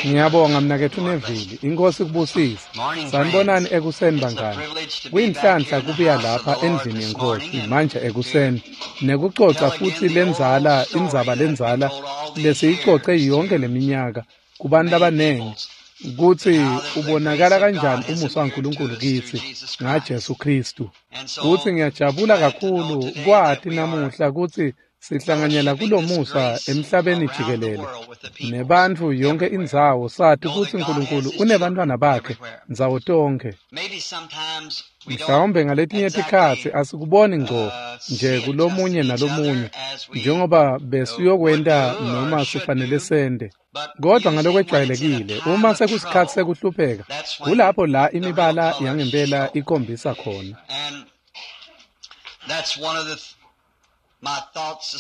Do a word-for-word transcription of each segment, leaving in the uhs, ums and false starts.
Ngiyabonga mnaketfu Neville, iNkosi kubusise. Sanibonani ekuseni bangani. Kuyinhlanhla kubuya lapha endlini yeNkhosi manje ekuseni nekucoca futsi lendzala indzaba lendzala lesiyicoce yonke leminyaka kubantu labanengi kutsi ubonakala kanjani umusa waNkulunkulu kitsi ngaJesu Khristu. Kutsi ngiyajabula kakhulu kwati namuhla kutsi sihlanganyela kulomusa emhlabeni jikelele nebantfu yonke indzawo sati kutsi Nkulunkulu unebantfwana bakhe ndzawo tonkhe. Mhlawumbe ngaletinye tikhatsi asikuboni ngco nje kulomunye nalomunye njengoba besiyokwenta noma sifanele sente. Kodwa ngalokwejwayelekile uma sekusikhatsi sekuhlupheka kulapho la imibala yangempela ikhombisa khona.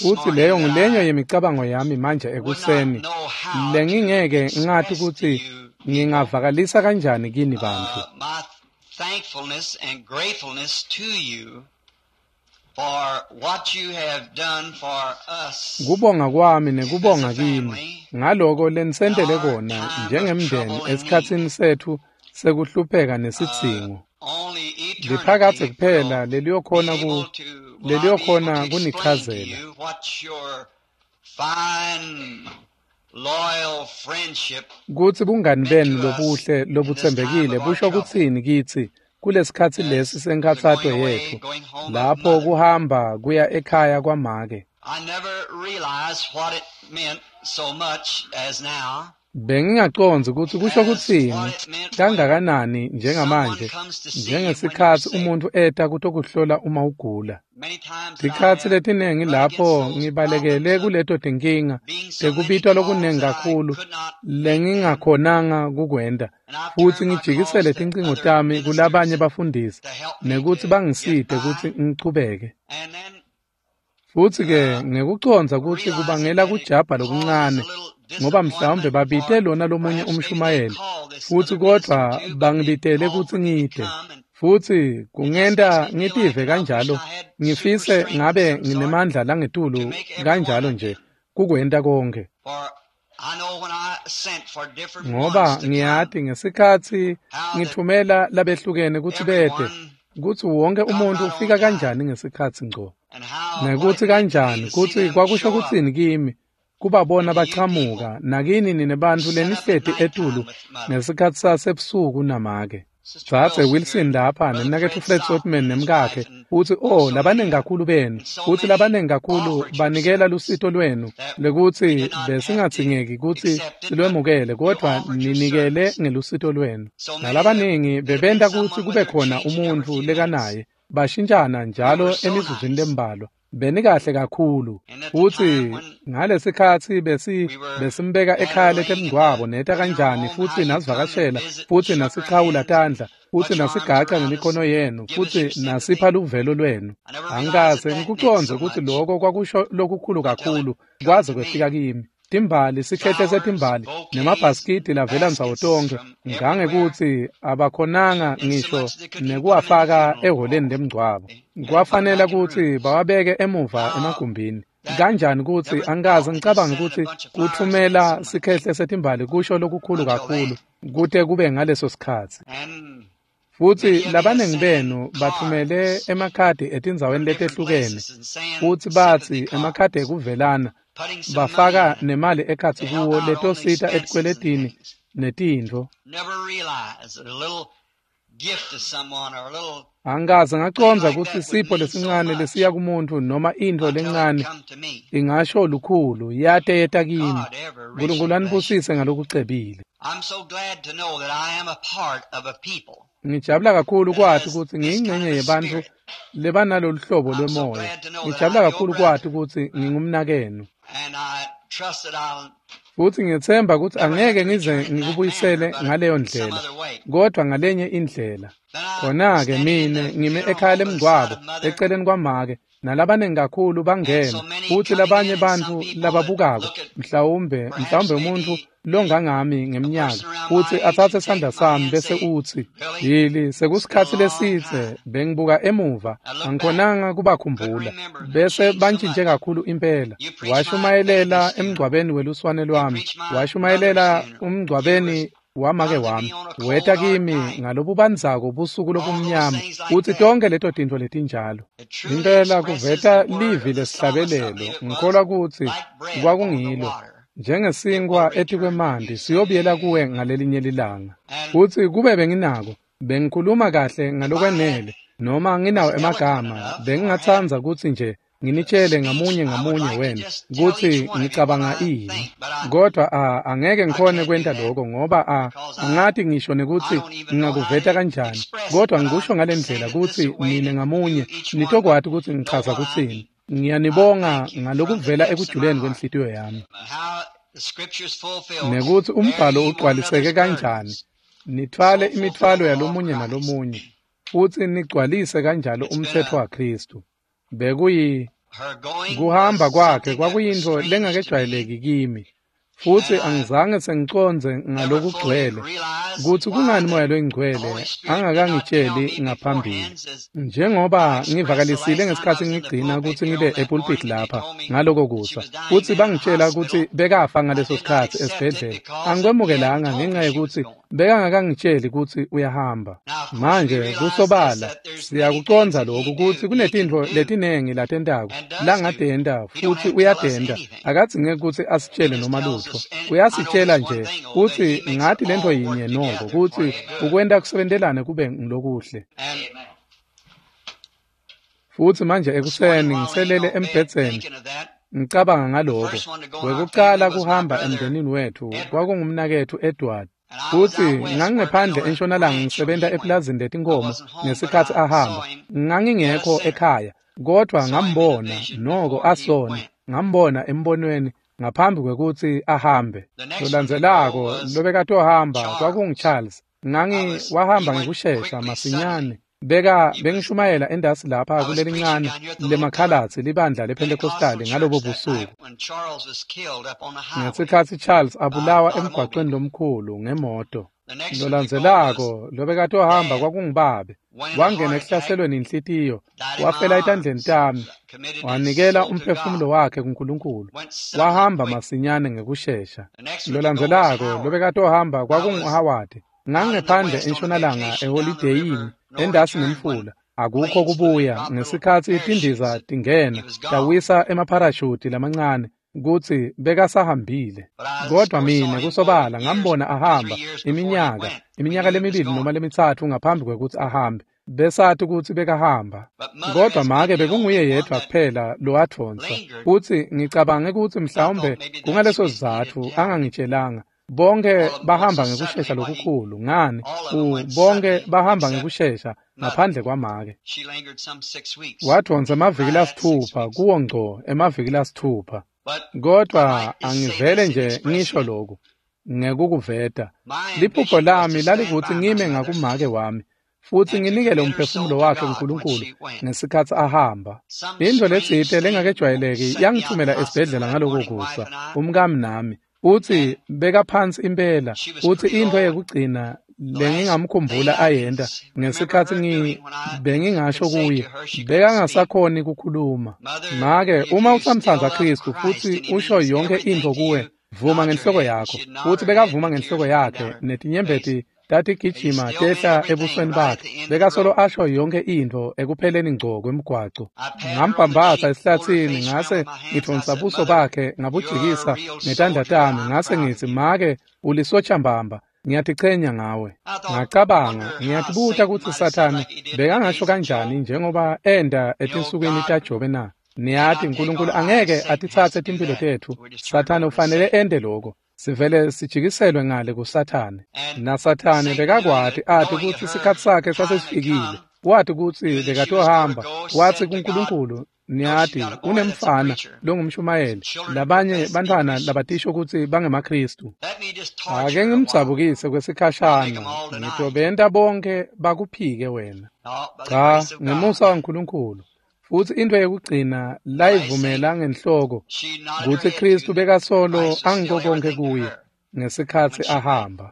Utsi leyo ngulenye yemicabango yami manje ekuseni lengingeke ngati kutsi ngingavakalisa kanjani kini bantfu. Kubonga kwami nekubonga kini ngaloko lenisentele kona njengemndeni esikhatsini setfu sekuhlupheka nesidzingo. Liphakadze kuphela leliyokhona ku leliyokhona kunichazela. Kutsi bungani benu lobuhle lobutsembekile busho kutsini kitsi kulesikhatsi lesi senkhatsato yetfu lapho kuhamba kuya ekhaya kwamake. Bengingacondzi kutsi kusho kutsini kangakanani njengamanje njengesikhatsi umuntfu eta kutokuhlola uma ugula. Tikhatsi letinengi lapho ngibalekele kuleto tinkinga tekubitwa lokunengi kakhulu lengingakhonanga kukwenta futsi ngijikisele tincingo tami kulabanye bafundisi nekutsi bangisite kutsi ngichubeke. Futsi-ke ngekucondza kutsi kubangela kujabha lokuncane ngoba mhlawumbe babite lona lomunye umshumayeli futsi kodvwa bangibitele kutsi ngite. Futsi kungenta ngitive kanjalo ngifise ngabe nginemandla langetulu kanjalo nje kukwenta konkhe. Ngoba ngiyati ngesikhatsi ngitfumela labehlukene kutsi bete kutsi wonke umuntfu ufika kanjani ngesikhatsi ngco. Nekutsi kanjani kutsi kwakusho kutsini kimi kubabona bachamuka nakini nine bantfu lenihleti etulu ngesikhatsi sasebusuku namake. Dzadze Wilson lapha nemnaketfu Fred Sothmann nemkakhe utsi oh labanengi kakhulu benu futsi labanengi kakhulu banikela lusito lwenu lekutsi besingadzingeki kutsi silwemukele kodvwa ninikele ngelusito lwenu. Nalabanengi bebenta kutsi kube khona umuntfu lekanaye bashintshana njalo emizuzwini lembalwa. Benikahle kakhulu futsi ngalesikhatsi besi besimbeka ekhaya letemngcwabo neta kanjani futsi nasivakashela futsi nasichawula tandla futsi nasigaca ngemikhono yenu futsi nasipha luvelo lwenu. Angikaze ngikucondze kutsi loko kwakusho lokukhulu kakhulu kwaze kwefika kimi. Timbali sikhehle setimbali nemabhasikidi lavela ndzawo tonkhe ngangekutsi abakhonanga ngisho nekuwafaka ehholeni lemngcwabo. Kwafanele kutsi bawabeke emuva emagumbini. Kanjani kutsi angikaze ngicabange kutsi kutfumela sikhehle setimbali kusho lokukhulu kakhulu kute kube ngaleso sikhatsi. Futsi labanengi benu bathumele emakhadi etindzaweni letehlukene futsi batsi emakhadi ekuvelana bafaka nemali ekhatsi kuwo letosita etikweletini netintfo. Angikaze ngacondza kutsi sipho lesincane lesiya kumuntfu noma intfo lencane ingasho lukhulu yate yeta kimi. Nkulunkulu anibusise ngalokucebile. Ngijabula kakhulu kwati kutsi ngiyingcenye yebantfu lebanalolu hlobo lwemoya. Ngijabula kakhulu kwati kutsi ngingumnakenu. Futsi ngiyetsemba kutsi angeke ngize ngikubuyisele ngaleyo ndlela kodvwa ngalenye indlela. Khona-ke mine ngime ekhaya lemngcwabo eceleni kwamake Nalabaningi kakhulu bangena futhi labanye bantfu lababukako mhlawumbe mhlawumbe umuntu longangami ngeminyaka futhi atsatse sandla sami bese utsi yili sekusikhatsi lesitse bengibuka emuva angikhonanga kubakhumbula bese bantshintshe kakhulu impela. Washumayelela emngcwabeni weluswane lwami, washumayelela umngcwabeni wamake wami, weta kimi ngalobubandzako busuku lobumnyama utsi tonke leto tintfo letinjalo. Impela kuveta livi lesihlabelelo ngikholwa kutsi kwakungilo njengesinkwa etikwemanti siyobuyela kuwe ngalelinye lilanga. Futsi kube benginako bengikhuluma kahle ngalokwenele noma nginawo emagama bengingatsandza kutsi nje nginitshele ngamunye ngamunye wena kutsi ngicabanga ini, kodwa a angeke ngikhone kwenta lokho ngoba a angati ngisho nekutsi ngingakuveta kanjani, kodwa ngikusho ngalendlela kutsi nine ngamunye nitokwati kutsi ngichaza kutsini. Ngiyanibonga ngalokuvela ekujuleni kwenhlitiyo yami nekutsi umbhalo ugcwaliseke kanjani, nithwale imithwalo yalomunye nalomunye futsi nigcwalise kanjalo umtsetfo waKhristu. Bekuyi kuhamba kwakhe kwakuyintfo lengakejwayeleki kimi futsi angizange sengicondze ngalokugcwele kutsi kungani Moya loyiNgcwele angakangitsheli ngaphambili. Njengoba ngivakalisile ngesikhatsi ngigcina kutsi ngibe epulpit lapha ngaloko kusa futsi bangitshela kutsi bekafa ngaleso sikhatsi esibhedlela, angikwemukelanga ngenxa yekutsi bekangakangitsheli kutsi uyahamba. Manje kusobala siyakucondza lokhu kutsi kunetintfo letinengi latentako langatenta futsi uyatenta, akadzingeki kutsi asitshele noma lutfo, uyasitshela nje kutsi ngati lentfo yinye noko kutsi ukwenta kusebentelane kube ngilokuhle. Futsi manje ekuseni ngiselele embhedzeni ngicabanga ngaloko. Wekucala kuhamba emndenini wetfu kwakungumnaketfu Edward. Futsi ngangingephandle entshonalanga ngisebenta epulazini letinkhomo ngesikhatsi ahamba. Ngangingekho ekhaya kodvwa ngambona noko asona, ngambona embonweni ngaphambi kwekutsi ahambe. Lolandzelako lobekatohamba kwakunguCharles. Ngangi wahamba ngekushesha masinyane. Beka bengishumayela endasi lapha kulelincane lemakhalatsi libandla lePentecostali ngalobo busuku. Ngesikhatsi Charles abulawa emgwaqweni lomkhulu ngemoto. Lolandzelako lobekatohamba kwakungubabe. Wangena ekuhlaselweni inhlitiyo, wafela etandleni tami, wanikela umphefumulo wakhe kuNkulunkulu. Wahamba masinyane ngekushesha. Lolandzelako lobekatohamba kwakunguHoward. Ngangingephandle entshonalanga eholideyini endasi nemfula. Akukho kubuya ngesikhatsi tindiza tingena tawisa emapharashuti lamancane kutsi bekasahambile. Kodwa mine kusobala ngambona ahamba iminyaka iminyaka lemibili noma lemitsatfu ngaphambi kwekutsi ahambe, besati kutsi bekahamba. Kodwa make bekunguye yedvwa kuphela lowadvonsa futsi ngicabange kutsi mhlawumbe kungaleso sizatfu angangitshelanga. Bonke bahamba ngekushesha lokukhulu ngani bonke bahamba ngekushesha ngaphandle kwamake. Wadvonsa emaviki lasitfupha kuwo ngco emaviki lasitfupha. Kodwa angivele nje ngisho lokhu ngekukuveta. Liphupho lami lalikutsi ngime ngakumake wami futsi nginikele umphefumulo wakhe kuNkulunkulu ngesikhatsi ahamba. Intfo letsite lengakejwayeleki yangithumela esibhedlela ngaloko kusa umkami nami. Utsi bekaphansi impela utsi intfo yekugcina lengingamkhumbula ayenta ngesikhatsi ngi bengingasho kuye bekangasakhoni kukhuluma. Make uma usamtsandza Khristu futsi usho yonke intfo kuwe vuma ngenhloko yakho. Futsi bekavuma ngenhloko yakhe netinyembeti tatigijima tehla ebusweni bakhe. Bekasolo asho yonke intfo ekupheleni ngco kwemgwaco. Ngambhambatha esihlathini ngase ngidvonsa buso bakhe ngabujikisa ngetandla tami ngase ngitsi make ulisotsha mbamba ngiyatichenya ngawe. Ngacabanga ngiyatibuta kutsi Sathane bekangasho kanjani njengoba enda etinsukwini taJobe na. Niyati uNkulunkulu angeke atitsatse timphilo tetfu. Sathane ufanele ende lokho. Sivele sijikiselwe ngale kuSathane. NaSathane bekakwati ati kutsi sikhatsi sakhe sasesifikile. Wati kutsi bekatohamba. Watsi kuNkulunkulu niyati kunemfana longumshumayeli labanye bantfwana labatisho kutsi bangemaKhristu. Ake ngimdzabukise kwesikhashana ngitobenta bonke bakuphike wena. Cha, ngemusa waNkulunkulu. Futsi intfo yekugcina layivumela ngenhloko kutsi Khristu bekasolo angiko konkhe kuye ngesikhatsi ahamba.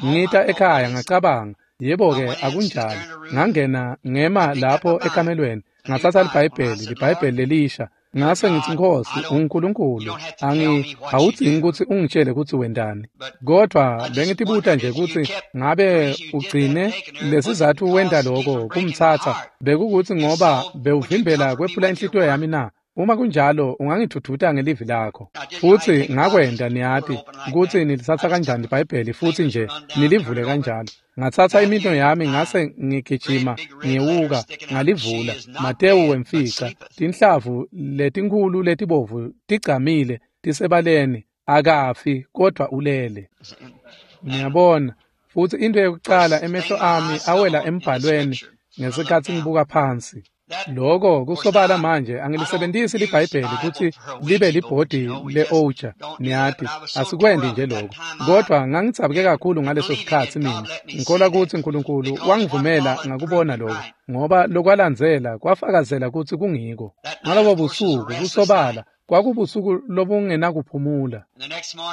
Ngita ekhaya ngacabanga, yebo-ke akunjalo. Ngangena ngema lapho ekamelweni, ngatsatsa liBhayibheli, liBhayibheli lelisha. Ngase ngitsi, Nkhosi, unguNkulunkulu, angi awudzingi kutsi ungitshele kutsi wentani. Kodvwa bengitibuta nje kutsi ngabe ugcine lesizatfu wenta lokho kumtsatsa bekukutsi ngoba bewuvimbela kwephula inhlitiyo yami na? Uma kunjalo ungangidvudvuta ngelivi lakho. Futsi ngakwenta, niyati kutsi nilitsatsa kanjani liBhayibheli futsi nje nilivule kanjalo. Ngatsatsa imino yami ngase ngigijima ngewuka ngalivula. Matewu wemfica, tinhlavu letinkhulu letibovu tigcamile tisebaleni, akafi kodvwa ulele. Niyabona, futsi intfo yekucala emehlo ami awela embhalweni ngesikhatsi ngibuka phansi. Lokho kusobala manje angilisebentisi liBhayibheli kutsi libe libhodi le-ouija, niyati, asikwendi nje lokho. Kodvwa ngangidzabuke kakhulu ngaleso sikhatsi mina, ngikholwa kutsi Nkulunkulu wangivumela ngakubona lokho, ngoba lokwalandzela kwafakazela kutsi kungiko. Ngalobo busuku kusobala kwakubusuku lobungenakuphumula.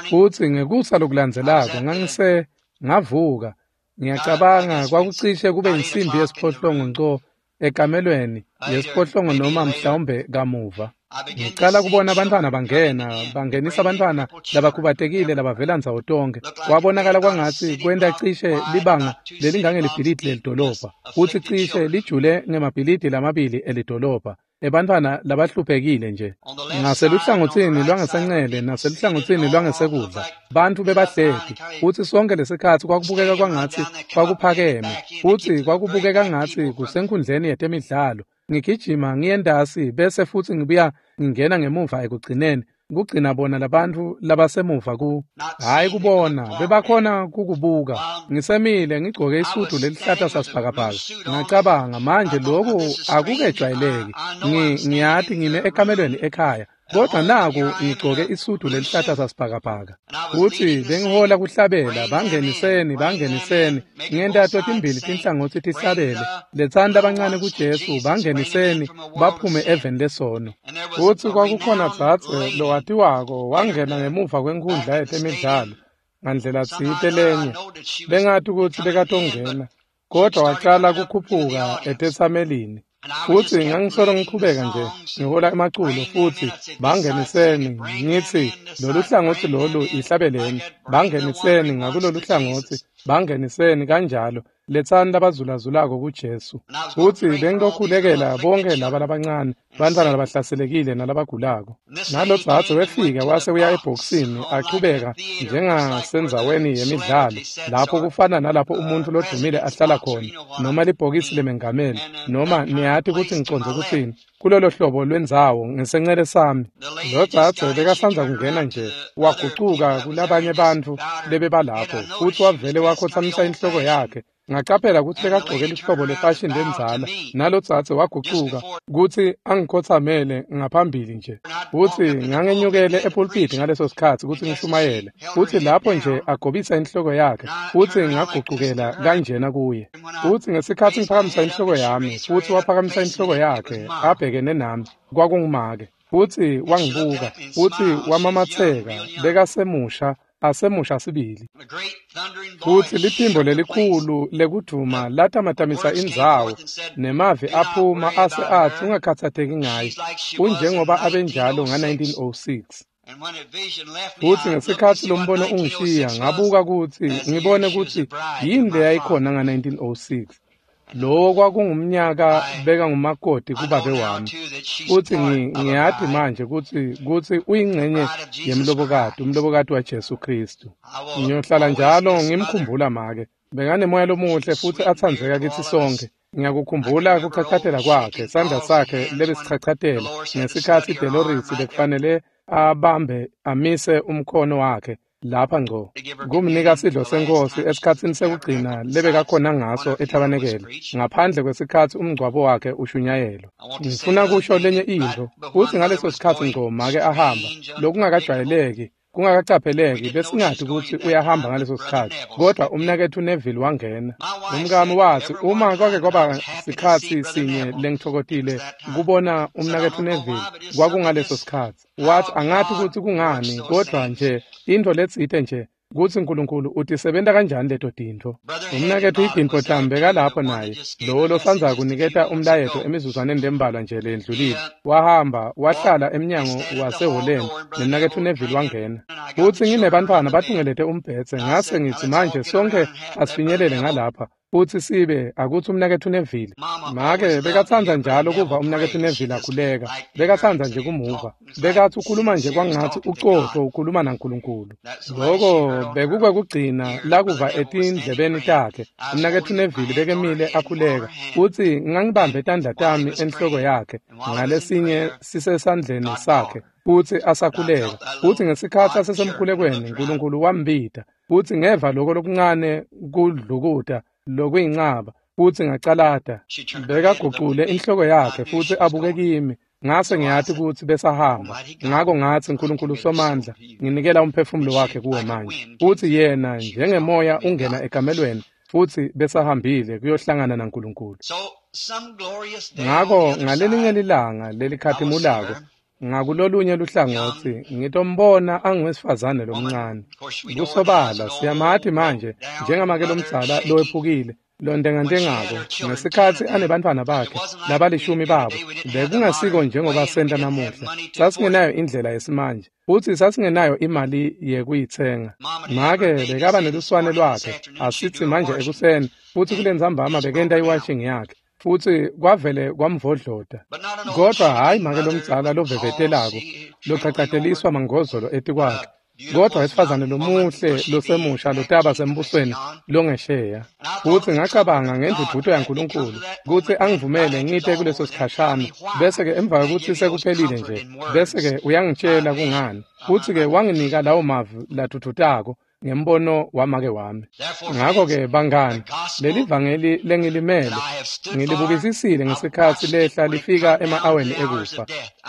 Futsi ngekusa lokulandzelako ngangise ngavuka, ngiyacabanga kwakucishe kube insimbi yesiphohlongo nco ekamelweni yesiphohlongo noma mhlawumbe kamuva. Ngicala kubona abantwana bangena, bangenisa abantwana labakhubatekile labavela ndzawo tonkhe. Kwabonakala kwangatsi kwenta cishe libanga lelingangelibhilidi lelidolobha, futsi cishe lijule ngemabhilidi lamabili elidolobha, ebantfwana labahluphekile nje. Ngaseluhlangotsini lwangasencele naseluhlangotsini lwangesekudla, bantfu bebahleti, futsi sonke lesikhatsi kwakubukeka kwangatsi kwakuphakeme, futsi kwakubukeka ngatsi kusenkhundleni yetemidlalo. Ngigijima ngiyentasi bese futsi ngibuya ngingena ngemuva ekugcineni, kugcina bona labantfu labasemuva ku hhayi kubona, bebakhona kukubuka. Ngisemile ngigcoke isudu lelihlata sasibhakabhaka. Ngacabanga, manje lokhu akukejwayeleki. Ngi ngiyati ngime ekamelweni ekhaya, kodwa naku ngigcoke isudu lelihlata sasibhakabhaka. Futsi bengihola kuhlabela, bangeniseni, bangeniseni, ngenta totimbili tinhlangotsi tihlabele, letsani labancane kuJesu, bangeniseni, baphume eveni lesono. Futsi kwakukhona dzadze lowatiwako wangena ngemuva kwenkhundla yetemidlalo ngandlela tsite lenye, bengati kutsi bekatongena, kodvwa wacala kukhuphuka etetsamelini. Futsi ngangisolo ngichubeka nje ngihola emaculo futsi bangeniseni, ngitsi lolu hlangotsi lolu ihlabeleni, bangeniseni ngakulolu hlangotsi, bangeniseni kanjalo, letsani labazulazulako kuJesu. Futsi bengilokhulekela bonke laba labancane, bantfwana labahlaselekile nalabagulako. Nalo dzadze wefika wase uya ebhokisini achubeka njengasendzaweni yemidlalo, lapho kufana nalapho umuntfu lodumile ahlala khona, noma libhokisi lemengameli, noma niyati kutsi ngicondze kutsini, kulolo hlobo lwendzawo ngesencele sami. Lo dzadze bekasandza kungena nje, wagucuka kulabanye bantfu lebebalapho, futsi wavele wakhotsamisa inhloko yakhe. Ngacaphela kutsi bekagcoke lihlobo lefashini lendzala, nalo dzadze wagucuka kutsi angikhotsamele ngaphambili nje. Futsi ngangenyukele epulpiti ngaleso sikhatsi kutsi ngishumayele, futsi lapho nje agobisa inhloko yakhe, futsi ngagucukela kanjena kuye. Futsi ngesikhatsi ngiphakamisa inhloko yami, futsi waphakamisa inhloko yakhe abhekene nami, kwakungumake. Futsi wangibuka, futsi wamamatseka, bekasemusha, asemusha sibili. Futsi liphimbo lelikhulu lekudvuma latamatamisa indzawo, nemavi aphuma ase atsi ungakhatsateki ngaye, unjengoba abenjalo nga nineteen oh six. Futsi ngesikhatsi lombono ungishiya, ngabuka kutsi ngibone kutsi yini leyayikhona nga nineteen oh six. Lowo kwakungumnyaka beka ngumakoti kubabe wami. Futsi ngiyati manje kutsi kutsi uyingcenye yemlobokati, umlobokati waJesu Khristu. Ngiyohlala njalo ngimkhumbula make. Bekanemoya lomuhle futsi atsandzeka kitsi sonkhe. Ngiyakukhumbula kuchachatela kwakhe, sandla sakhe lebesichachatela ngesikhatsi Dolores bekufanele abambe amise umkhono wakhe lapha ngco kumnika sidlo senkosi esikhatsini sekugcina lebekakhona ngaso ethabanekele, ngaphandle kwesikhatsi umngcwabo wakhe ushunyayelwa. Ngifuna kusho lenye intfo, futsi ngaleso sikhatsi ngco make ahamba, lokungakajwayeleki Kungakacapheleki besingati kutsi uyahamba ngaleso sikhatsi, kodwa umnaketfu Neville wangena. Umkami watsi uma kwake kwaba sikhatsi sinye lengitfokotile kubona umnaketfu Neville kwakungaleso sikhatsi. Watsi angati kutsi kungani, kodwa nje intfo letsite nje kutsi Nkulunkulu utisebenta kanjani leto tintfo. Umnaketfu Higginbotham bekalapho naye, lowo losandza kuniketa umlayeto emizuzwaneni lembalwa nje leyendlulile. Wahamba wahlala emnyango wasehholeni nemnaketfu Neville wangena. Futsi nginebantfwana batungelete umbhedze, ngase ngitsi manje sonkhe asifinyelele ngalapha futsi sibe akutsi umnaketfu Neville. Make bekatsandza njalo kuva umnaketfu Neville akhuleka, bekatsandza nje kumuva. Bekatsi ukhuluma nje kwangatsi ucotfo ukhuluma naNkulunkulu. Loko bekukwekugcina lakuva etindlebeni takhe. Umnaketfu Neville bekemile akhuleka, futsi ngangibambe tandla tami enhloko yakhe ngalesinye sisesandleni sakhe futsi asakhuleka. Futsi ngesikhatsi asesemkhulekweni Nkulunkulu wambita, futsi ngeva loko lokuncane kudlukuta lokuyincaba, futsi ngacalata. Bekagucule inhloko yakhe futsi abuke kimi, ngase ngiyati kutsi besahamba. Ngako ngatsi Nkulunkulu Somandla, nginikela umphefumulo wakhe kuwe manje. Futsi yena njengemoya ungena ekamelweni, futsi besahambile kuyohlangana naNkulunkulu. Ngako ngalelinye lilanga lelikhatimulako ngakulolunye luhlangotsi ngitombona anguwesifazane lomncane. Kusobala siyamati manje njengamake lomdzala lowephukile lontengantengako ngesikhatsi anebantfwana bakhe labalishumi babo. Bekungasiko njengoba senta namuhla. Sasingenayo indlela yesimanje futsi sasingenayo imali yekuyitsenga. Make bekaba neluswane lwakhe asitsi manje ekuseni, futsi kulentsambama bekenta iwashing yakhe, futsi kwavele kwamvodlota. Kodwa hhayi make lomdzala lovevetelako locacateliswa mangozolo etikwakhe, kodwa wesifazane lomuhle losemusha lotaba sembusweni longesheya. Futsi ngacabanga ngendvudvuto yaNkulunkulu kutsi angivumele ngite kuleso sikhashana, bese-ke emva kwekutsi sekuphelile nje, bese-ke uyangitshela kungani. Futsi-ke wanginika lawo mavi ladvudvutako ngembono wamake wami. Ngako-ke bangani, leli vangeli lengilimele ngilibukisisile ngesikhatsi lehla lifika ema-aweni ekufa.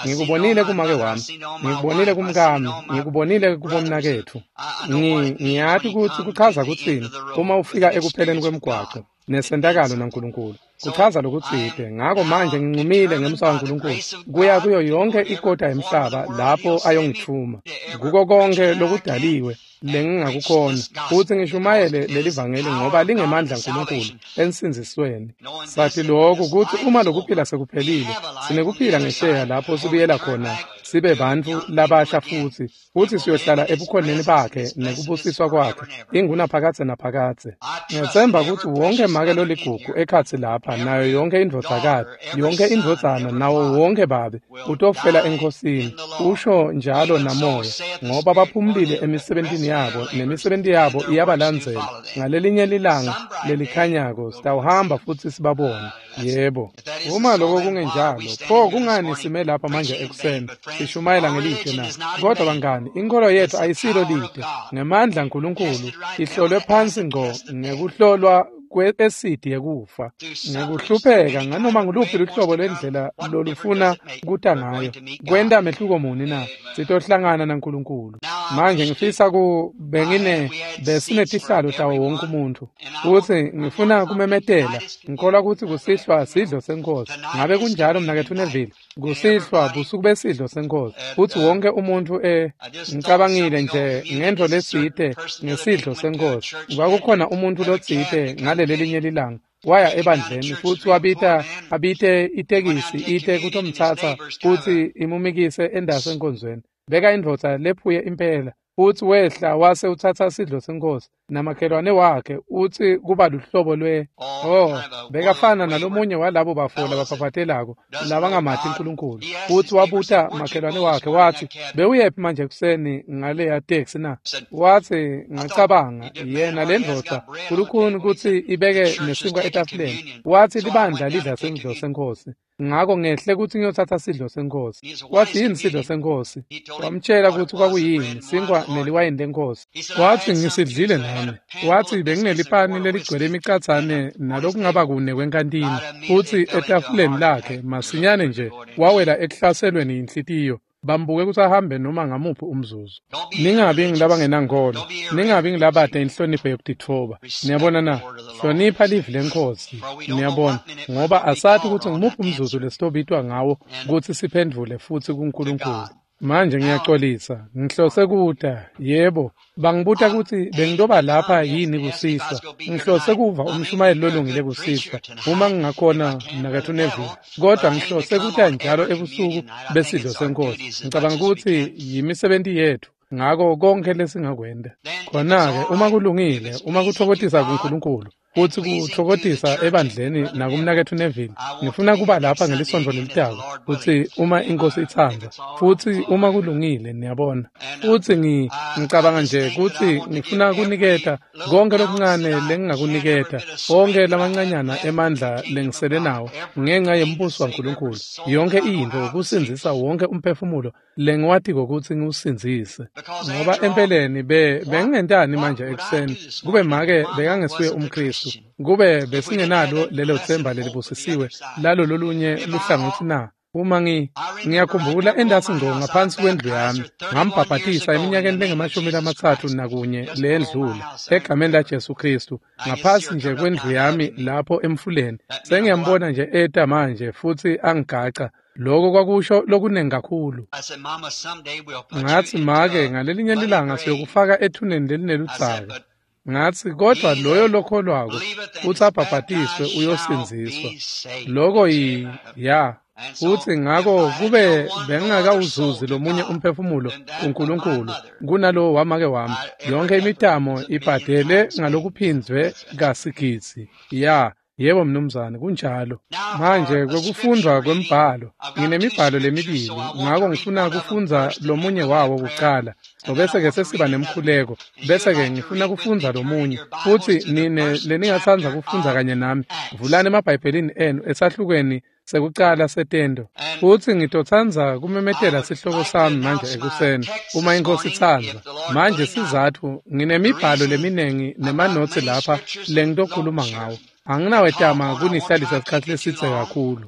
Ngikubonile kumake wami, ngikubonile kumkami, ngikubonile kubomnaketfu. Ngiyati kutsi kuchaza kutsini uma ufika ekupheleni kwemgwaco nesentakalo naNkulunkulu. Kuchaza lokutsite. Ngako manje ngincumile ngemsa waNkulunkulu kuya kuyo yonke ikota yemhlaba lapho ayongithuma kuko konke lokudaliwe lengingakukhona, futsi ngishumayele leli vangeli ngoba lingemandla aNkulunkulu ensindzisweni. Sathi lokhu kutsi uma lokuphila sekuphelile, sinekuphila ngesheya lapho sibuyela khona sibe bantfu labasha futsi, futsi siyohlala ebukhoneni bakhe nekubusiswa kwakhe ingunaphakadze naphakadze. Ngiyetsemba kutsi wonke make loligugu ekhatsi lapha nayo yonke indvodzakati, yonke indvodzana nawo wonke babe utofela eNkhosini, usho njalo namoya, ngoba baphumulile emisebentini yabo nemisebenti yabo iyabalandzela. Ngalelinye lilanga lelikhanyako sitawuhamba futsi sibabone. Yebo, uma loko kungenjalo, pho kungani sime lapha manje ekuseni sishumayela ngelitshe na? Kodwa bangani, inkolo yethu ayisilo lide. Ngemandla aNkulunkulu ihlolwe phansi ngco ngekuhlolwa kwe-esidi yekufa, ngekuhlupheka nganoma nguluphi luhlobo lwendlela lolufuna kuta ngayo. Kwenta mehluko muni na? Sitohlangana naNkulunkulu. Manje ngifisa ku bengine besinetihlalo tawo wonke umuntu, futsi ngifuna kumemetela ngikholwa kutsi kusihlwa sidlo seNkhosi. Ngabe kunjalo mnaketfu Neville? Kusihlwa busuku besidlo seNkhosi, futsi wonke umuntu e ngicabangile nje ngentfo letsite ngesidlo seNkhosi. Kwakukhona umuntu lotsite ngalelelinye lilanga waya ebandleni futsi wabita abite itekisi ite kutomtsatsa futsi imumikise endase enkonzweni. Beka indvodza lephuye impela, futsi wehla wase utsatsa sidlo seNkhosi namakhelwane wakhe, utsi kuba luhlobo lwe oh bekafana nalomunye walabo bafo labaphaphazelako labangamati uNkulunkulu. Futsi wabuta makhelwane wakhe watsi, bewuyephi manje ekuseni ngaleya taxi na? Watsi, ngacabanga yena le ndvodza kulukhuni kutsi ibeke nesinkwa etafuleni. Watsi libandla lidla sidlo seNkhosi, ngako ngehle kutsi ngiyotsatsa sidlo seNkhosi. Watsi, yini sidlo seNkhosi? Wamtshela kutsi kwakuyini, sinkwa neliwayini leNkhosi. Watsi, ngisidlile nami. Watsi, benginelipani leligcwele imicatsane nalokungaba kune kwenkantini. Futsi etafuleni lakhe masinyane nje wawela ekuhlaselweni yinhlitiyo. Bambuke kutsi ahambe noma ngamuphi umzuzu. Ningabi ngilabangenankholo, ningabi ngilabade inhlonipho yekutitfoba. Niyabona na? Hlonipha livi leNkhosi. Niyabona, ngoba asathi kutsi ngumuphi umzuzu lesitobitwa ngawo kutsi siphendvule futsi kuNkulunkulu. Manje ngiyaxolisa, ngihlose kuta, yebo, bangibuta kutsi bengitoba lapha yini kusihlwa. Ngihlose kuva umshumayeli lolungile kusihlwa, uma ngingakhona mnaketfu Neville. Kodwa ngihlose kuta njalo ebusuku besidlo seNkhosi. Ngicabanga kutsi yimisebenti yetfu, ngako konkhe lesingakwenta. Khona-ke uma kulungile, uma kutfokotisa kuNkulunkulu, futsi kutfokotisa ebandleni nakumnaketfu Neville, ngifuna kuba lapha ngelisontfo lelitako, kutsi uma iNkhosi itsandza, futsi uma kulungile, niyabona. Futsi ngi ngicabanga nje kutsi ngifuna kuniketa konkhe lokuncane lengingakuniketa, onkhe lamancanyana emandla lengisele nawo ngenca yembuso waNkulunkulu, yonke intfo kusindzisa wonke umphefumulo lengiwatiko kutsi ngiwusindzise. Ngoba empeleni be bengingentani manje ekuseni kube make bekangesuye umKhristu, kube besingenalo lelo themba lelibusisiwe lalo lolunye luhlangotsi na? Uma ngi ngiyakhumbula endasi ngqo ngaphansi kwendlu yami ngambhabhatisa eminyakeni lengemashumi lamatsatfu nakunye leyendlula egameni laJesu Khristu, ngaphasi nje kwendlu yami lapho emfuleni. Sengiyambona nje eta manje futsi angigaca. Lokho kwakusho lokunengi kakhulu. Ngatsi, make, ngalelinye lilanga siyokufaka ethuneni lelineludzaka. Ngatsi, kodwa loyo lokholwako futsi abhabhatiswe uyosindziswa. Loko yi ya. Futsi ngako kube bengingakawuzuzi lomunye umphefumulo kuNkulunkulu kunalowo wamake wami, yonke imitamo ibhadele ngalokuphindzwe kasigidzi. Ya. Yebo mnumzane, kunjalo. Manje kwekufundwa kwembhalo, nginemibhalo lemibili, ngako ngifuna kufundza lomunye wawo kuqala, bese-ke sesiba nemkhuleko, bese-ke ngifuna kufundza lomunye. Futsi nine leningatsandza kufundza kanye nami, vulani emabhayibhelini enu esahlukweni sekucala setento. Futsi ngitotsandza kumemetela sihloko sami manje ekuseni, uma iNkhosi itsandza. Manje sizatfu, nginemibhalo leminengi nemanotsi lapha lengitokhuluma ngawo. Anginawetama kunihlalisa isikhatsi lesidze kakhulu.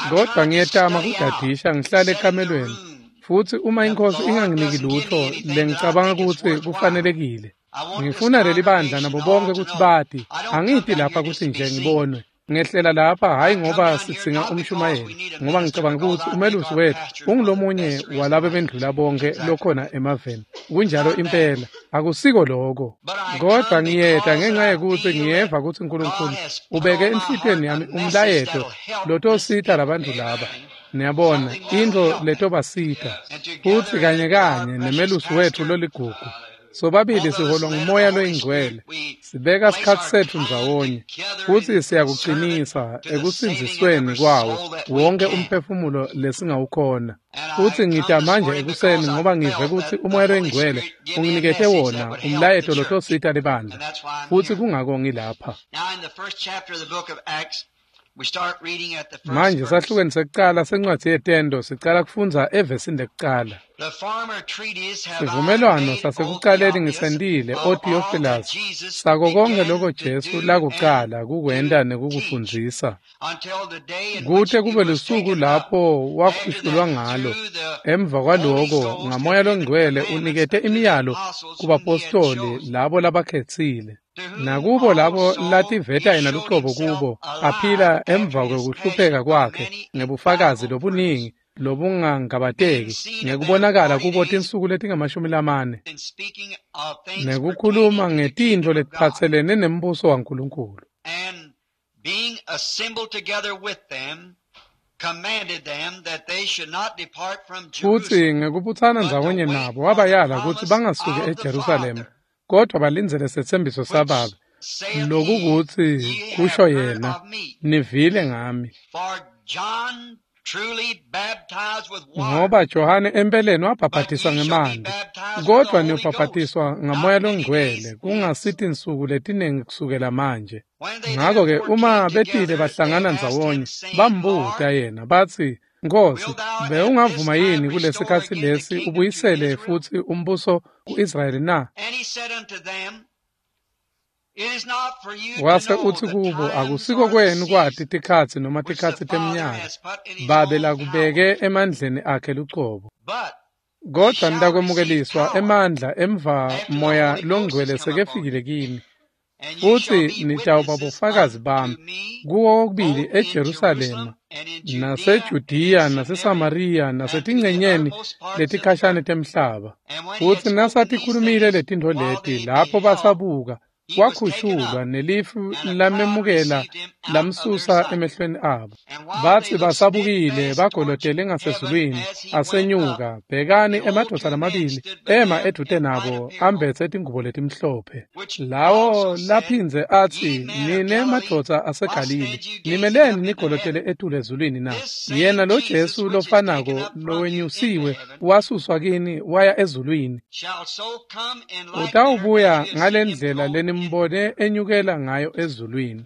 Kodwa ngiyetama kudadisha ngihlale ekamelweni. Futsi uma iNkhosi inganginiki lutfo lengicabanga kutsi kufanelekile, ngifuna leli bandla nabo bonke kutsi bati. Angiti lapha kutsi nje ngibonwe. Ngehlela lapha hayi ngoba sidzinga umshumayeli, ngoba ngicabanga kutsi umelusi wetfu ungulomunye walabo bendlula bonke lokhona emaveni. Kunjalo impela, akusiko lokho. Kodwa ngiyeta ngenxa yekutsi ngiyeva kutsi uNkulunkulu ubeke enhlitiyweni yami umlayeto lotosita labantu laba. Niyabona, intfo letobasita. Futsi kanye kanye nemelusi wetfu loligugu, sobabili siholwa nguMoya loyiNgcwele, sibeka sikhatsi setfu ndzawonye, futsi siyakucinisa ekusindzisweni kwawo wonke umphefumulo lesingawukhona. Futsi ngita manje ekuseni ngoba ngive kutsi uMoya loyiNgcwele unginikete wona umlayeto lotosita libandla, futsi kungako ngilapha. Manje sahlukweni sekucala sencwadzi yetento sicala kufundza evesini lekucala. Sivumelwano sasekucaleni ngisentile, O Theophilus, sako konkhe loko Jesu lakucala kukwenta nekukufundzisa, kute kube lusuku lapho wakhushulwa ngalo. Emva kwaloko ngaMoya loNgcwele unikete imiyalo kubapostoli labo labakhetsile, nakubo labo lativeta yena lucobo kubo, aphila emva kwekuhlupheka kwakhe ngebufakazi lobuningi lobungangabateki, ngekubonakala kubo tinsuku letingamashumi lamane, nekukhuluma ngetintfo letiphatselene nembuso waNkulunkulu. Futsi ngekubutsana ndzawonye nabo wabayala kutsi bangasuki eJerusalema, kodwa balindzele setsembiso saBabe, lokukutsi kusho yena, nivile ngami. Ngoba Johane empeleni wabhabhatiswa ngemanti, kodwa niyobhabhatiswa ngaMoya loNgcwele kungasithi insuku letinengi kusukela manje. Ngako-ke uma betile bahlangana ndzawonye, bambuta yena batsi, Nkosi, bewungavuma yini kulesikhatsi lesi ubuyisele futsi umbuso ku-Israyeli na? Wase utsi kubo, akusiko kwenu kwati tikhatsi noma tikhatsi teminyaka, Babe lakubeke emandleni akhe lucobo. Kodwa nitakwemukeliswa emandla emva Moya Longcwele sekefikile kini, futsi nitawuba bofakazi bami kuwo kokubili eJerusalema naseJudiya naseSamariya nasetincenyeni letikhashane temhlaba. Futsi nasatikhulumile letintfo leti, lapho basabuka, wakhushulwa nelifu lamemukela lamsusa emehlweni abo. Batsi basabukile bagolotele ngasezulwini asenyuka, bhekani emadvodza lamabili ema edvute nabo ambetse tingubo letimhlophe. Lawo laphindze atsi, nine madvodza aseGalile, nimeleni nigolotele etulu ezulwini na? Yena lo Jesu lofanako lowenyusiwe wasuswa kini waya ezulwini. Utawubuya ngalendlela lenimbone enyukela ngayo ezulwini.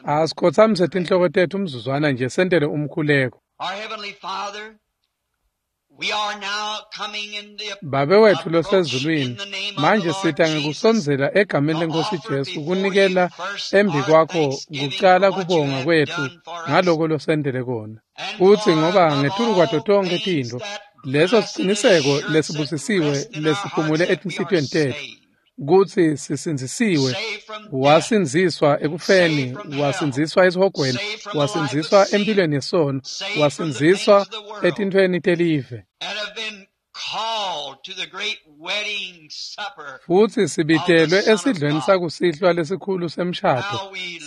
Asikhotsamise tinhloko tetfu umzuzwana nje sentele umkhuleko. Babe wetfu losezulwini, manje sita ngekusondzela egameni leNkhosi Jesu kunikela embi kwakho kucala kubonga kwetfu ngaloko losentele kona. Futsi ngoba ngetulu kwato tonkhe tintfo, leso siciniseko lesibusisiwe lesiphumule etinhlitiyweni tetfu, kutsi sisindzisiwe, wasindziswa ekufeni, wasindziswa esihogweni, wasindziswa empilweni yesono, wasindziswa etintfweni telive. Futsi sibitelwe esidlweni sakusihlwa lesikhulu semshado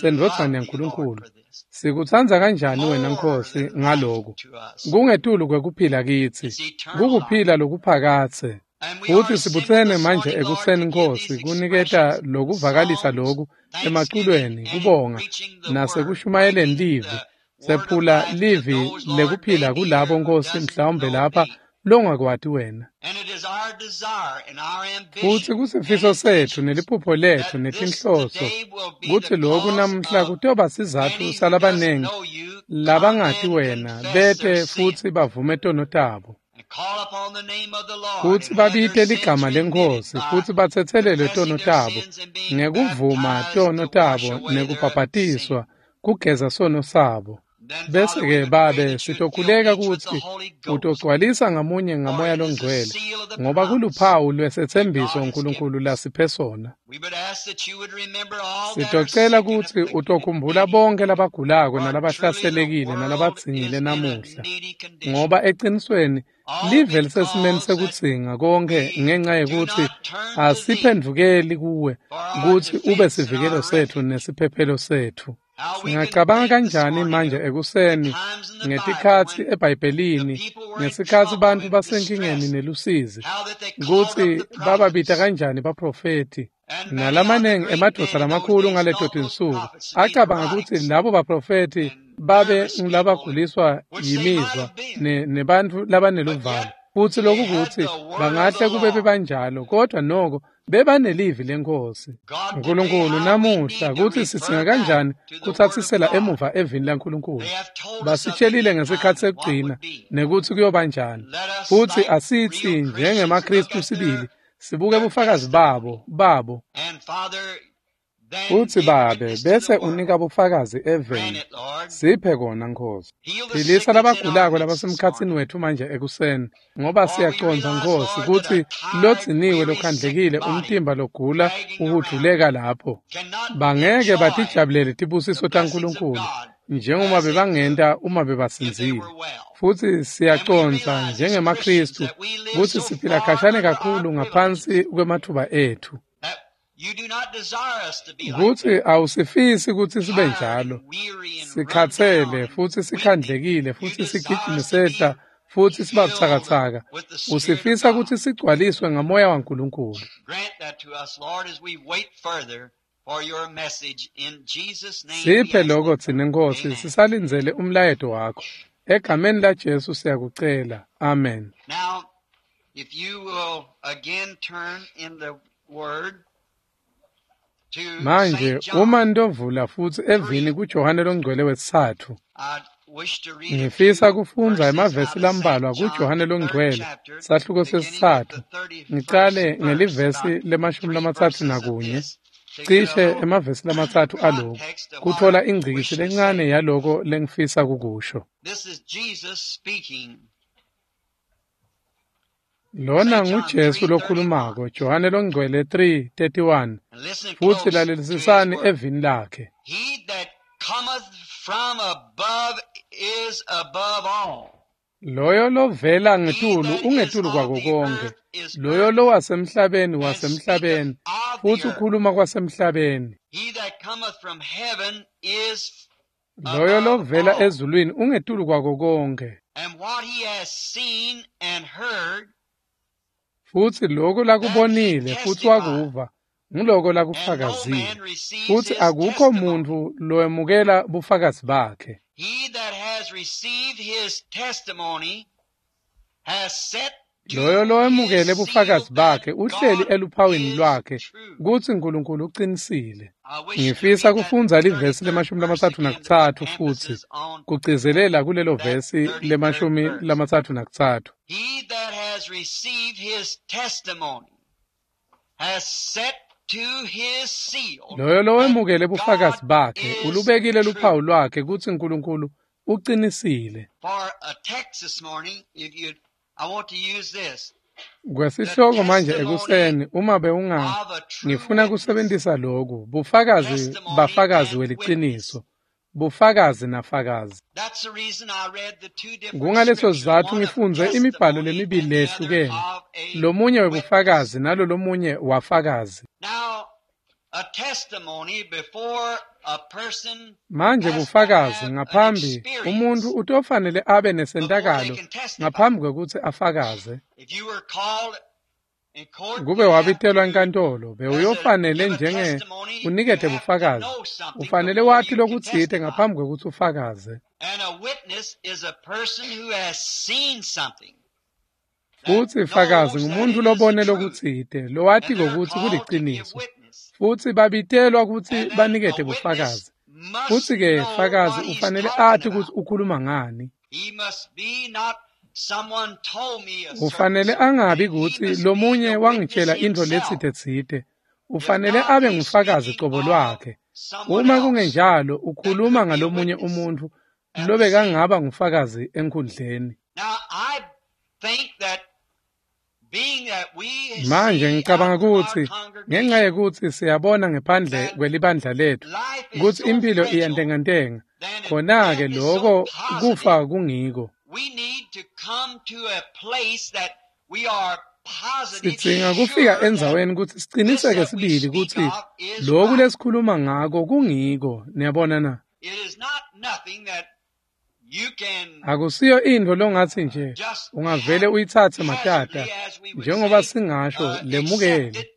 sendvodzana yaNkulunkulu. Sikutsandza kanjani wena Nkhosi ngaloku? Kungetulu kwekuphila kitsi, kukuphila lokuphakadze. Futsi sibutsene manje ekuseni Nkhosi kuniketa lokuvakalisa loku emaculweni, kubonga nasekushumayeleni livi. Sephula livi lekuphila kulabo Nkhosi mhlawumbe lapha longakwati wena. Futsi kusifiso setfu neliphupho letfu netinhloso kutsi loku namuhla kutoba sizatfu salabanengi labangati wena bete futsi bavume tono tabo. Kutsi babite ligama leNkhosi futsi batsetselelwe tono tabo ngekuvuma tono tabo nekubhabhatiswa kugeza sono sabo. Bese-ke Babe sitokhuleka kutsi utogcwalisa ngamunye ngaMoya Longcwele, ngoba kuluphawu lwesetsembiso uNkulunkulu lasiphe sona. Sitocela kutsi utokhumbula bonke labagulako nalabahlaselekile nalabadzingile namuhla, ngoba ecinisweni live lisesimeni sekudzinga konke ngenca yekutsi asiphendvukeli kuwe kutsi ube sivikelo setfu nesiphephelo setfu. Singacabanga kanjani manje ekuseni ngetikhatsi eBhayibhelini, ngesikhatsi bantfu basenkingeni nelusizi, kutsi bababita kanjani baprofethi nalamanengi emadvodza lamakhulu ngaleto tinsuku acabanga kutsi labo baprofethi babe ngulabaguliswa yimizwa nebantfu labaneluvalo. Futsi loku kutsi bangahle kube bebanjalo, kodwa noko bebanelivi leNkhosi. Nkulunkulu namuhla kutsi sidzinga kanjani kutsatsisela emuva evini laNkulunkulu. Basitshelile ngesikhatsi sekugcina nekutsi kuyoba njani. Futsi asitsi njengemaKhristu sibili sibuke bufakazi babo babo. Futsi Babe bese unika bufakazi eveni. Siphe kona Nkhosi. Philisa labagulako labasemkhatsini wetfu manje ekuseni, ngoba siyacondza Nkhosi kutsi lodziniwe lokhandlekile umtimba logula uhudvuleka lapho. Bangeke batijabulele tibusiso taNkulunkulu njengoba bebangenta uma bebasindzile. Futsi siyacondza njengemaKhristu kutsi siphila khashane kakhulu ngaphansi kwematfuba etfu. Kutsi awusifisi kutsi sibe njalo, sikhatsele futsi sikhandlekile futsi sigijime sehla futsi siba butsakatsaka. Usifisa kutsi sigcwaliswe ngaMoya waNkulunkulu. Siphe lokho tsine Nkhosi, sisalindzele umlayeto wakho. Egameni laJesu siyakucela. Amen. Now, if you will again turn in the word Manje uma ntovula futsi evini kuJohane longcwele wesitsatfu. Ngifisa kufundza emavesi lambalwa kuJohane Longcwele, sahluko sesitsatfu, ngicale ngelivesi lemashumi lamatsatfu nakunye, cishe emavesi lamatsatfu aloku, kutfola ingcikitsi lencane yaloko lengifisa kukusho. Lona nguJesu lokhulumako, Johane Longcwele three thirty-one, futsi lalelisisani evini lakhe. Loyo lovela ngetulu ungetulu kwako konke, loyo lowasemhlabeni wasemhlabeni, futsi ukhuluma kwasemhlabeni. Loyo lovela ezulwini ungetulu kwako konke. Futsi lokho lakubonile futsi wakuva, nguloko lakufakazile. Futsi akukho muntfu lowemukela bufakazi bakhe. Loyo lowemukele bufakazi bakhe uhleli eluphawini lwakhe kutsi Nkulunkulu uqinisile. Ngifisa kufundza livesi lemashumi lamatsatfu nakutsatfu futsi kugcizelela kulelo vesi lemashumi lamatsatfu nakutsatfu. Loyo lowemukele bufakazi bakhe ulubekile luphawu lwakhe kutsi Nkulunkulu uqinisile. Kwesihloko manje ekuseni, uma bewunga ngifuna kusebentisa loku, bufakazi bafakazi weliciniso, bufakazi nafakazi. Kungaleso sizatfu ngifundze imibhalo lemibili leyehlukene, lomunye webufakazi nalo lomunye wafakazi. Manje bufakazi ngaphambi umuntfu utofanele abe nesentakalo ngaphambi kwekutsi afakaze. Kube wabitelwa enkantolo, bewuyofanele njenge unikete bufakazi, ufanele wati lokutsite ngaphambi kwekutsi ufakaze. Futsi fakazi ngumuntfu lobone lokutsite, lowatiko kutsi kuliciniso. Futsi babitelwa kutsi banikete bufakazi. Futsi-ke fakazi ufanele ati kutsi ukhuluma ngani. Ufanele angabi kutsi lomunye wangitshela intfo letsite-tsite. Ufanele abe ngufakazi cobo lwakhe. Uma kungenjalo ukhuluma ngalomunye umuntfu lobekangaba ngufakazi enkhundleni. Manje ngicabanga kutsi ngenxa yekutsi siyabona ngephandle kwelibandla letfu kutsi imphilo iyantengantenga, khona-ke loko kufa kungiko. Sidzinga kufika endzaweni kutsi siciniseke sibili kutsi loku lesikhuluma ngako kungiko, niyabona na? Akusiyo intfo longatsi nje ungavele uyitsatse matata, njengoba singasho lemukele.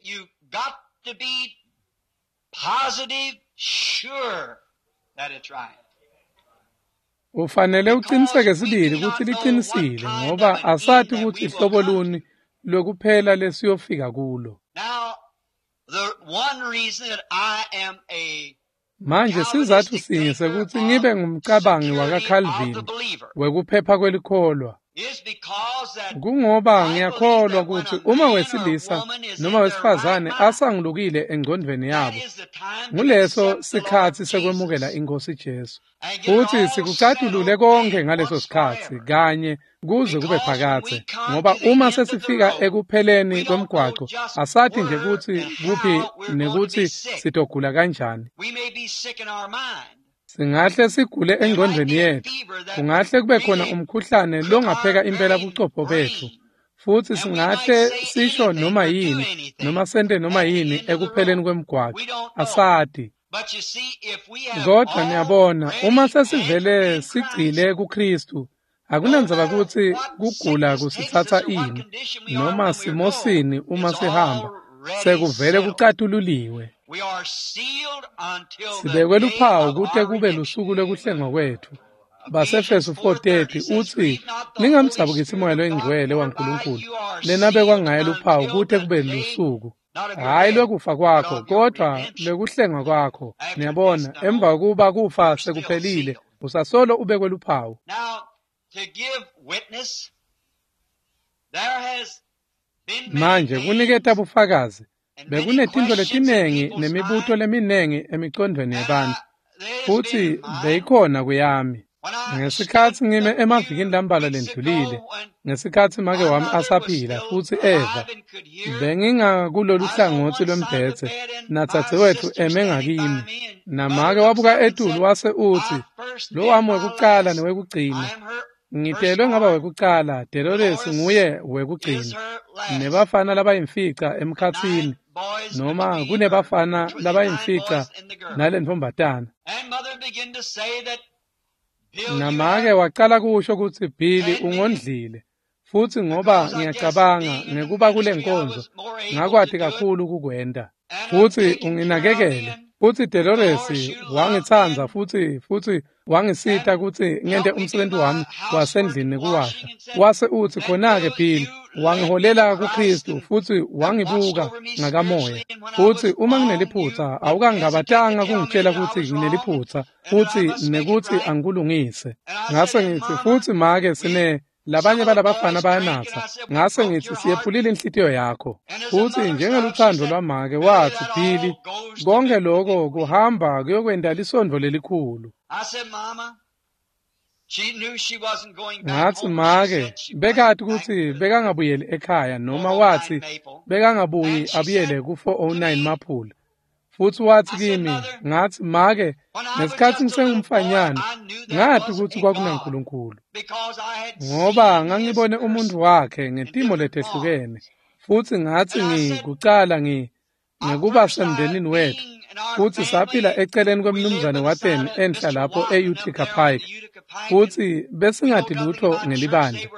Ufanele uqiniseke sibili kutsi liqinisile, ngoba asati kutsi hlobo luni lwekuphela lesiyofika kulo. Manje sizatfu sinye sekutsi ngibe ngumcabangi wakaCalvin wekuphepha kwelikholwa, kungoba ngiyakholwa kutsi uma wesilisa noma wesifazane asangulukile engcondvweni yabo, nguleso sikhatsi sekwemukela iNkhosi Jesu. Futsi sikucatulule konke ngaleso sikhatsi kanye kuze kube phakadze, ngoba uma sesifika ekupheleni kwemgwaco asati nje kutsi kuphi nekutsi sitogula kanjani. Singahle sigule engcondvweni yetfu, kungahle kube khona umkhuhlane longapheka impela buchopho betfu, futsi singahle sisho noma yini noma sente noma yini ekupheleni kwemgwaco, asati. Kodwa niyabona, uma sesivele sigcile kuKhristu, akunandzaba kutsi kugula kusitsatsa ini noma simosini uma sihamba, sekuvele kucatululiwe. Sibekwe luphawu kute kube lusuku lwekuhlengwa kwetfu. Basefeso four thirty utsi, ningamdzabukisi Moya loyiNgcwele waNkulunkulu, lenabekwa ngaye luphawu kute kube lusuku. Hhayi lwekufa kwakho, kodwa lwekuhlengwa kwakho. Niyabona, emva kokuba kufa sekuphelile, Usasolo ubekwe luphawu. Manje kuniketa bufakazi, bekunetintfo letinengi nemibuto leminengi emicondvweni yebantfu, futsi beyikhona kuyami. Ngesikhatsi ngime emavikini lambalwa lendlulile, ngesikhatsi make wami asaphila futsi eva, bengingakulolu hlangotsi lwembhedze nadzadzewetfu eme ngakimi, namake wabuka etulu wase utsi, "Lo wami wekucala newekugcina. Ngitelwe ngaba wekucala, Dolores nguye wekugcina, nebafana labayimfica emkhatsini, noma kunebafana labayimfica nalentfombatana." Namake wacala kusho kutsi Billy ungondlile, futsi ngoba ngiyacabanga ngekuba kule nkonzo ngakwati kakhulu kukwenta, futsi unginakekele, futsi Dolores wangitsandza futsi futsi wangisita kutsi ngente umsebenzi wami wasendlini nekuwasha. Wase utsi khona-ke Billy wangiholela kuKristu futsi wangibuka ngakamoya, futsi uma ngineliphutsa awukangabatanga kungitshela kutsi ngineliphutsa futsi nekutsi angikulungise. Ngase ngitsi futsi make sine labanye balabafana bayanatsa, ngase ngitsi siyephulile inhlitiyo yakho. Futsi njengelutsandvo lwamake watsi Billy, konke lokho kuhamba kuyokwenta lisondvo lelikhulu. Ngatsi make bekati kutsi bekangabuyeli ekhaya, noma watsi bekangabuyi abuyele ku four oh nine Maphula. Futsi watsi kimi, ngatsi make, ngesikhatsi ngisengumfanyana ngati kutsi kwakunaNkulunkulu, ngoba ngangibone umuntu wakhe ngetimo letehlukene. Futsi ngatsi ngikucala ngi ngekuba semndenini wetfu, futsi saphila eceleni kwemnumzane Wathen enhla lapho e-Utica Pike, futsi besingati lutho ngelibandla,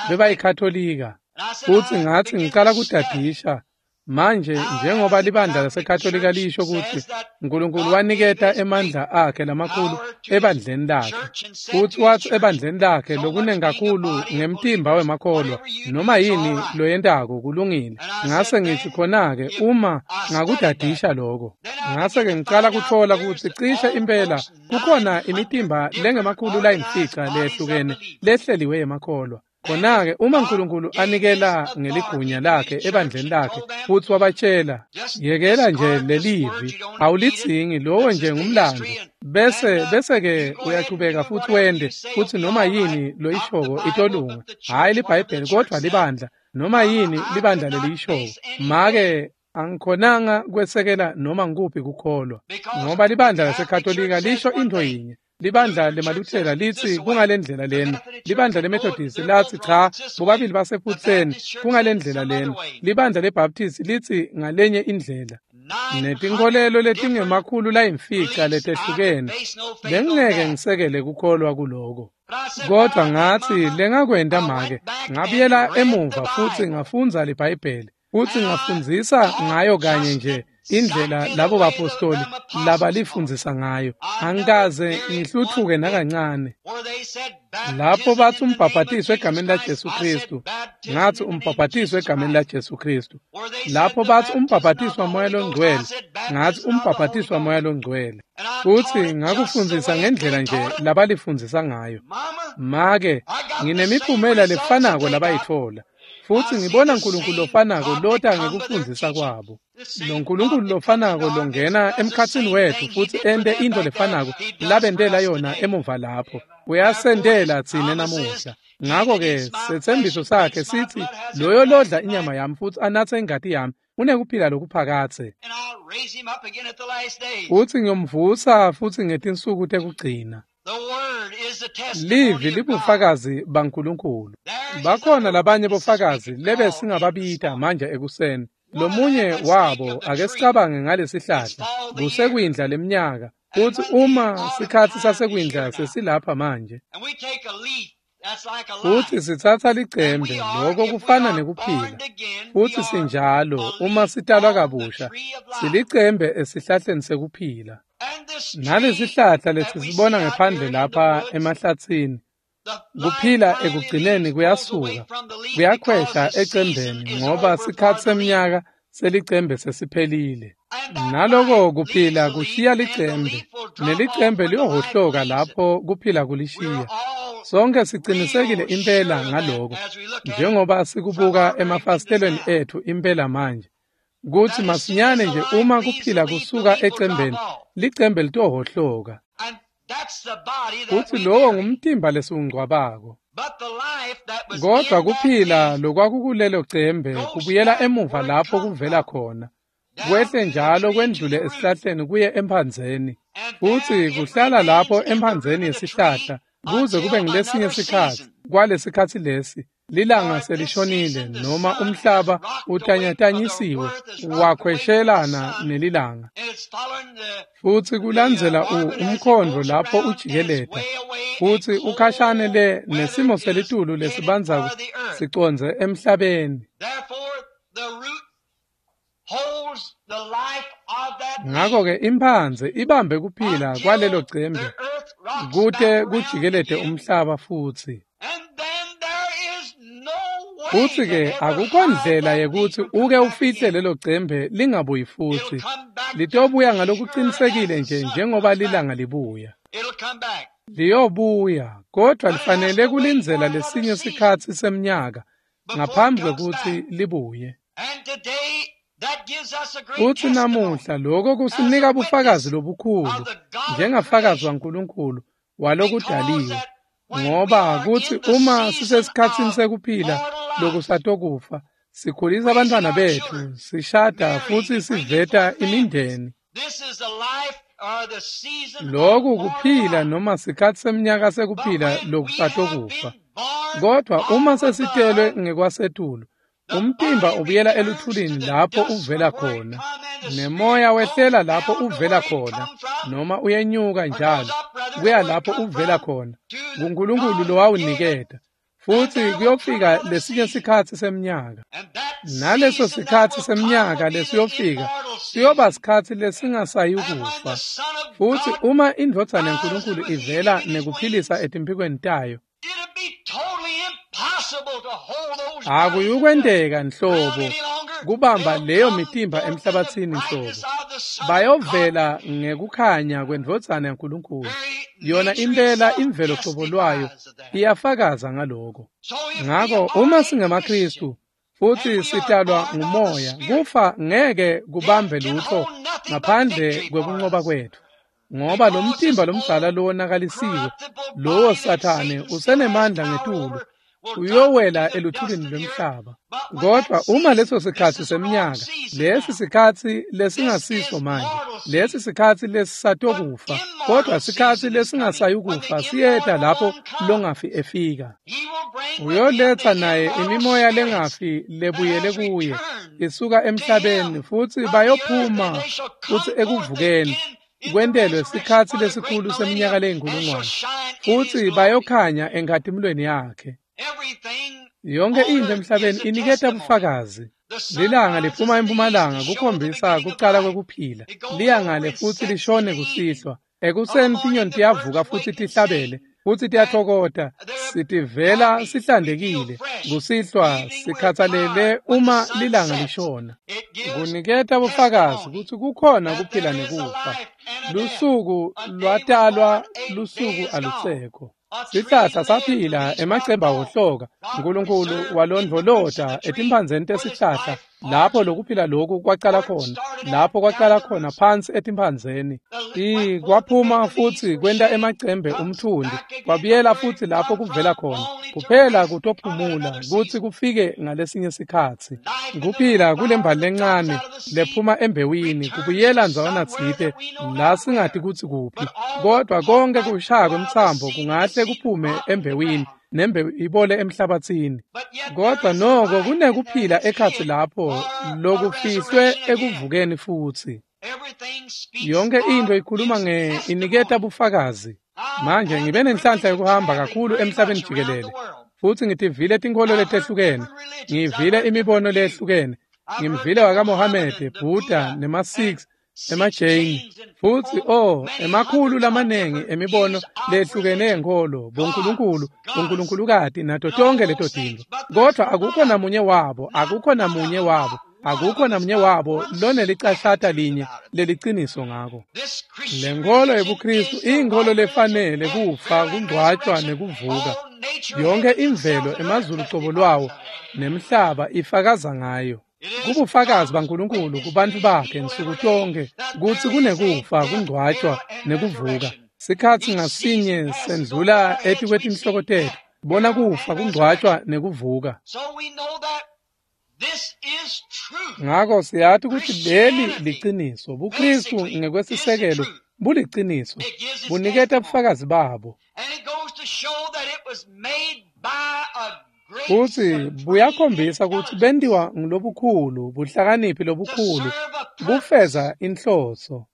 bebayikhatolika. Futsi ngatsi ngicala kudadisha manje, njengoba libandla laseKatolika lisho kutsi uNkulunkulu waniketa emandla akhe lamakhulu ebandleni lakhe, futsi watsi ebandleni lakhe lokunengi kakhulu ngemtimba wemakholwa, noma yini loyentako kulungile. Ngase ngitsi khona-ke uma ngakudadisha lokho, ngase-ke ngicala kutfola kutsi cishe impela kukhona imitimba lengemakhulu layimfica leyehlukene lehleliwe yemakholwa. Khona-ke uma uNkulunkulu anikela ngeligunya lakhe ebandleni lakhe futsi wabatshela, yekela nje lelivi, awulidzingi, lowo nje ngumlando, bese bese-ke uyachubeka futsi wende, futsi noma yini loyishoko itolunga, hhayi liBhayibheli kodvwa libandla, noma yini libandla leliyishoko. Make angikhonanga kwesekela noma ngikuphi kukholwa, ngoba libandla laseKatolika lisho intfo yinye, libandla lemaLuthela litsi kungalendlela lena, libandla leMethodist latsi cha, bobabili basephutseni kungalendlela lena, libandla leBaptist litsi ngalenye indlela, netinkholelo letingemakhulu layimfica letehlukene. Bengingeke ngisekele kukholwa kuloko. Kodvwa ngatsi lengakwenta make, ngabuyela emuva futsi ngafundza liBhayibheli, futsi ngafundzisa ngayo kanye nje indlela labo bapostoli labalifundzisa ngayo. Angikaze ngihluthuke nakancane. Lapho batsi umbhabhatiso egameni laJesu Kristu, ngatsi umbhabhatiso egameni laJesu Kristu. Lapho batsi umbhabhatiso waMoya loNgcwele, ngatsi umbhabhatiso waMoya loNgcwele. Futsi ngakufundzisa ngendlela nje labalifundzisa ngayo. Make, nginemiphumela lefanako labayitfola. Futsi ngibona uNkulunkulu lofanako lota ngekufundzisa kwabo. Lo Nkulunkulu lofanako longena emkhatsini wetfu futsi ente intfo lefanako labentela yona emuva lapho, uyasentela tsine namuhla. Ngako-ke setsembiso sakhe sitsi, loyo lodla inyama yami futsi anatse ingati yami unekuphila lokuphakadze, futsi ngiyomvusa futsi ngetinsuku tekugcina. Livi libufakazi baNkulunkulu. Bakhona labanye bofakazi lebe singababita manje ekuseni. Lomunye wabo ake sicabange ngalesihlahla, kusekwindla lemnyaka, futsi uma sikhatsi sasekwindla sesilapha manje, futsi sitsatsa licembe, lokho kufana nekuphila, futsi sinjalo uma sitalwa kabusha, silicembe esihlahleni sekuphila. Nalesihlahla lesisibona ngephandle lapha emahlatsini, kuphila ekugcineni kuyasuka, kuyakhwesha ecembeni ngoba sikhatsi semnyaka selicembe sesiphelile. Naloko kuphila kushiya licembe, nelicembe liyohhohloka lapho kuphila kulishiya. Sonke sicinisekile impela ngaloko, njengoba sikubuka emafasitelweni ethu impela manje, kutsi masinyane nje uma kuphila kusuka ecembeni, licembe litohhohloka. Futsi lowo ngumtimba lesiwungcwabako. Kodwa kuphila lokwakukulelo cembe kubuyela emuva lapho kuvela khona, kwehle njalo kwendlule esihlahleni kuye emphandzeni, futsi kuhlala lapho emphandzeni yesihlahla kuze kube ngilesinye sikhatsi. Kwalesikhatsi lesi lilanga selishonile noma umhlaba utanyatanyisiwe wakhweshelana nelilanga, futsi kulandzela umkhondvo lapho ujikeleta, futsi ukhashane le nesimo selitulu lesibandzako sicondze emhlabeni. Ngakho-ke imphandze ibambe kuphila kwalelo cembe kute kujikelete umhlaba futsi. Futsi-ke akukho ndlela yekutsi uke ufihle lelo cembe lingabuyi futsi. Litobuya ngalokucinisekile nje njengoba lilanga libuya. Liyobuya, kodvwa lifanele kulindzela lesinye sikhatsi semnyaka ngaphambi kwekutsi libuye. Futsi namuhla lokho kusinika bufakazi lobukhulu njengafakazi waNkulunkulu walokudaliwe, ngoba kutsi uma sisesikhatsini sekuphila lokusatokufa, sikhulisa abantwana bethu, sishada futsi siveta imindeni. Lokhu kuphila noma sikhatsi semnyaka sekuphila lokusatokufa. Kodwa uma sesitelwe ngekwasetulu, umtimba ubuyela eluthulini lapho uvela khona, nemoya wehlela lapho uvela khona, noma uyenyuka njalo kuya lapho uvela khona, kuNkulunkulu lowawuniketa. Futsi kuyofika lesinye sikhatsi semnyaka, naleso sikhatsi semnyaka lesiyofika siyoba sikhatsi lesingasayikufa. Futsi uma indvodzana yaNkulunkulu ivela nekuphilisa etimphikweni tayo, akuyukwenteka nhlobo kubamba leyo mitimba emhlabathini nhlobo. Bayovela ngekukhanya kwendvodzana yaNkulunkulu. Yona impela imvelo qobo lwayo iyafakaza ngaloko. Ngako uma singemaKristu futsi sitalwa ngumoya, kufa ngeke kubambe lutho ngaphandle kwekunqoba kwethu, ngoba lo mtimba lomdzala lowonakalisiwe, lowo Sathane usenemandla ngetulu, uyowela eluthulini lwemhlaba. Kodwa uma leso sikhatsi semnyaka, lesi sikhatsi lesingasiso manje, lesi sikhatsi lesisatokufa, kodwa sikhatsi lesingasayukufa siyeta lapho longafi efika. Uyoletha naye imimoya lengafi lebuyele kuye isuka emhlabeni, futsi bayophuma futsi ekuvukeni kwentelwe sikhatsi lesikhulu seminyaka leyinkulungwane, futsi bayokhanya enkhatimulweni yakhe. Yonke into emhlabeni iniketa bufakazi. Lilanga liphuma empumalanga kukhombisa kucala kwekuphila, liya ngale futsi lishone kusihlwa. Ekuseni tinyoni tiyavuka futsi tihlabele, futsi tiyatfokota, sitivela sihlantekile. Kusihlwa sikhatsalele uma lilanga lishona. Kuniketa bufakazi kutsi kukhona kuphila nekufa. Lusuku lwatalwa, lusuku alusekho. Sihlahla saphila, emacembe awohloka. Nkulunkulu walondvolota etimphandzeni tesihlahla lapho lokuphila lokhu kwacala khona, lapho kwacala khona phansi etimphandzeni. I kwaphuma futsi kwenta emacembe umthundi, kwabuyela futsi lapho kuvela khona, kuphela kutophumula kutsi kufike ngalesinye sikhatsi. Kuphila kulembali lencane lephuma embewini kubuyela ndzawana tsite la singati kutsi kuphi, kodwa konke kushaya kwemtsambo kungahle kuphume embewini nembewu ibole emhlabathini. Kodwa noko kunekuphila ekhatsi lapho lokufihlwe ekuvukeni futsi. Yonke into ikhuluma nge iniketa bufakazi. Manje ngibe nenhlanhla yokuhamba kakhulu emhlabeni jikelele, futsi ngitivile tinkholo letehlukene, ngivile imibono leyehlukene, ngimvile wakaMohamede, Buddha, nema-Sikhs, emaJain, futsi oh emakhulu lamanengi emibono lehlukene yenkholo, bonkulunkulu, bonkulunkulukati nato tonke leto tintfo. Kodwa akukho namunye wabo, akukho namunye wabo Akukho namunye wabo lonelicashata linye leliciniso ngako. Le nkholo yebuKristu iyinkholo lefanele kufa, kungcwatshwa nekuvuka. Yonke imvelo emazulu cobo lwawo nemhlaba ifakaza ngayo. Kubufakazi baNkulunkulu kubantfu bakhe nsuku tonke kutsi kunekufa, kungcwatshwa nekuvuka. Sikhatsi ngasinye sendlula etikwetinhloko tetfu bona kufa, kungcwatshwa nekuvuka. Ngako siyati kutsi leli liciniso. BuKristu ngekwesisekelo buliciniso, buniketa bufakazi babo. Futsi buyakhombisa kutsi bentiwa ngulobukhulu, buhlakaniphi lobukhulu, bufeza inhloso.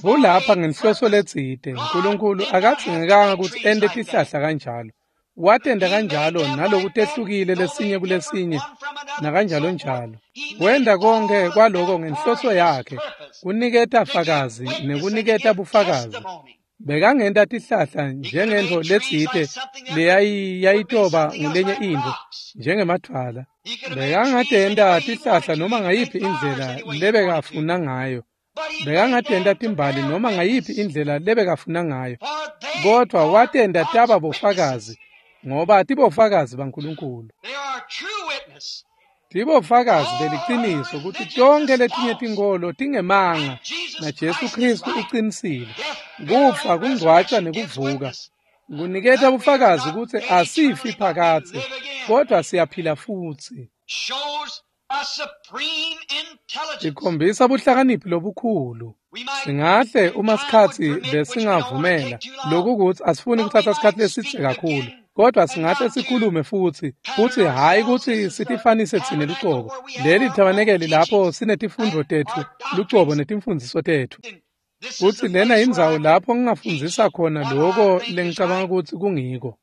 Bulapha ngenhloso letsite. Nkulunkulu akadzingekanga kutsi ente tihlahla kanjalo. Watenta kanjalo naloku tehlukile lesinye kulesinye nakanjalo njalo. Wenta konke kwaloko ngenhloso yakhe, kuniketa fakazi nekuniketa bufakazi. Bekangenta tihlahla njengentfo letsite leyayitoba ngulenye intfo njengemadvwala. Bekangatenta tihlahla noma ngayiphi indlela lebekafuna ngayo. Bekangatenta timbali noma ngayiphi indlela lebekafuna ngayo. Kodvwa watenta taba bofakazi, ngoba tibofakazi baNkulunkulu. Tibofakazi beliciniso kutsi tonkhe letinye tinkholo tingemanga na Jesu Kristu ucinisile. Kufa, kungcwatshwa nekuvuka kuniketa bufakazi kutsi asifi phakadze, kodvwa siyaphila futsi. Ikhombisa buhlakaniphi lobukhulu. Singahle uma sikhatsi besingavumela lokhu kutsi asifuni kuthatha sikhatsi lesidze kakhulu, kodwa singahle sikhulume futsi futsi hhayi kutsi sitifanise tsine lucobo. Leli thabanekeli lapho sinetifundvo tetfu lucobo netimfundziso tetfu. Futsi lena indzawo lapho ngingafundzisa khona loko lengicabanga kutsi kungiko.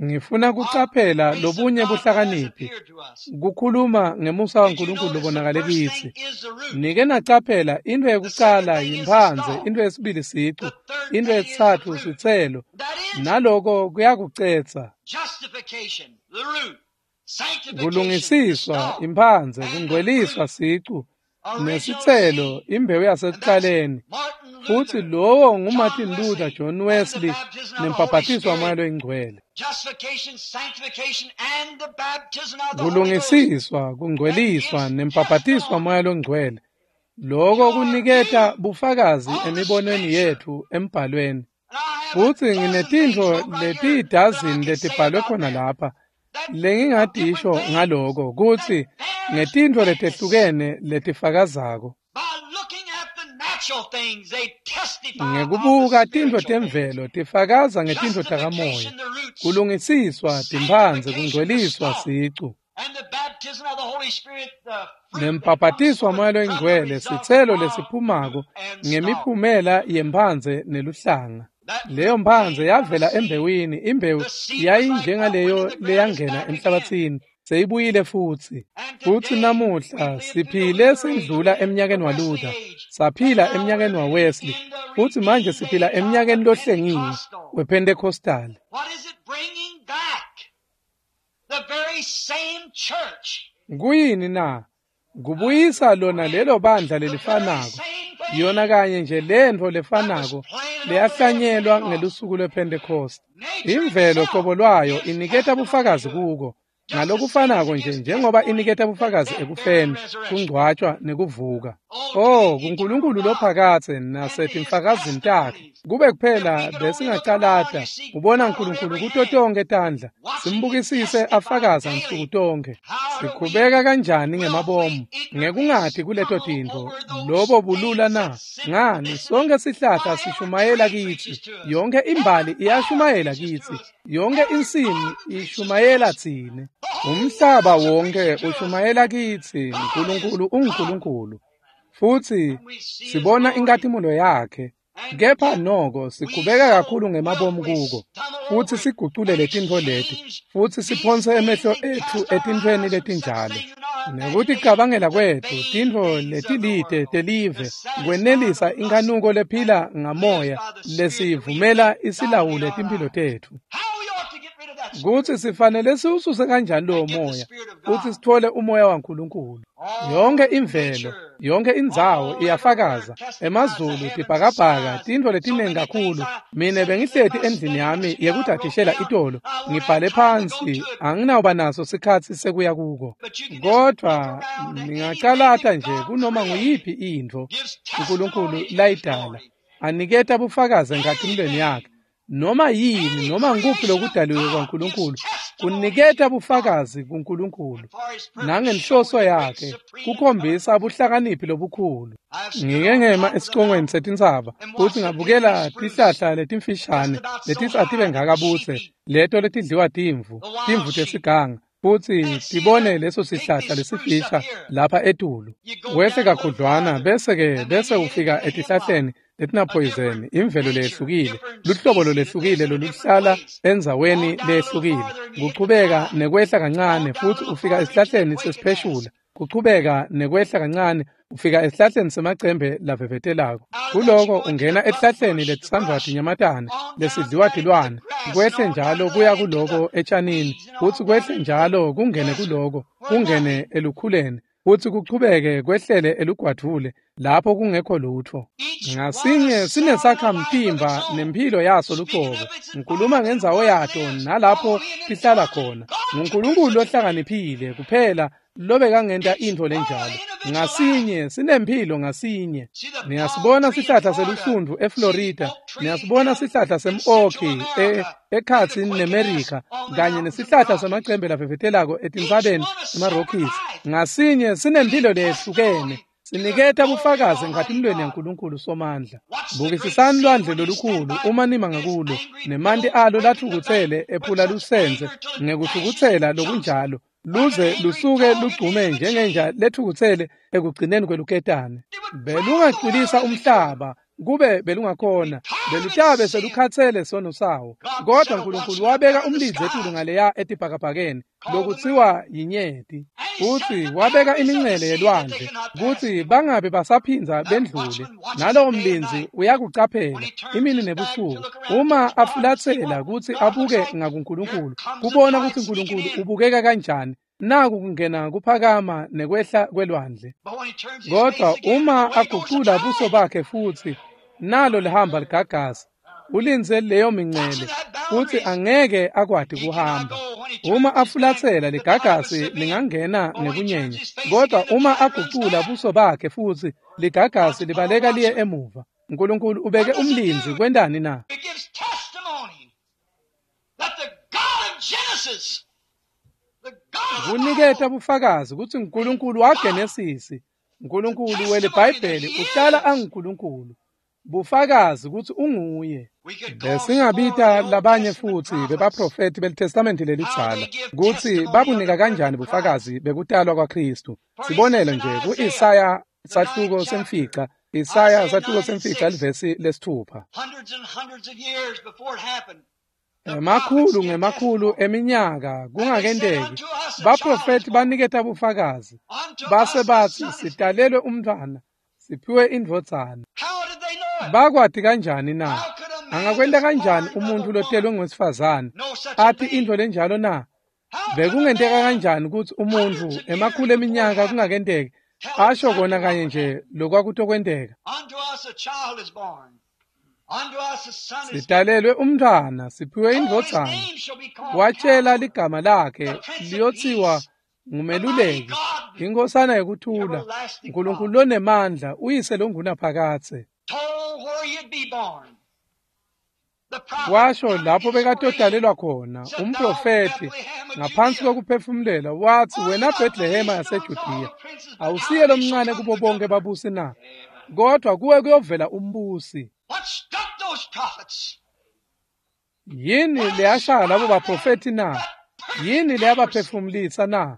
Ngifuna kucaphela lobunye buhlakaniphi, kukhuluma ngemusa waNkulunkulu lobonakale kitsi. Nike nacaphela intfo yekucala yimphandze, intfo yesibili sicu, intfo yesitsatfu sitselo, naloko kuyakucetsa. Kulungisiswa imphandze, kungcweliswa sicu, nesitselo imbewu yasekuqaleni. Futsi lowo nguMartin Luther, John Wesley nembhaphathiso waMoya loyiNgcwele. Kulungisiswa, kungcweliswa nembhaphathiso waMoya loNgcwele. Loko kuniketa bufakazi emibonweni yetfu embhalweni. Futsi nginetintfo letiyidazini letibhalwe khona lapha lengingadisho ngaloko kutsi ngetintfo letehlukene letifakazako. Ngekubuka tintfo temvelo tifakaza ngetintfo takamoya. Kulungisiswa timphandze, kungcweliswa sicu, nembhaphathiso waMoya loyiNgcwele sitselo lesiphumako ngemiphumela yemphandze neluhlanga. Leyo mphandze yavela embewini, imbewu yayinjengaleyo leyangena emhlabathini, seyibuyile futsi. Futsi namuhla siphile sendlula emnyakeni waLuther, saphila emnyakeni waWesley, futsi manje siphila emnyakeni lohlengiwe wePentecostal. Kuyini na? Kubuyisa lona lelo bandla lelifanako, yona kanye nje lentfo lefanako leyahlanyelwa ngelusuku lwePentecost. Imvelo qobo lwayo iniketa bufakazi kuko ngalokufanako nje njengoba iniketa bufakazi ekufeni, kungcwatshwa nekuvuka. Oh, kuNkulunkulu lophakadze nasetimfakazini takhe, kube kuphela besingacalata kubona uNkulunkulu kuto tonkhe tandla, simbukisise afakaza nsuku tonkhe. Sikhubeka kanjani ngemabomu ngekungati kuleto tintfo lobo bulula na? Ngani, sonke sihlahla sishumayela kitsi, yonke imbali iyashumayela kitsi, yonke insimi ishumayela tsine. Umhlaba wonke ushumayela kitsi, uNkulunkulu unguNkulunkulu. Futsi sibona inkhatimulo yakhe, kepha noko sikhubeka kakhulu ngemabomu kuko, futsi sigucule letintfo leti, futsi siphonse emehlo etfu etintfweni letinjalo. Nekuticabangela kwetfu tintfo letilite telive kwenelisa inkhanuko lephila ngamoya lesiyivumela isilawule timphilo tetfu. Kutsi sifanele siwususe kanjani lowo moya kutsi sitfole umoya waNkulunkulu. Yonke imvelo, yonke indzawo iyafakaza, emazulu, tibhakabhaka, tintfo letinengi kakhulu. Mine bengihleti endlini yami yekudadishela itolo, ngibhale phansi, anginawuba naso sikhatsi sekuya kuko. Kodvwa ningacalata nje kunoma nguyiphi intfo uNkulunkulu layidala, aniketa bufakazi enkhatimulweni yakhe. Noma yini, noma ngukuphi lokudaliwe kwaNkulunkulu kuniketa bufakazi kuNkulunkulu nangenhloso yakhe kukhombisa buhlakaniphi lobukhulu. Ngike ngema esicongweni setintsaba futsi ngabukela tihlahla letimfishane letitsi atibe ngaka butse, leto letidliwa timvu, timvu tesiganga, futsi tibone leso sihlahla lesifisha lapha etulu. Wehle kakhudlwana bese-ke bese ufika etihlahleni letinaphoyizeni, imvelo leyehlukile, luhlobo lolwehlukile loluhlala endzaweni leyehlukile. Kuchubeka nekwehla kancane futsi ufika esihlahleni sesipheshula. Kuchubeka nekwehla kancane ufika esihlahleni semacembe lavevetelako. Kuloko ungena esihlahleni letisandvwa tinyamatane lesidliwa tilwane. Kwehle njalo kuya kuloko etshanini, futsi kwehle njalo kungene kuloko, kungene elukhuleni, futsi kuchubeke kwehlele elugwadvule lapho kungekho lutfo. Ngasinye sinesakhamtimba nemphilo yaso lucobo. Ngikhuluma ngendzawo yato nalapho tihlala khona. NguNkulunkulu lohlakaniphile kuphela lobekangenta intfo lenjalo. Ngasinye sinemphilo ngasinye. Niyasibona sihlahla selusundvu eFlorida, niyasibona sihlahla sem-oki e ekhatsini neMerika, kanye nesihlahla semacembe lavevetelako etintsabeni emaRockies. Ngasinye sinemphilo leyehlukene, siniketa bufakazi enkhatimulweni yaNkulunkulu Somandla. Bukisisani lwandle lolukhulu uma nima ngakulo, nemanti alo latfukutsele ephula lusentse ngekutfukutsela lokunjalo, luze lusuke lugcume njengenja letfukutsele ekugcineni kweluketane. Belungacwilisa umhlaba kube belungakhona, belutabe selukhatsele sono sawo. Kodwa Nkulunkulu wabeka umlindzi etulu ngaleya etibhakabhakeni lokutsiwa yinyeti, futsi wabeka imincele yelwandle kutsi bangabe basaphindza bendlule. Nalowo mlindzi uyakucaphela imini nebusuku, uma afulatsela kutsi abuke ngakuNkulunkulu kubona kutsi Nkulunkulu ubukeka kanjani. Naku kungena kuphakama nekwehla kwelwandle. Kodwa uma agucula buso bakhe futsi, nalo lihamba ligagasi, ulindze leyo mincele futsi angeke akwati kuhamba. Uma afulatsela ligagasi lingangena ngekunyenya, kodwa uma agucula buso bakhe futsi, ligagasi libaleka liye emuva. Nkulunkulu ubeke umlindzi kwentani na? It gives testimony that the God of Genesis, the God of the Kuniketa Bible, bufakazi kutsi uNkulunkulu waGenesisi, uNkulunkulu weliBhayibheli uhlala anguNkulunkulu. Bufakazi kutsi unguye. we could call some more of Besingabita the Old labanye Testament futsi prophets, bebaprofethi beliTestamenti how lelidzala they give kutsi testimony of babunika the birth kanjani of Christ. bufakazi bekutalwa kwaKristu. For Sibonelo instance, in nje Isaiah, ku-Isaya the ninth sahluko chapter, semfica, Isaya Isaiah sahluko nine and semfica six, livesi lesithupha. hundreds and hundreds of years before it happened, the prophets Emakhulu give ngemakhulu testimony. eminyaka And they said, kungakenteki, Unto us a child is baprofethi born, baniketa bufakazi unto base us a batsi son is given. sitalelwe umntfwana, siphiwe indvodzana. How did they know it? Bakwati kanjani na? How could a man Angakwenta that's kanjani born of umuntfu a lotelwe woman ngowesifazane know such a athi thing? intfo lenjalo na? How could a Bekungenteka man kanjani kutsi umuntfu hundreds of years emakhulu before it eminyaka happened kungakenteki tell asho exactly kona what kanye would nje happen? lokwakutokwenteka? Unto us a child is born, unto us a son is given. Sitalelwe umntfwana, siphiwe Oh, his indvodzana. name shall be called Watshela Counselor, ligama lakhe the Prince of liyotsiwa Peace, the Mighty ngumeluleki, God, inkhosana yekuthula, everlasting uNkulunkulu Father. lonemandla, uyise longunaphakadze. Told where he'd be born. The prophet Washo under lapho inspiration bekatotalelwa khona said, Thou umprofethi Bethlehem of ngaphansi Judea, kokuphefumulela wathi art wena not the Bethlehema least amongst all yaseJudiya the princes, but out awusiye of thee shall lomncane come kubo the bonke governor. babusi na? Kodwa kuwe kuyovela umbusi. What struck those prophets? Yini What leyashaya labo inspired them? baprofethi na? That perfect Yini accuracy. leyabaphefumulisa na?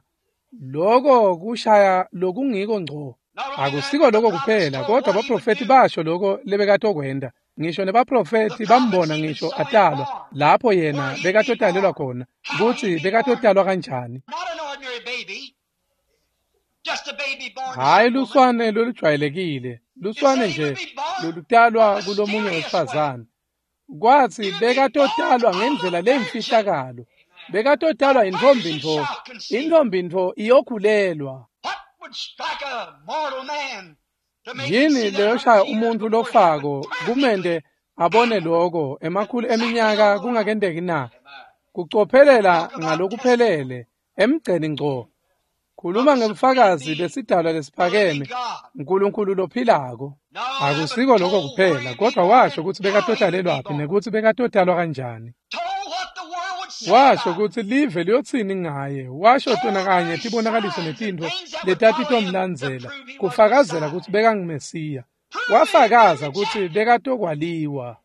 Loko kushaya lokungiko ngco. Not only that, Akusiko but the lokho prophets kuphela, told kodwa what he would abaprofethi do. basho lokho lebekatokwenta. Ngisho The nebaprofethi prophets bambona even ngisho saw him atalwa born, lapho where yena he'd be bekatotalelwa born, khona, how kutsi he'd be born. bekatotalwa kanjani. Not an ordinary baby, just a baby born to Hhayi some woman. luswane lolujwayelekile, It luswane said he would nje be born a lolutalwa kulomunye mysterious way. wesifazane. Kwathi He would be born bekatotalwa of ngendlela a virgin. leyimfihlakalo, Bekatotalwa intfombi ntfo, intfombi ntfo iyokhulelwa. Yini leyoshaya umuntfu lofako kumente abone loko emakhulu eminyaka kungakenteki na? Kucophelela ngalokuphelele emgceni ngco. Khuluma ngebufakazi besidalwa lesiphakeme, Nkulunkulu lophilako. Akusiko lokho kuphela, kodwa washo kutsi bekatotalelwaphi nekutsi bekatotalwa kanjani. Washo kutsi live liyotsini ngaye, washo tona kanye tibonakaliso netintfo letatitomlandzela, kufakazela kutsi bekanguMesiya. Wafakaza kutsi bekatokwaliwa.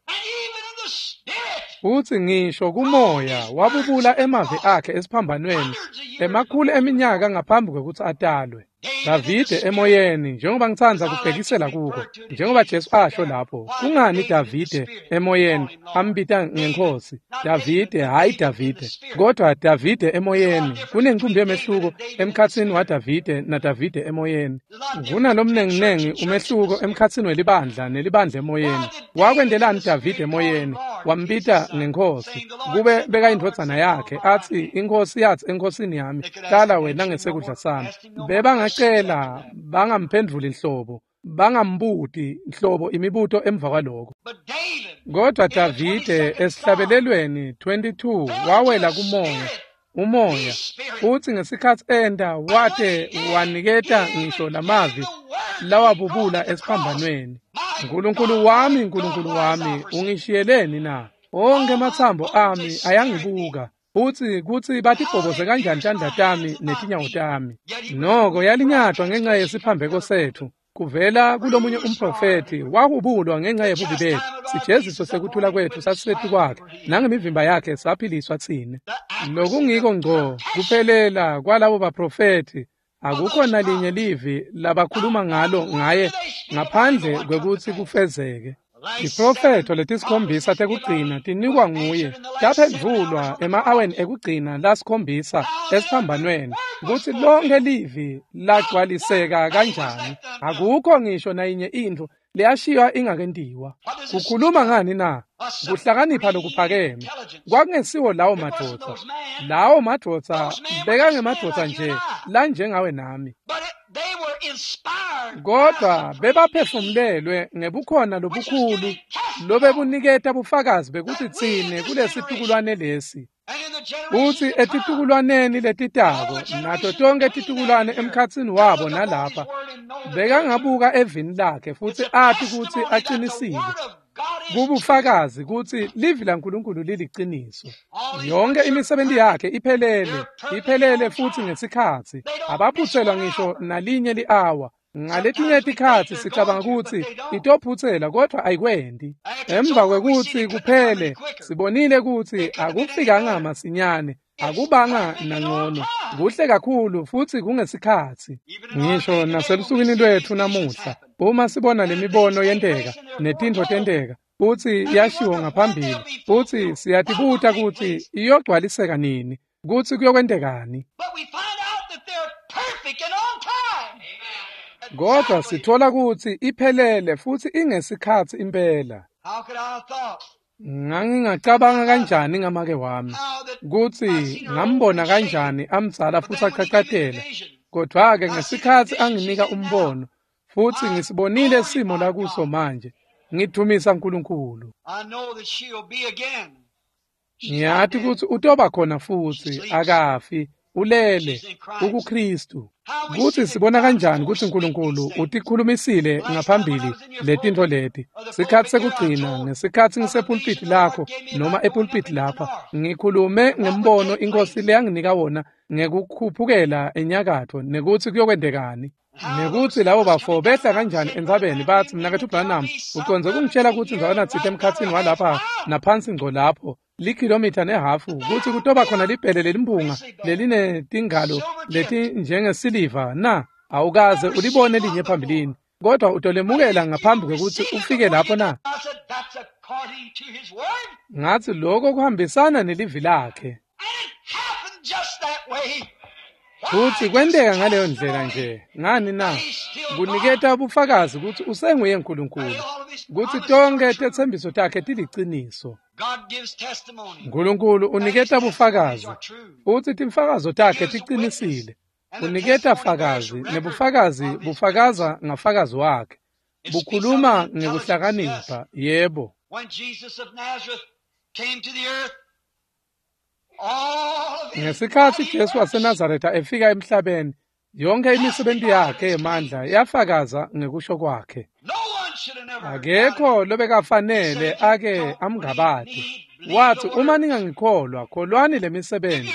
Futsi ngisho kumoya wabubula emavi akhe esiphambanweni emakhulu eminyaka ngaphambi kwekutsi atalwe. Davide emoyeni, njengoba ngitsandza kubhekisela kuko, njengoba Jesu asho lapho, kungani Davide emoyeni ambita ngenkhosi? Davide, hhayi Davide, kodwa Davide emoyeni. Kunencumbi yemehluko emkhatsini waDavide naDavide emoyeni. Kunalomnenginengi umehluko emkhatsini welibandla nelibandla emoyeni. Wakwentelani Davide emoyeni? Wambita ngenkhosi, kube bekayindvodzana yakhe, atsi inkhosi yatsi enkhosini yami, hlala wena ngesekudla sami. Bebangacela bangamphendvuli nhlobo, bangambuti nhlobo imibuto emva kwaloko. Kodwa Davide esihlabelelweni twenty-two wawela kumoya, umoya, futsi ngesikhatsi enta wate waniketa ngisho lamavi lawabubula esiphambanweni. Nkulunkulu wami, Nkulunkulu wami, ungishiyeleni na? Onkhe ematsambo ami ayangibuka. Futsi kutsi batibhoboze kanjani tandla tami netinyawo tami. Noko yalinyatwa ngenxa yesiphambeko setfu. Kuvela kulomunye umprofethi wahubulwa ngenxa yebubi betfu. Sijeziso sekuthula kwetfu sasisetu kwakhe, nangemivimba yakhe saphiliswa tsine. Lokungiko ngco kuphelela kwalabo baprofethi, akukho nalinye livi labakhuluma ngalo ngaye ngaphandle kwekutsi kufezeke. Tiprofetho letisikhombisa tekugcina tinikwa nguye, taphendvulwa ema-aweni ekugcina lasikhombisa esiphambanweni, kutsi lonkhe livi lagcwaliseka kanjani. Akukho ngisho nayinye intfo leyashiywa ingakentiwa. Kukhuluma ngani na? Kuhlakanipha lokuphakeme. Kwakungesiwo lawo madvodza. Lawo madvodza bekangemadvodza nje lanjengawe nami. Kodwa bebaphefumulelwe ngebukhona lobukhulu lobebuniketa bufakazi bekuthi tsine kulesitukulwane lesi. Futsi etitukulwaneni letitako, nato tonkhe titukulwane emkhatsini wabo nalapha, bekangabuka evini lakhe futsi ati kutsi aqinisile. Kubufakazi kutsi livi laNkulunkulu liliciniso. Yonke imisebenti yakhe iphelele, iphelele futsi ngesikhatsi. Abaphutselwa ngisho nalinye li-awa. Ngaletinye tikhatsi sicabanga kutsi itophutsela kodwa ayikwendi. Emva kwekutsi kuphele, sibonile kutsi akufikanga masinyane, akubanga nangcono. Kuhle kakhulu futsi kungesikhatsi. Ngisho naselusukwini lwetfu namuhla, uma sibona lemibono yenteka netintfo tenteka, futsi yashiwo ngaphambili, futsi siyatibuta kutsi iyogcwaliseka nini, kutsi kuyokwentekani. Kodwa sithola kutsi iphelele futsi ingesikhatsi impela. Ngangingacabanga kanjani ngamake wami, kutsi ngambona kanjani amdzala futsi achachatela. Kodwa-ke ngesikhatsi anginika umbono, futsi ngisibonile simo lakuso manje, ngidumisa Nkulunkulu. Ngiyati kutsi utoba khona futsi, akafi, ulele, ukuKristu. Kutsi sibona kanjani kutsi Nkulunkulu utikhulumisile ngaphambili letintfo leti. Sikhatsi sekugcina, ngesikhatsi ngisepulpiti lakho noma epulpiti lapha, ngikhulume ngembono iNkhosi leyanginika wona ngekukhuphukela enyakatfo nekutsi kuyokwentekani. Nekutsi labo bafo behla kanjani entsabeni batsi, Mnaketfu Branham, ucondze kungitshela kutsi ndzawana tsite emkhatsini walapha naphansi ngco lapho, likhilomitha nehafu, kutsi kutoba khona libhele lelimpunga lelinetingalo letinjengesiliva na? Awukaze ulibone linye phambilini, kodwa utolemukela ngaphambi kwekutsi ufike lapho na? Ngatsi lokho kuhambisana nelivi lakhe. Futsi kwenteka ngaleyo ndlela nje. Ngani na? Kuniketa bufakazi kutsi usenguye Nkulunkulu, kutsi tonkhe tetsembiso takhe tiliciniso. Nkulunkulu uniketa bufakazi, futsi timfakazo takhe ticinisile. Uniketa fakazi, nebufakazi bufakaza ngafakazi wakhe. Bukhuluma ngekuhlakanipha, yebo. Ngesikhatsi Jesu waseNazaretha efika emhlabeni, yonke imisebenti yakhe yemandla yafakaza ngekusho kwakhe. Akekho lobekafanele ake amngabate. Wathi, uma ningangikholwa, kholwani lemisebenti.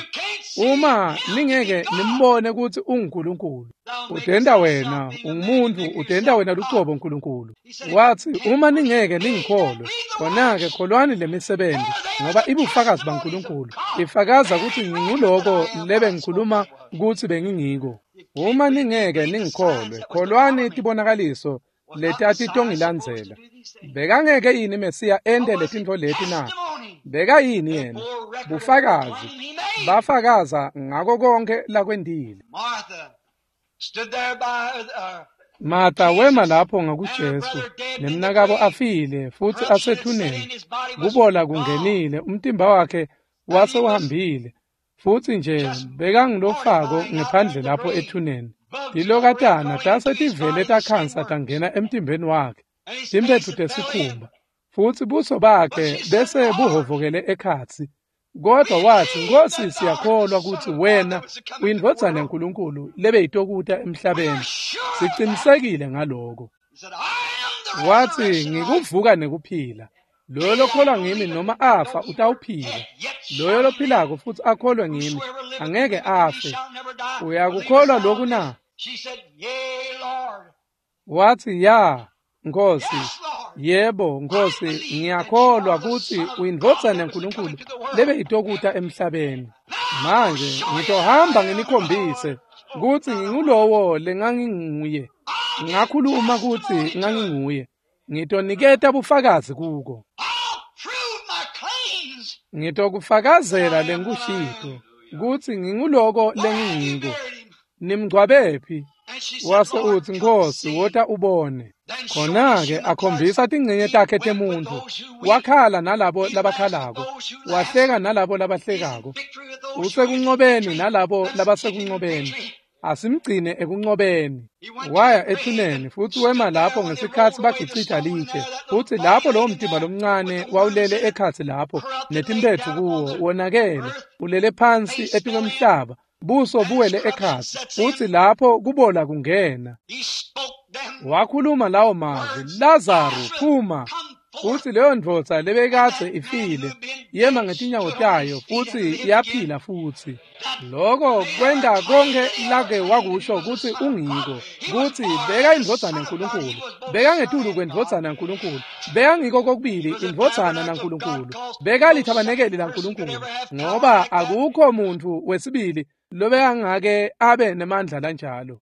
Uma ningeke nimbone kutsi unguNkulunkulu, udenda wena ungumuntu, udenda wena lucobo Nkulunkulu. Wathi, uma ningeke ningikholwe, khona-ke kholwani lemisebenti, ngoba ibufakazi baNkulunkulu ifakaza kutsi nginguloko lebe ngikhuluma kutsi bengingiko. Uma ningeke ningikholwe, kholwani tibonakaliso letatitongilandzela. Bekangeke yini Mesiya ente letintfo leti na? Bekayini yena? Bufakazi bafakaza ngako konke lakwentile. Martha wema lapho ngakuJesu, nemnakabo afile futsi asethuneni. Kubola kungenile, umtimba wakhe wase uhambile, futsi nje bekangilofako ngephandle lapho ethuneni. Tilokatana tase tivele takhansa tangena emtimbeni wakhe, timphetfu tesikhumba, futsi buso bakhe bese buhovokele ekhatsi. Kodwa wathi, Nkosi, siyakholwa kutsi wena uyindvodzana yaNkulunkulu lebeyitokuta emhlabeni. Sicinisekile ngaloko. Wathi, ngikuvuka nekuphila. Loyo lokholwa ngimi noma afa utawuphila. Loyo lophilako futsi akholwe ngimi angeke afe. Uyakukholwa loku na? Wathi, ya, Nkosi. Yebo, Nkosi, ngiyakholwa kutsi uyindvodzana yaNkulunkulu lebeyitokuta emhlabeni. Manje ngitohamba nginikhombise kutsi ngingulowo lenganginguye. Ngakhuluma kutsi nganginguye. Ngitoniketa bufakazi kuko. Ngitokufakazela lengikushito kutsi nginguloko lengingiko. Nimngcwabephi? Wase utsi, Nkosi, wota ubone. Khona-ke akhombisa tingcenye takhe temuntfu. Wakhala nalabo labakhalako, wahleka nalabo labahlekako. Usekuncobeni nalabo labasekunqobeni. Asimgcine ekuncobeni. Waya ethuneni futsi wema lapho ngesikhatsi bagicita litshe, futsi lapho lowo mtimba lomncane wawulele ekhatsi lapho netimphetfu kuwo wonakele, ulele phansi etikwemhlaba, buso buwele ekhatsi, futsi lapho kubola kungena. Wakhuluma lawo mazwi, Lazaru, phuma. Futsi leyo ndvodza lebekadze ifile yema ngetinyawo tayo futsi yaphila futsi. Loko kwenta konke lake wakusho kutsi ungiko, kutsi beka indvodzana yaNkulunkulu, bekangetulu kwendvodzana yaNkulunkulu, bekangiko kokubili indvodzana naNkulunkulu, bekalithabanekeli laNkulunkulu, ngoba akukho muntfu wesibili lobekangake abe nemandla lanjalo.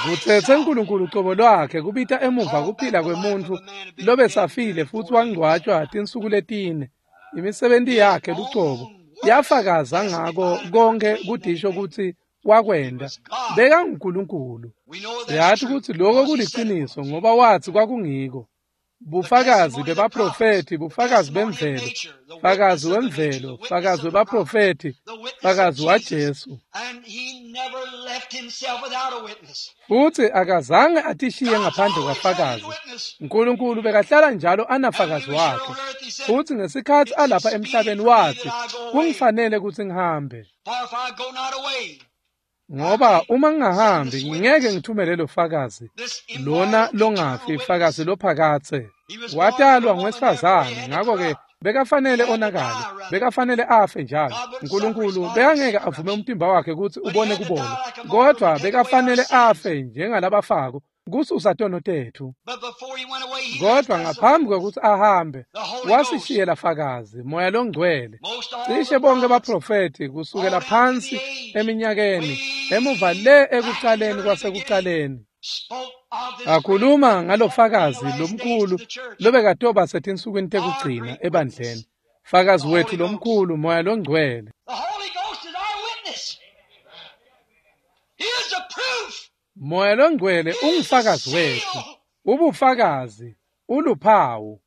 Kutsetse Nkulunkulu cobo lwakhe kubita emuva kuphila kwemuntfu lobesafile futsi wangcwatjwa tinsuku letine. Imisebenti yakhe lucobo yafakaza ngako konke kudisho kutsi wakwenta. BekanguNkulunkulu. Siyathi kutsi lokho kuliciniso ngoba wathi kwakungiko. Bufakazi bebaprofethi, bufakazi bemvelo, fakazi wemvelo, fakazi webaprofethi, fakazi waJesu. Futsi akazange atishiye ngaphandle kwafakazi. Nkulunkulu bekahlala njalo anafakazi wakhe. Futsi ngesikhatsi alapha emhlabeni wathi, kungifanele kutsi ngihambe, ngoba uma ngingahambi ngingeke ngithumele lo fakazi, lona longafi, fakazi lophakatse. Watalwa ngowesifazane, ngakho-ke bekafanele onakale, bekafanele afe njalo. Nkulunkulu bekangeke avume umtimba wakhe kutsi ubone kubola, kodwa bekafanele afe njengalabafako kususa tono tetfu. Kodwa ngaphambi kwekutsi ahambe, wasishiyela fakazi, Moya Longcwele. Cishe bonke baprofethi kusukela phansi eminyakeni emuva le ekucaleni kwasekucaleni akhuluma ngalofakazi lomkhulu lobekatoba setinsukwini tekugcina ebandleni, fakazi wethu lomkhulu, Moya Longcwele. Moya longcwele ungufakazi wethu, ubufakazi, uluphawu.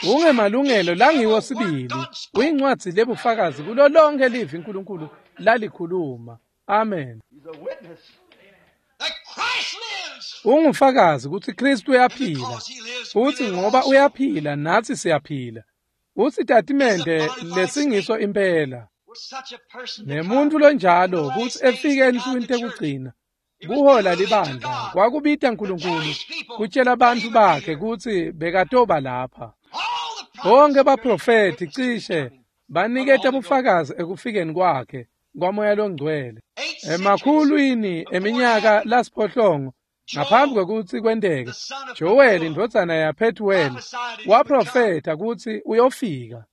Ungemalungelo langiwo sibili, uyincwadzi lebufakazi kulo lonke livi uNkulunkulu lalikhuluma. Amen. Ungufakazi kutsi Kristu uyaphila, futsi ngoba uyaphila natsi siyaphila. Usitatimende lesingiso impela. Nemuntu lonjalo kutsi efike ensukwini tekugcina kuhola libandla kwakubita uNkulunkulu kutshela bantfu bakhe kutsi bekatoba lapha. Bonke baprofethi cishe baniketa bufakazi ekufikeni kwakhe kwaMoya loNgcwele emakhulwini eminyaka lasiphohlongo ngaphambi kwekutsi kwenteke. Joel indvodzana yaPhethuweli waprofetha kutsi uyofika.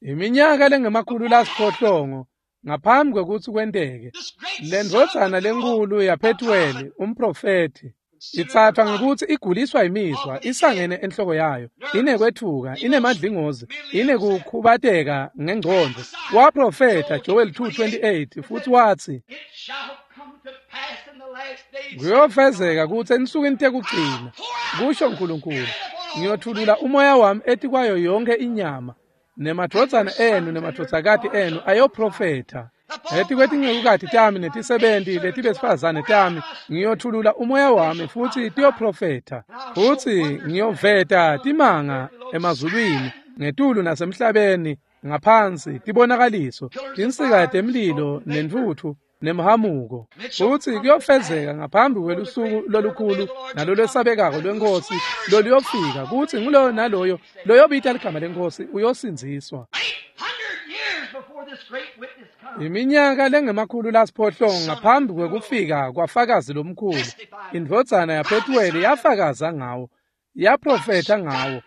Iminyaka lengemakhulu lasiphohlongo ngaphambi kwekutsi kwenteke, lendvodzana lenkulu yaPhethuweli umprofethi itsatfwa ngekutsi iguliswa imizwa, isangene enhloko yayo, inekwetfuka, inemadlingozi, inekukhubateka ngengcondvo. Waprofetha Joel two twenty-eight futsi watsi kuyofezeka kutsi ensukwini tekugcina, kusho uNkulunkulu, ngiyothulula umoya wami etikwayo yonke inyama, nemadvodzana enu nemadvodzakati enu ayoprofetha. Etikwetincekukati tami netisebenti letibesifazane tami ngiyothulula umoya wami futsi tiyoprofetha. Futsi ngiyoveta timanga emazulwini ngetulu nasemhlabeni ngaphansi, tibonakaliso, tinsika temlilo nentfutfu nemhamuko. Futsi kuyofezeka ngaphambi kwelusuku lolukhulu nalolwesabekako lweNkhosi loluyofika, kutsi nguloyo naloyo loyobita ligama leNkhosi uyosindziswa. Iminyaka lengemakhulu lasiphohlongo ngaphambi kwekufika kwafakazi lomkhulu, indvodzana yaPhethuweli yafakaza ngawo, yaprofetha ngawo.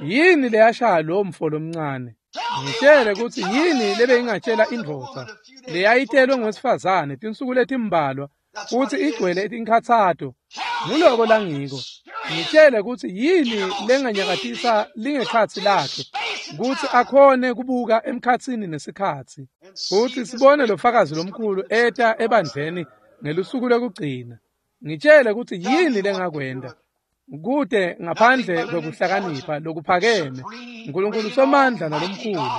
Yini leyashaya lo mfo lomncane? Ngitshele kutsi yini lebeyingatshela indvodza leyayitelwe ngowesifazane tinsuku letimbalwa futsi igcwele tinkhatsato? Nguloko langiko. Ngitshele kutsi yini lenganyakatisa lingekhatsi lakhe kutsi akhone kubuka emkhatsini nesikhatsi, futsi sibone lo fakazi lomkhulu eta ebandleni ngelusuku lwekugcina. Ngitshele kutsi yini lengakwenta kute ngaphandle kwekuhlakanipha lokuphakeme uNkulunkulu somandla nalomkhulu.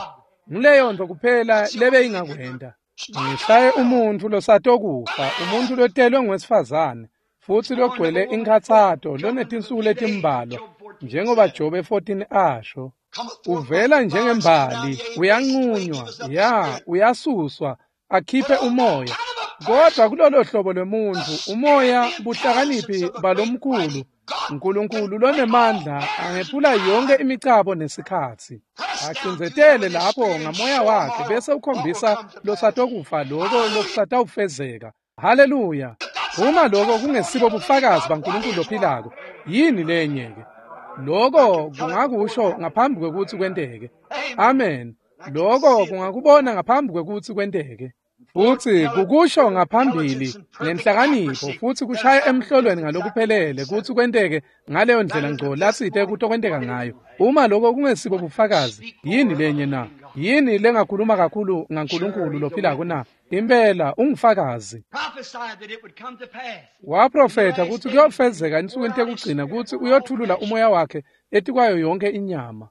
Nguleyo nto kuphela lebeyingakwenta. Ngishaye umuntfu losatokufa, umuntfu lotelwe ngowesifazane futsi logcwele inkhatsato lonetinsuku letimbalwa, njengoba Jobe fourteen asho. Uvela njengembali, uyanqunywa, ya, uyasuswa, akhiphe umoya. Kodwa kulolo hlobo lwemuntfu umoya buhlakaniphi balomkhulu uNkulunkulu lonemandla angephula yonke imicabo nesikhatsi, acindzetele lapho ngamoya wakhe bese ukhombisa losatokufa loko lokusatawufezeka. Haleluya! Uma lokho kungesibo bufakazi baNkulunkulu lophilako, yini lenye-ke? Lokho kungakusho ngaphambi kwekutsi kwenteke. Amen. Lokho kungakubona ngaphambi kwekutsi kwenteke. Futsi kukusho ngaphambili ngenhlakanipho futsi kushaya emhlolweni ngalokuphelele kutsi kwenteke ngaleyo ndlela ngco latsite kutokwenteka ngayo. Uma lokho kungesibo bufakazi, yini lenye na? Yini lengakhuluma kakhulu ngaNkulunkulu lophilako na? Impela ungufakazi. Waprofetha kutsi kuyofezeka ensukwini tekugcina kutsi uyothulula umoya wakhe etikwayo yonke inyama.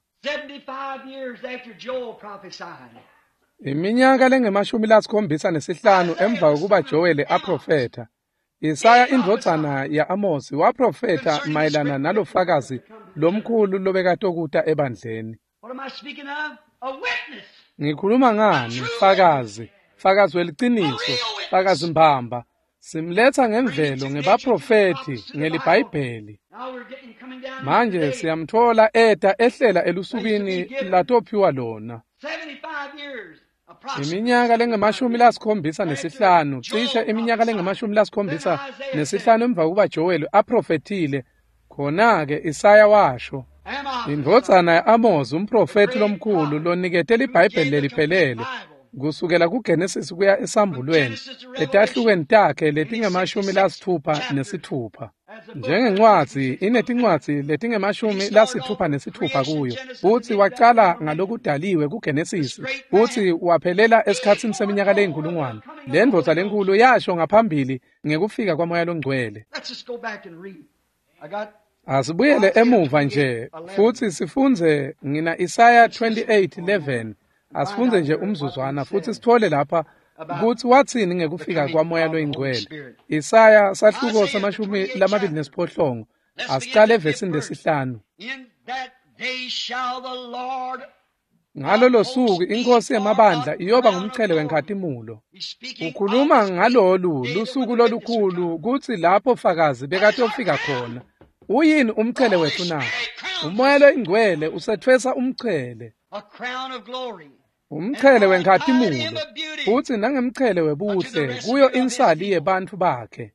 Iminyaka lengemashumi lasikhombisa nesihlanu emva kokuba Joel aprofetha, Isaya indvodzana ya-Amosi waprofetha mayelana nalofakazi lomkhulu lobekatokuta ebandleni. Ngikhuluma ngani? Fakazi, fakazi weliciniso, fakazi mbamba. Simletha ngemvelo ngebaprofethi ngeliBhayibheli. Manje siyamthola eta ehlela elusukwini latophiwa lona. Iminyaka lengemashumi lasikhombisa nesihlanu, cishe iminyaka lengemashumi lasikhombisa nesihlanu emva kokuba Joel aprofethile, khona-ke Isaya washo, indvodzana ya-Amosi umprofethi lomkhulu lonikete liBhayibheli leliphelele kusukela kuGenesis kuya esambulweni etahlukweni takhe letingemashumi lasitfupha nesitfupha. Njengencwadzi inetincwadzi letingemashumi lasitfupha nesitfupha kuyo, futsi wacala ngalokudaliwe kuGenesisi, futsi waphelela esikhatsini seminyaka leyinkulungwane. Le ndvodza lenkulu yasho ngaphambili ngekufika kwaMoya loNgcwele. Asibuyele emuva nje futsi sifundze ngina Isaya twenty-eight eleven. Asifundze nje umzuzwana futsi sithole lapha kutsi watsini ngekufika kwaMoya loyiNgcwele. Isaya sahluko samashumi lamabili nesiphohlongo. Asicale evesini lesihlanu. Ngalolo suku inkosi yemabandla iyoba ngumchele wenkhatimulo. Ukhuluma ngalolu lusuku lolukhulu kutsi lapho fakazi bekatofika khona. Uyini umchele wethu na? Umoya loyingcwele usetfwesa umchele. Umchele wenkhatimulo futsi nangemchele webuhle kuyo insali yebantfu bakhe.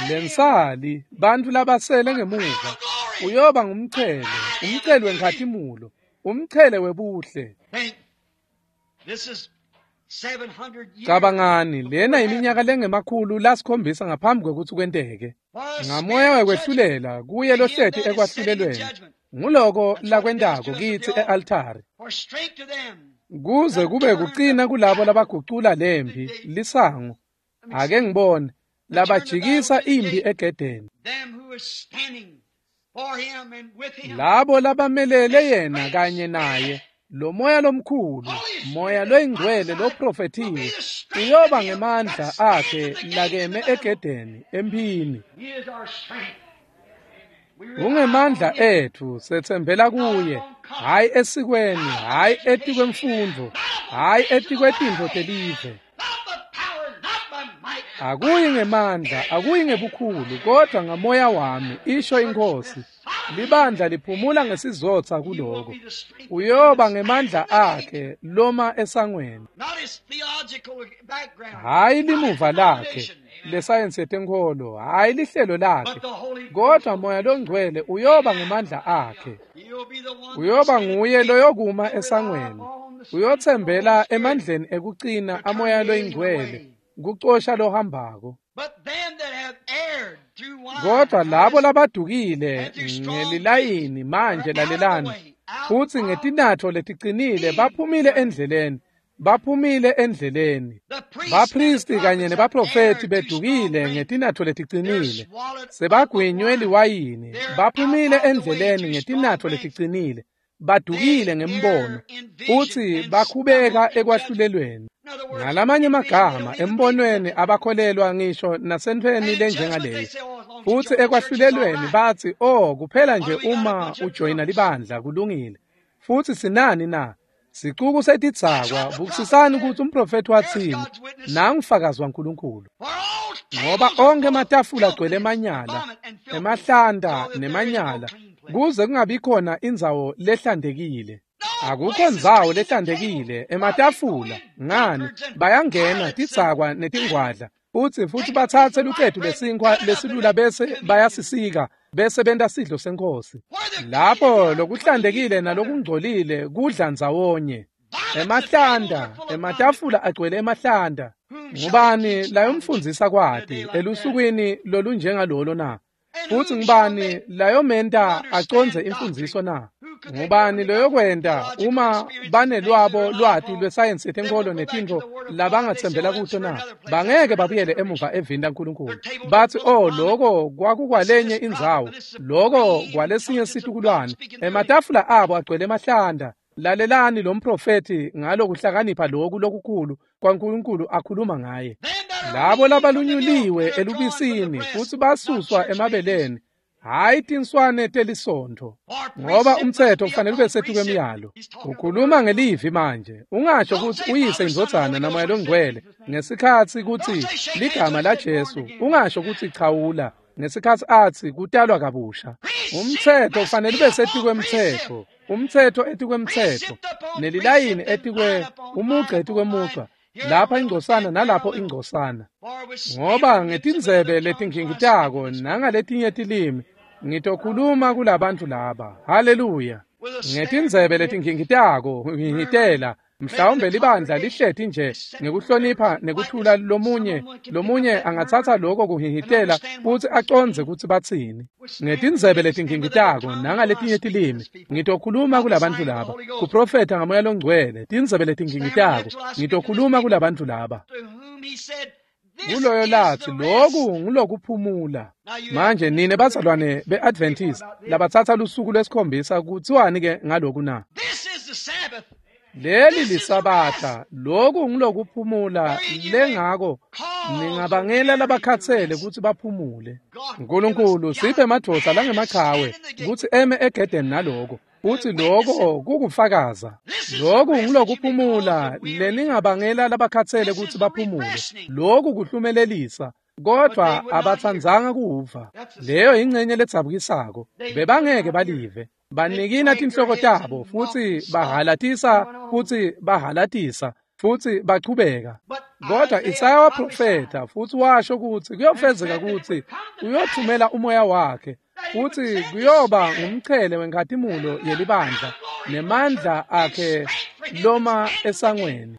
Lensali bantfu labasele ngemuva uyoba ngumchele, umchele wenkhatimulo, umchele webuhle. Cabangani, lena iminyaka lengemakhulu lasikhombisa ngaphambi kwekutsi kwenteke. Ngamoya wekwehlulela kuye lohleti ekwahlulelweni. Nguloko lakwentako kitsi e-altari. Kuze kube kucina kulabo labagucula lempi lisango. Ake ngibone labajikisa impi egedeni. Labo labamelele yena kanye naye. Lo moya lomkhulu, moya loyingcwele loprofethiwe, uyoba ngemandla akhe lakeme egedeni emphini. Ungemandla ethu setsembela kuye, hhayi esikweni, hhayi etikwemfundvo, hhayi etikwetintfo telive. Akuyi ngemandla, akuyi ngebukhulu, kodwa ngamoya wami, isho inkosi. Libandla liphumula ngesizotha kuloko. Uyoba ngemandla akhe loma esangweni. Hhayi limuva lakhe lesayensi yetenkholo, hhayi lihlelo lakhe, kodwa moya longcwele uyoba ngemandla akhe. Uyoba nguye loyokuma esangweni. Uyothembela emandleni ekucina amoya loyingcwele kucosha lohambako. Kodwa labo labadukile ngelilayini manje lalelani, futsi ngetinatfo leticinile baphumile endleleni, baphumile endleleni. Baphristi kanye nebaprofethi bedukile ngetinatfo leticinile, sebagwinywe liwayini, baphumile endleleni ngetinatfo leticinile, badukile ngembono, futsi bakhubeka ekwahlulelweni. Ngalamanye amagama embonweni abakholelwa ngisho nasentfweni lenjengaleyo. Futsi ekwahlulelweni batsi, oh, kuphela nje uma ujoyina libandla kulungile. Futsi sinani na? Sicuku setidzakwa, bukisisani kutsi umprofethi watsini, nangufakazi waNkulunkulu. Ngoba onkhe ematafula agcwele emanyala, emahlanta nemanyala, kuze kungabi khona indzawo lehlantekile. Akukho ndzawo lehlantekile ematafula, ngani bayangena tidzakwa netingwadla, futsi futsi batsatse lucetu lesinkhwa lesilula bese bayasisika bese benta sidlo senkosi. Lapho lokuhlantekile nalokungcolile kudla ndzawonye. Emahlanta, ematafula agcwele emahlanta. Ngubani layomfundzisa kwati elusukwini lolunjengalolo na? Futsi ngubani layomenta acondze imfundziso na? Ngubani loyokwenta uma banelwabo lwati lwesayensi yetenkholo netintfo labangatsembela kuto na? Bangeke babuyele emuva evini laNkulunkulu. Batsi, oh, loko kwakukwalenye indzawo, loko kwalesinye situkulwane. Ematafula abo agcwele emahlanta. Lalelani lo mprofethi ngalokuhlakanipha loku lokukhulu kwaNkulunkulu akhuluma ngaye. Labo labalunyuliwe elubisini futsi basuswa emabeleni, hhayi tinswane telisontfo, ngoba umtsetfo kufanele ube setikwemiyalo. Ukhuluma ngelivi manje, ungasho kutsi uyise indvodzana namoya longcwele ngesikhatsi kutsi ligama laJesu, ungasho kutsi chawula ngesikhatsi atsi kutalwa kabusha. Umtsetfo kufanele ube setikwemtsetfo, umtsetfo etikwemtsetfo, nelilayini etikwe umugca etikwemugca, lapha ingcosana nalapho ingcosana. Ngoba ngetindzebe letingingitako nangaletinye tilimi ngitokhuluma kulabantu laba. Haleluya. Ngetindzebe letingingitako ngingitela Mhlawumbe libandla lihleti nje ngekuhlonipha nekuthula lomunye lomunye angatsatsa lokho kuhihitela futsi acondze kutsi batsini. Ngetindzebe letingingitako nangaletinye tilimi ngitokhuluma kulabantu laba. Kuprofetha ngamoya longcwele tindzebe letingingitako ngitokhuluma kulabantu laba. Kuloyo lathi lokhu ngulokuphumula. Manje nine bazalwane be-Adventist labatsatsa lusuku lwesikhombisa kutsiwani ke ngaloku na? Leli lisabatha, lokhu ngulokuphumula lengako ningabangela labakhatsele kutsi baphumule. Nkulunkulu siphe emadvodza langemaqhawe kutsi eme egedeni naloko. Futsi lokho kukufakaza. Lokhu ngulokuphumula leningabangela labakhatsele kutsi baphumule. Lokhu kuhlumelelisa kodwa abatsandzanga kuva. Leyo ingcenye ledzabukisako. Bebangeke balive. Banikina tinhloko tabo futsi bahalatisa futsi bahalatisa futsi bachubeka. Kodwa Isaya waprofetha futsi washo kutsi kuyofezeka kutsi uyothumela umoya wakhe futsi kuyoba ngumchele wenkhatimulo yelibandla nemandla akhe loma esangweni.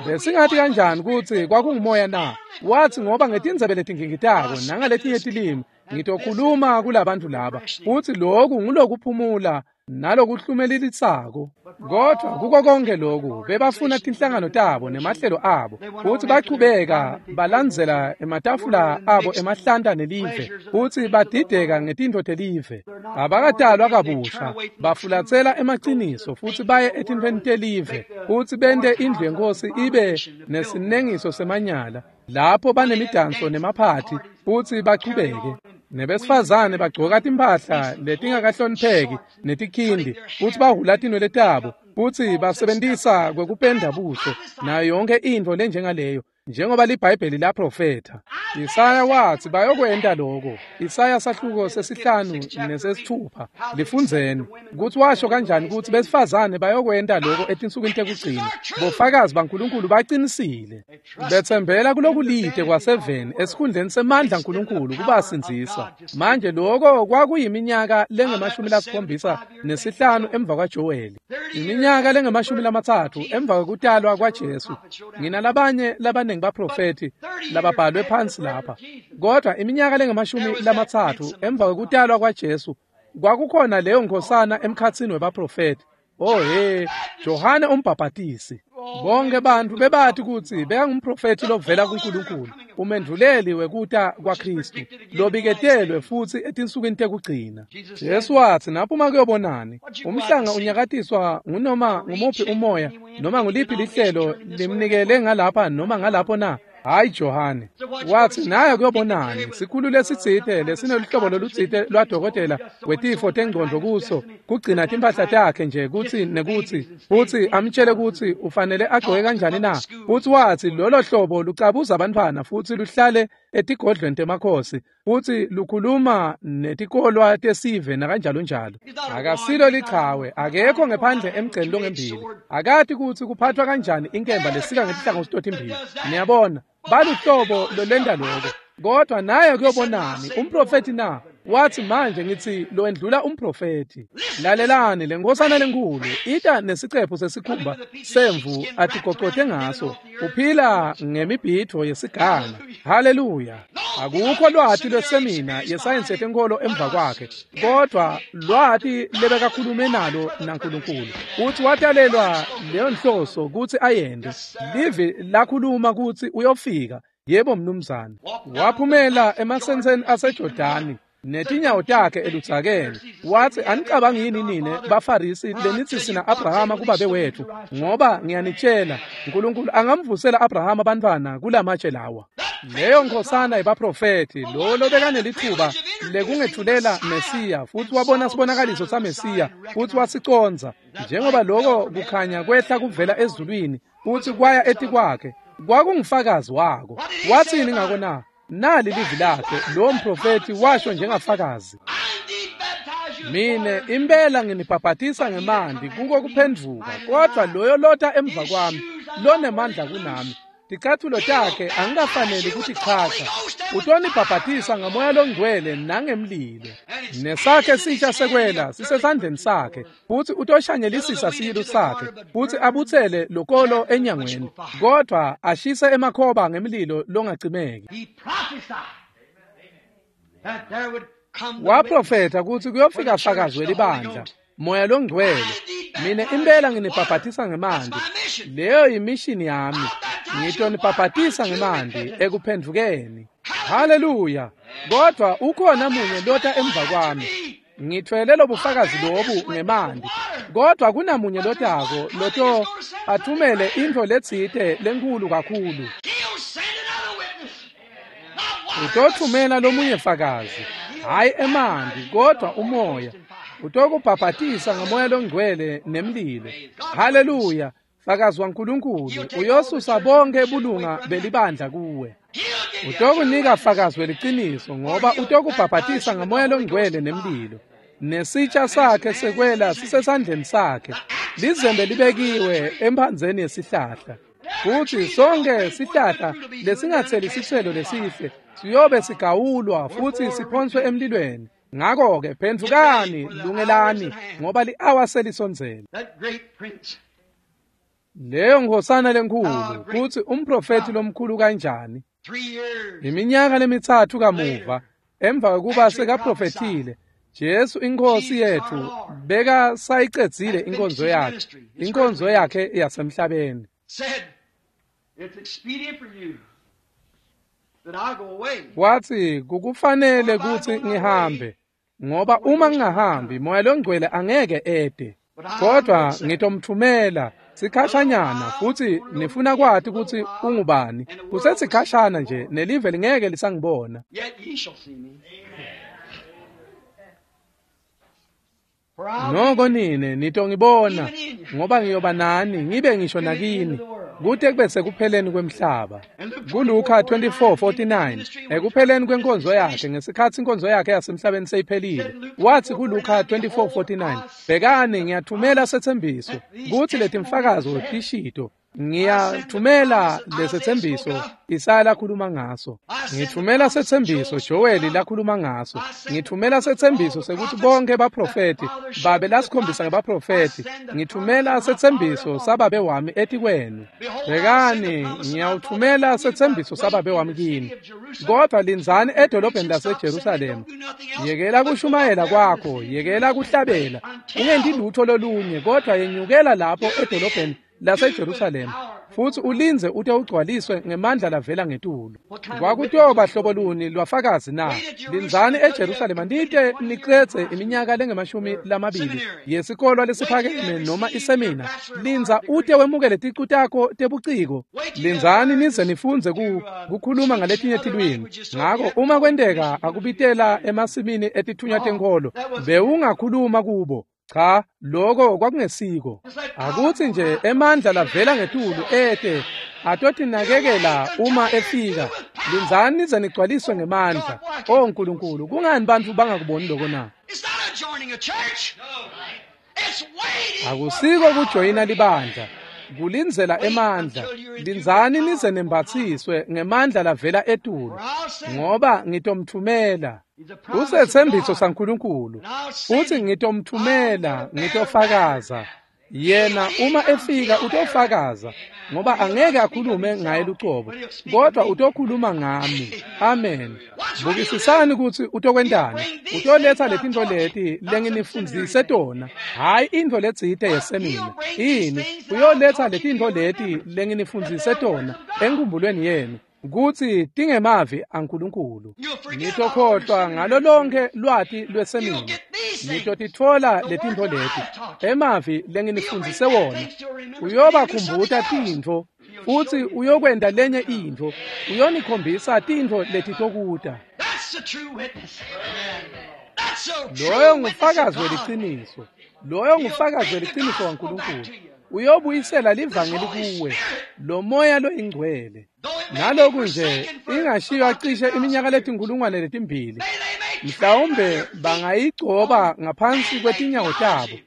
Besingathi kanjani kutsi kwakungumoya na? Wathi ngoba ngetindzebe letingingitako nangaletinye tilimi ngitokhuluma kulabantu laba futsi lokhu ngulokuphumula nalokuhlumelelisako. Kodwa kuko konke lokhu bebafuna tinhlangano tabo nemahlelo abo futsi bachubeka balandzela ematafula abo emahlanta nelive futsi badideka ngetintfo telive. Abakatalwa kabusha, bafulatsela emaciniso futsi baye etintfweni telive futsi bente indlu yenkosi ibe nesinengiso semanyala lapho banemidanso nemaphathi futsi bachubeke. Nebesifazane bagcoka timphahla letingakahlonipheki netikhindi futsi bahhula tinwele tabo futsi basebentisa kwekupenda buso nayo yonke intfo lenjengaleyo njengoba liBhayibheli laprofetha. Isaya wathi bayokwenta lokho. Isaya sahluko sesihlanu nesesithupha lifundzeni kutsi washo kanjani kutsi besifazane bayokwenta lokho etinsukwini tekugcina. Bofakazi baNkulunkulu baqinisile betsembela kulokulide kwaseveni esikhundleni semandla aNkulunkulu kubasindzisa. Manje lokho kwakuyiminyaka lengemashumi lasikhombisa nesihlanu emva kwaJoweli, iminyaka lengemashumi lamatsatfu emva kwekutalwa kwaJesu. Nginalabanye labaningi baprofethi lababhalwe phansi lapha, kodwa iminyaka lengemashumi lamatsatfu emva kwekutalwa kwaJesu kwakukhona leyo nkhosana emkhatsini webaprofethi. Oh he, Johane umbhabhatisi. Bonke bantfu bebati kutsi bekangumprofethi lovela kuNkulunkulu, umendvuleli wekuta kwaKhristu lobiketelwe futsi etinsukwini tekugcina. Jesu wathi naphuma kuyobonani umhlanga unyakatiswa ngunoma ngumuphi umoya noma nguliphi lihlelo limnikele ngalapha noma ngalapho na? Hayi Johane. Wathi naye kuyobonani sikhulu lesitsite lesineluhlobo lolutsite lwadokotela wetifo tengcondvo kuso kugcina timphahla takhe nje kutsi nekutsi futsi amtshele kutsi ufanele agcoke kanjani na? Futsi wathi lolo hlobo lucabuza abantwana futsi luhlale etigodlweni temakhosi futsi lukhuluma netikolwa tesive nakanjalo njalo. Akasilo lichawe, akekho ngephandle emgceni longembili, akati kutsi kuphathwa kanjani inkemba lesika ngetihlangothi totimbili. Niyabona baluhlobo lolenda lokho. Kodwa naye kuyobonani umprofethi na? Wathi manje ngithi lo endlula umprofethi. Lalelani le nkosana lenkulu ita nesicephu sesikhumba semvu atigocote ngaso, uphila ngemibhidvo yesiganga. Haleluya. Akukho lwati lwesemina yesayensi yetenkolo emva kwakhe, kodwa lwati lebekakhulume nalo naNkulunkulu. Uthi watalelwa leyo nhloso kutsi ayende. Livi lakhuluma kutsi uyofika. Yebo mnumzane. Waphumela emasenseni aseJordani netinyawo takhe eludzakeni. Wathi anicabangi yini nine baFarisi lenithi sina Abrahama kubabe wethu? Ngoba ngiyanitshela uNkulunkulu angamvusela Abrahama bantwana kulamatshe lawa. Leyo nkhosana yebaprofethi lo lobekanelithuba lekungethulela Mesiya futsi wabona sibonakaliso saMesiya futsi wasicondza njengoba lokho kukhanya kwehla kuvela ezulwini futsi kwaya etikwakhe kwakungufakazi wako. Wathini ngako na? Nali livi lakhe lo mprofethi washo njengafakazi. Mine impela nginibhabhatisa ngemanti kuko kuphendvuka, kodwa loyo lota emva kwami lonemandla kunami, ticathulo takhe angikafaneli kutichacha. Utonibhabhatisa ngamoya longcwele nangemlilo. Nesakhe sitsha sekwela sisesandleni sakhe, futsi utoshanyelisisa silu sakhe, futsi abutsele lokolo enyangweni, kodvwa ashise emakhoba ngemlilo longacimeki. Waprofetha kutsi kuyofika fakazi welibandla, Moya loNgcwele. Mina impela nginibhabhatisa ngemanti. Leyo yimishini yami. Ngitonibhabhatisa ngemanti ekuphendvukeni. Haleluya! Kodwa ukhona munye lota emva kwami. Ngithwele lobufakazi lobu ngemanti. Kodwa kunamunye lotako loto athumele intfo letsite lenkulu kakhulu. Utothumela lomunye fakazi, hhayi emanti kodwa umoya. Utokubhabhatisa ngamoya longcwele nemlilo. Haleluya! Fakazi waNkulunkulu uyosusa bonke bulunga belibandla kuwe. Utokunika fakazi weliciniso ngoba utokubhabhatisa ngamoya longcwele nemlilo. Nesitsha sakhe sekwela sisesandleni sakhe. Lizembe libekiwe emphandzeni yesihlahla. Futsi sonke sihlahla lesingatseli sitselo lesihle siyobe sigawulwa futsi siphonswe emlilweni. Ngakho-ke phendvukani, lungelani, ngoba li-awa selisondzele. Leyo nkhosana lenkhulu, kutsi umprofethi lomkhulu kanjani. Iminyaka lemitsatfu kamuva, emva kwekuba sekaprofethile, Jesu inkosi yetfu beka sayicedzile inkonzo yakhe, inkonzo yakhe yasemhlabeni. Wathi kukufanele kutsi ngihambe, ngoba uma ngingahambi Moya loNgcwele angeke ede. Kodwa ngitomthumela sikhashanyana, futsi nifuna kwati kutsi ungubani. Kusesikhashana nje nelive lingeke lisangibona. Noko nine nitongibona, ngoba ngiyoba nani ngibe ngisho nakini kute kube sekupheleni kwemhlaba. KuLuka twenty-four forty-nine, ekupheleni kwenkonzo yakhe, ngesikhatsi inkonzo yakhe yasemhlabeni seyiphelile, wathi kuLuka twenty-four forty-nine, bhekani ngiyathumela setsembiso kutsi letimfakazo tishito. Ngiyathumela lesetsembiso Isaya lakhuluma ngaso. Ngithumela setsembiso Joeli lakhuluma ngaso. Ngithumela setsembiso sekuthi bonke baprofeti babe lasikhombisa ngebaprofeti. Ngithumela setsembiso sababe wami etikwenu. Bhekani ngiyawuthumela setsembiso sababe wami kini. Kodwa lindzani edolobheni laseJerusalema. Yekela kushumayela kwakho, yekela kuhlabela. Ungenti lutho lolunye kodwa yenyukela lapho edolobheni laseJerusalema, futsi ulindze ute ugcwaliswe ngemandla lavela ngetulu. Kwakutoba hlobo luni lwafakazi na? Lindzani eJerusalema nite nicedze iminyaka lengemashumi lamabili yesikolwa lesiphakeme noma isemina. Lindza ute wemukele ticu takho tebuciko. Lindzani nize nifundze ku kukhuluma ngaletinye tilwimi. Ngako uma kwenteka akubitela emasimini etithunywa tenkholo, bewungakhuluma kubo. Cha, lokho kwakungesiko. Akutsi nje emandla lavela ngetulu ete atotinakekela uma efika. Lindzani nize nigcwaliswe ngemandla. O Nkulunkulu, kungani bantfu bangakuboni lokho na? Akusiko kujoyina libandla, kulindzela emandla. Lindzani nize nembatsiswe ngemandla lavela etulu, ngoba ngitomthumela. Kusetsembiso saNkulunkulu, futsi ngitomthumela, ngitofakaza. Yena uma efika utofakaza, ngoba angeke akhulume ngaye lucobo, kodwa utokhuluma ngami. Amen. Bukisisani kutsi utokwentani. Utoletsa letintfo leti lenginifundzise tona, hhayi intfo letsite yesemina. Ini uyoletsa letintfo leti lenginifundzise tona enkhumbulweni yenu, kutsi tingemavi aNkulunkulu. Nitokhohlwa ngalo lonke lwati lwesemina. Nitotitfola letintfo leti, emavi lenginifundzise wona. Uyobakhumbuta tintfo, futsi uyokwenta lenye intfo. Uyonikhombisa tintfo letitokuta. Loyo ngufakazi weliciniso. Loyo ngufakazi weliciniso waNkulunkulu. Uyobuyisela livangeli kuwe, lo moya loyingcwele. Naloku nje ingashiywa cishe iminyaka letinkulungwane letimbili, mhlawumbe bangayigcoba ngaphansi kwetinyawo tabo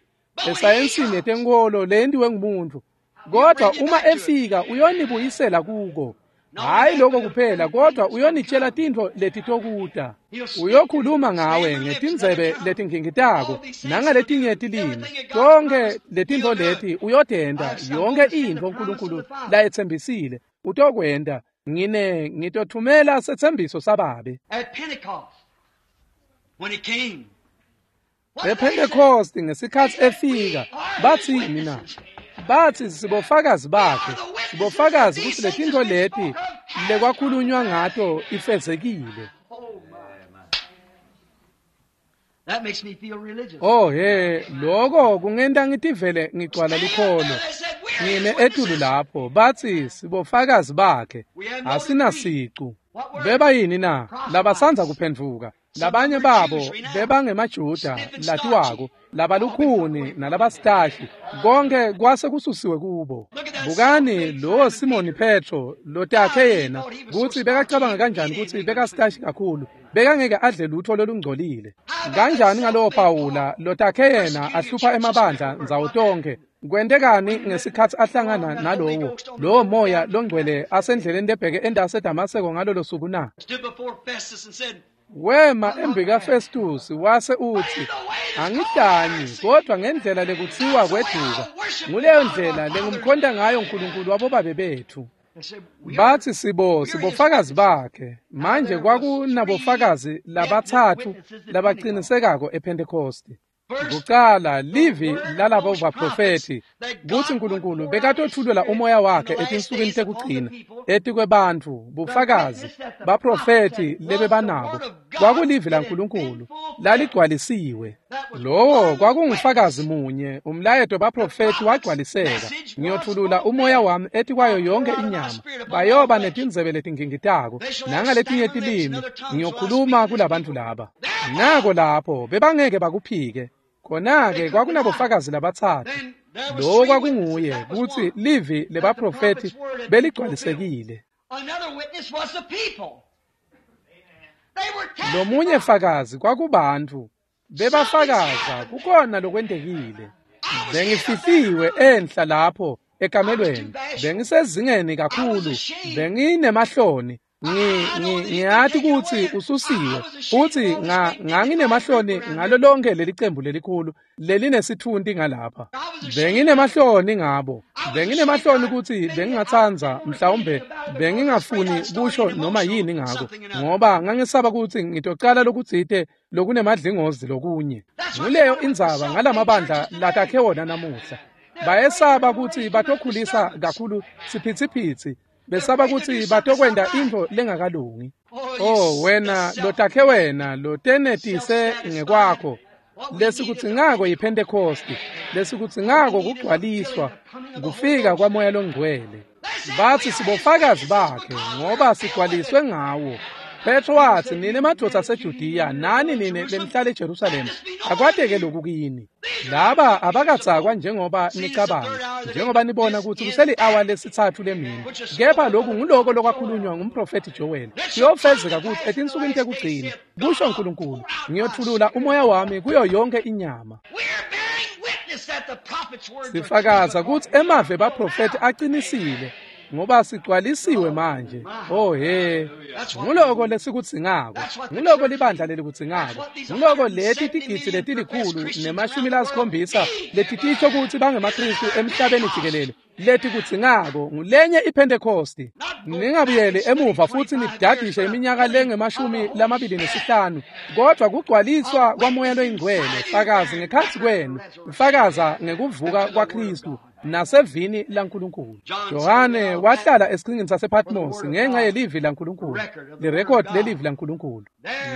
esayensini yetenkholo leyentiwe ngumuntu. Kodwa uma efika uyonibuyisela kuko. Hhayi lokho kuphela, kodwa uyonitshela tintfo letitokuta. Uyokhuluma ngawe ngetindzebe letingingitako nangaletinye tilimi. Tonkhe letintfo leti uyotenta, yonke intfo uNkulunkulu layetsembisile utokwenta. Ngine ngitothumela setsembiso sababe. EPhentekosti ngesikhatsi efika, bathi mina, bathi sibofakazi bakhe, sibofakazi kutsi letintfo leti lekwakhulunywa ngato ifezekile. Oh he, lokho kungenta ngitivele ngigcwala lukholo. Ngime etulu lapho, bathi sibofakazi bakhe, asinasicu. Beba yini na? Labasanza kuphendvuka. Labanye babo bebangemaJuda latiwako, labalukhuni nalabasitashi, konke kwase kususiwe kubo. Bukani lo Simoni Petro lotakhe yena kutsi bekacabanga kanjani kutsi bekasitashi kakhulu, bekangeke adle lutho lolungcolile. Kanjani ngalowo Pawula lotakhe yena ahlupha emabandla ndzawo tonke. Kwentekani ngesikhatsi ahlangana nalowo lowo moya longcwele asendleleni lebheke endase Damaseko ngalolo suku na? Wema embika Festus wase utsi, angidanyi kodwa ngendlela lekutsiwa kweduka, nguleyo ndlela lengumkhonta ngayo uNkulunkulu wabobabe bethu. Bathi sibo sibofakazi bakhe. Manje kwakunabofakazi labatsatfu labaqinisekako ePhentekosti. Kucala livi lalabo baprofethi kutsi uNkulunkulu bekatothulela umoya wakhe etinsukwini tekugcina etikwebantfu, bufakazi baprofethi lebebanabo kwakulivi laNkulunkulu laligcwalisiwe. Lowo kwakungufakazi munye, umlayeto baprofethi wagcwaliseka. Ngiyothulula umoya wami etikwayo yonke inyama, bayoba netindzebe letingingitako nangaletinye tilimi ngiyokhuluma kulabantu laba. Nako lapho bebangeke bakuphike. Khona-ke kwakunabofakazi labatsatfu. Lowo kwakunguye kutsi livi lebaprofethi beligcwalisekile. Lomunye fakazi kwakubantfu bebafakaza kukhona lokwentekile. Bengifihliwe enhla lapho ekamelweni, bengisezingeni kakhulu, benginemahloni. Ngiyati kutsi ususiwe futhi nganginemahloni ngalo lonke leli cembu lelikhulu lelinesithunti ngalapha. Benginemahloni ngabo, benginemahloni kutsi bengingatsandza mhlawumbe bengingafuni kusho noma yini ngako, ngoba ngangisaba kutsi ngitocala lokutsite lokunemadlingozi lokunye. Nguleyo indzaba ngalamabandla latakhe wona namuhla. Bayesaba kutsi batokhulisa kakhulu siphithiphithi, besaba kutsi batokwenta intfo lengakalungi. Oh wena lotakhe wena lotenetise ngekwakho, lesikudzingako yiPhentekosti, lesikudzingako kugcwaliswa kufika kwamoya longcwele. Bathi sibofakazi bakhe ngoba sigcwaliswe ngawo. Petro watsi, nine madvodza aseJudiya nani nine lenihlala eJerusalema, akwateke lokhu kini. Laba abakadzakwa njengoba nicabanga, njengoba nibona kutsi kuseli-awa lesitsatfu lemini. Kepha lokhu nguloko lokwakhulunywa ngumprofethi Joel. Kuyofezeka kutsi etinsukwini tekugcina, kusho uNkulunkulu, ngiyothulula umoya wami kuyo yonke inyama. Sifakaza kutsi emavi baprofethi aqinisile, ngoba sigcwalisiwe manje. Oh he, nguloko lesikudzingako, nguloko libandla lelikudzingako, nguloko leti tigidzi letilikhulu nemashumi lasikhombisa letitisho kutsi bangemaKristu emhlabeni jikelele letikudzingako ngulenye iPhentekosti. Ningabuyeli emuva futsi nidadishe iminyaka lengemashumi lamabili nesihlanu, kodwa kugcwaliswa kwamoya loyingcwele fakazi ngekhatsi kwenu, fakaza ngekuvuka kwaKristu nasevini laNkulunkulu. Johane wahlala esiqhingini sasePatmos ngenxa yelivi laNkulunkulu, lirekhodi lelivi laNkulunkulu.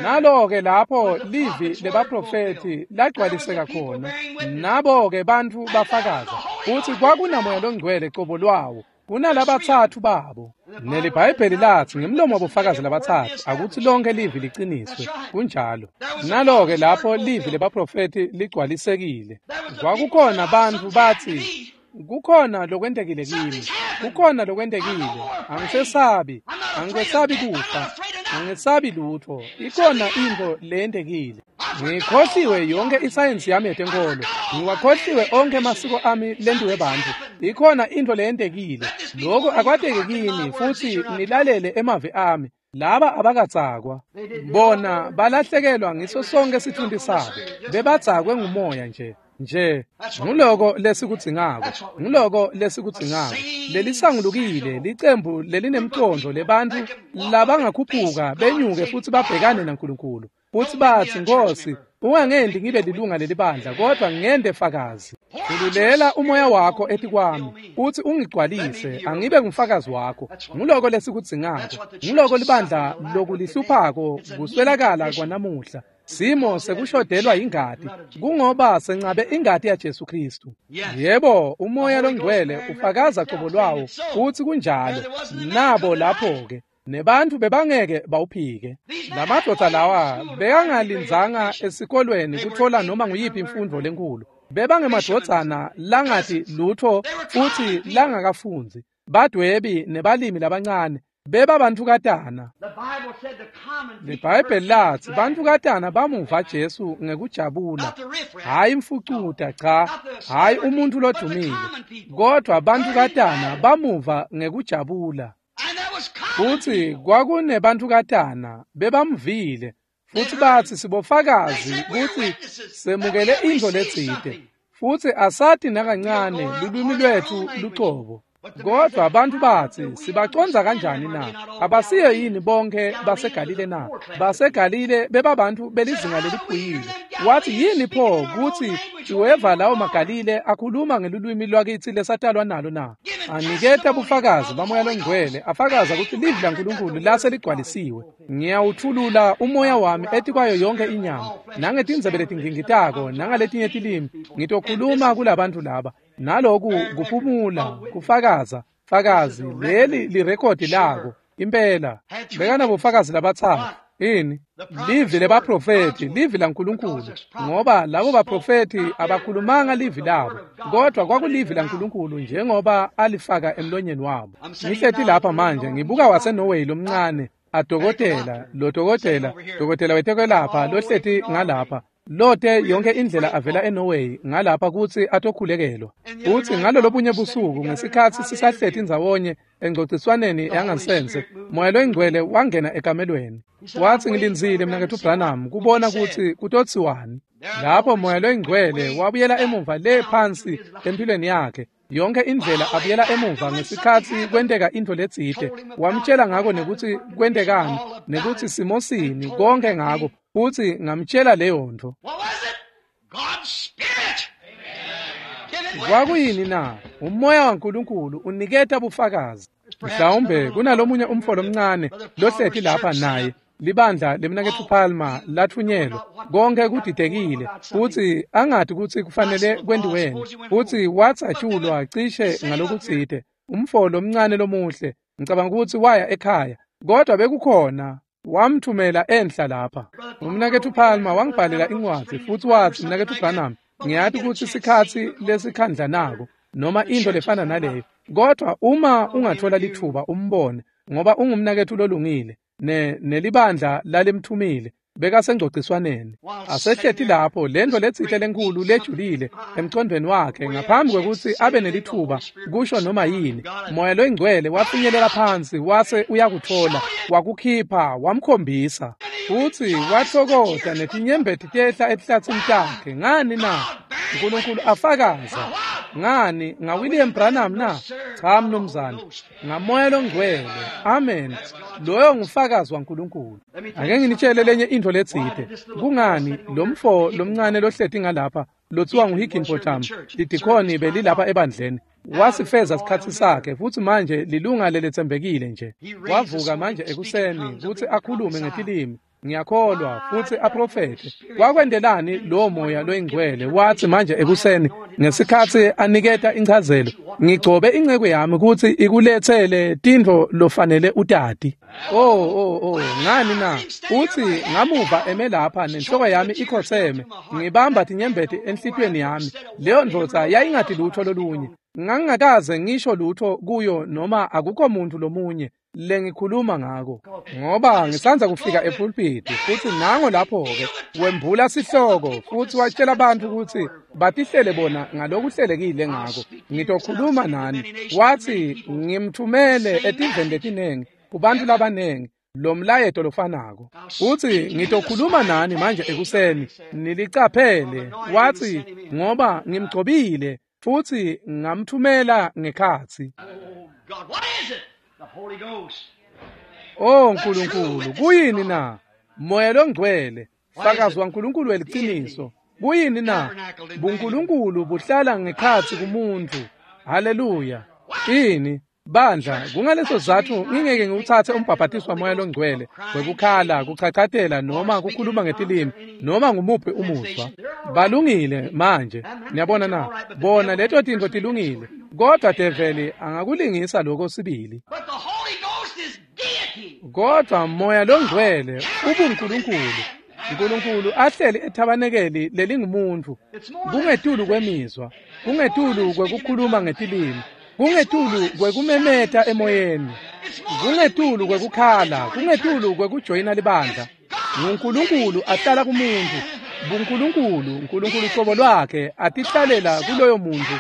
Nalo-ke lapho livi lebaprofethi lagcwaliseka khona, nabo-ke bantfu bafakaza kutsi kwakunamoya longcwele cobo lwawo, kunalabatsatfu babo. NeliBhayibheli latsi ngemlomo wabofakazi labatsatfu akutsi lonke livi liqiniswe. Kunjalo. Nalo-ke lapho livi lebaprofethi ligcwalisekile. Kwakukhona bantfu batsi, kukhona lokwentekile kimi, kukhona lokwentekile, angisesabi, angikwesabi kufa, angisabi lutho, ikhona intfo leyentekile. Ngikhohliwe yonke isayensi yami yetenkolo. Ngiwakhohliwe onke amasiko ami lentiwe bantfu. Ikhona intfo leyentekile. Lokhu akwateki kini futsi nilalele emavi ami. Laba abakatsakwa. Bona balahlekelwa ngiso sonke sitfunti sabo. Bebadzakwe ngumoya nje. Nje nguloko lesikudzingako. Nguloko lesikudzingako. Lelisangulukile licembu lelinemcondvo lebantfu labangakhuphuka benyuke futsi babhekane naNkulunkulu. Futsi batsi, Nkosi, ungangendi ngibe lilunga lelibandla, kodwa ngende fakazi. Khululela umoya wakho etikwami, futsi ungigcwalise, angibe ngufakazi wakho. Nguloko lesikudzingako. Nguloko libandla lokulihluphako kuswelakala kwanamuhla. Simo sekushodelwa ingati, kungoba sencabe ingati yaJesu Kristu. Yebo, umoya longcwele ufakaza qobo lwawo, futsi kunjalo. Nabo lapho-ke. Nebantfu bebangeke bawuphike. Lamadvodza lawa bekangalindzanga esikolweni kutfola noma nguyiphi imfundvo lenkulu. Bebangemadvodzana langati lutfo futsi langakafundzi. Badwebi nebalimi labancane bebabantukatana. LiBhayibheli latsi bantukatana bamuva Jesu ngekujabula. Hhayi mfucuta, cha, hhayi umuntfu lodumile, kodvwa bantukatana bamuva ngekujabula. Futsi kwakunebantukatana bebamvile futsi batsi sibofakazi kutsi semukele intfo letsite futsi asati nakancane lulwimi lwetfu lucobo. Kodvwa bantfu batsi sibacondza kanjani na? Abasiyo yini bonke baseGalile na? BaseGalile bebabantfu belizinga leliphuyile. Wathi yini pho kutsi uweva lawo maGalile akhuluma ngelulwimi lwakitsi lesatalwa nalo na? Aniketa bufakazi bamoya longcwele afakaza kutsi livi laNkulunkulu lase ligcwalisiwe. Ngiyawutfulula umoya wami etikwayo yonke inyama, nangetindzebe letingingitako nangaletinye tilimi ngitokhuluma kulabantfu laba. Naloku kuphumula kufakaza fakazi leli lirekhodi lako impela. Bekanabofakazi labatsatfu. Ini livi lebaprofethi, livi laNkulunkulu, ngoba labo baprofethi abakhulumanga livi labo, kodwa kwakulivi laNkulunkulu njengoba alifaka emlonyeni wabo. Ngihleti lapha manje ngibuka waseNorway lomncane adokotela, lo dokotela, dokotela wetekwelapha lohleti ngalapha. Lote yonke indlela avela eNorway ngalapha kutsi atokhulekelwa. Utsi ngalolobunye busuku ngesikhatsi sisahleti ndzawonye engcociswaneni yangansense, Moya loyingcwele wangena ekamelweni. Watsi ngilindzile mnaketfu Branham kubona kutsi kutotsiwani. Lapho Moya loyingcwele wabuyela emuva le phansi empilweni yakhe. Yonke indlela abuyela emuva ngesikhatsi kwenteka intfo letsite. Wamtshela ngako nekutsi kwentekani, nekutsi simosini, konke ngako. Futsi ngamtshela leyo ntfo. Kwakuyini na? Umoya waNkulunkulu uniketa bufakazi. Mhlawumbe kunalomunye umfo lomncane lohleti lapha naye. Libandla lemnaketfu Palmer latfunyelwa. Konke kudidekile futsi angati kutsi kufanele kwentiweni. Futsi watsatshulwa cishe ngalokutsite. Umfo lomncane lomuhle, ngicabanga kutsi waya ekhaya, kodwa bekukhona wamthumela enhla lapha. Umnaketfu Palmer wangibhalela incwadzi futsi watsi, mnaketfu Branham, ngiyati kutsi sikhatsi lesikhandla nako noma intfo lefana naleyo, kodwa uma ungathola lithuba umbone, ngoba ungumnaketfu lolungile. Ne nelibandla lalimthumile bekasengcociswaneni asehleti lapho lento letsite lenkulu lejulile emcondweni wakhe ngaphambi kwekutsi abe nelithuba kusho noma yini. Moya loyingcwele wafinyelela phansi wase uyakutfola, wakukhipha, wamkhombisa. Futsi wathokota netinyembeti tehla etihlatsini takhe. Ngani na? Nkulunkulu afakaza. Ngani? NgaWilliam Branham na? Cha mnumzane, ngamoya longcwele. Amen. Loyo ngufakazi waNkulunkulu. Ake nginitshele lenye intfo letsite. Kungani lo mfo lomncane lohleti ngalapha lothiwa nguHigginbotham, lidikhoni belilapha ebandleni, wasifeza sikhatsi sakhe futsi manje lilunga leletsembekile nje. Wavuka manje ekuseni kutsi akhulume ngetilimi, ngiyakholwa, futsi aprofethe. Kwakwentelani lowo moya loyingcwele? Watsi manje ekuseni Ngesikhatsi aniketa inchazelo, ngigcobe inceku yami kutsi ikuletsele tintfo lofanele utati. Oh oh oh, ngani na? Utsi ngamuva eme lapha nenhloko yami ikhotseme, ngibamba tinyembeti enhlitiyweni yami. Leyo ndvodza yayingati lutho lolunye. Ngangingakaze ngisho lutho kuyo noma akukho muntu lomunye lengikhuluma ngako, ngoba ngisandza kufika epulpiti. Futsi nango lapho-ke wembula sihloko futsi watshela bantfu kutsi batihlele bona ngalokuhlelekile ngako. Ngitokhuluma nani. Watsi ngimthumele etiveni letinengi kubantfu labanengi lo mlayeto lofanako. Utsi ngitokhuluma nani manje ekuseni, nilicaphele. Watsi ngoba ngimgcobile futsi ngamthumela ngekhatsi. Oh Nkulunkulu, kuyini na? Moya longcwele, fakazi waNkulunkulu weliciniso. Kuyini na? BuNkulunkulu buhlala ngekhatsi kumuntu. Haleluya. Ini bandla, kungaleso sizatfu ngingeke ngiwutsatse umbhabhatiso wamoya longcwele wekukhala, kuchachatela noma kukhuluma ngetilimi noma ngumuphi umuzwa. Balungile manje, niyabona na? Bona leto tintfo tilungile, kodwa develi angakulingisa lokho sibili. Kodwa moya longcwele ubuNkulunkulu. Nkulunkulu ahleli ethabanekeli lelingumuntu. Kungetulu kwemizwa, kungetulu kwekukhuluma ngetilimi, kungetulu kwekumemeta emoyeni, kungetulu kwekukhala, kungetulu kwekujoyina libandla. NguNkulunkulu ahlala kumuntu. BuNkulunkulu, Nkulunkulu cobo lwakhe atihlalela kuloyo muntu.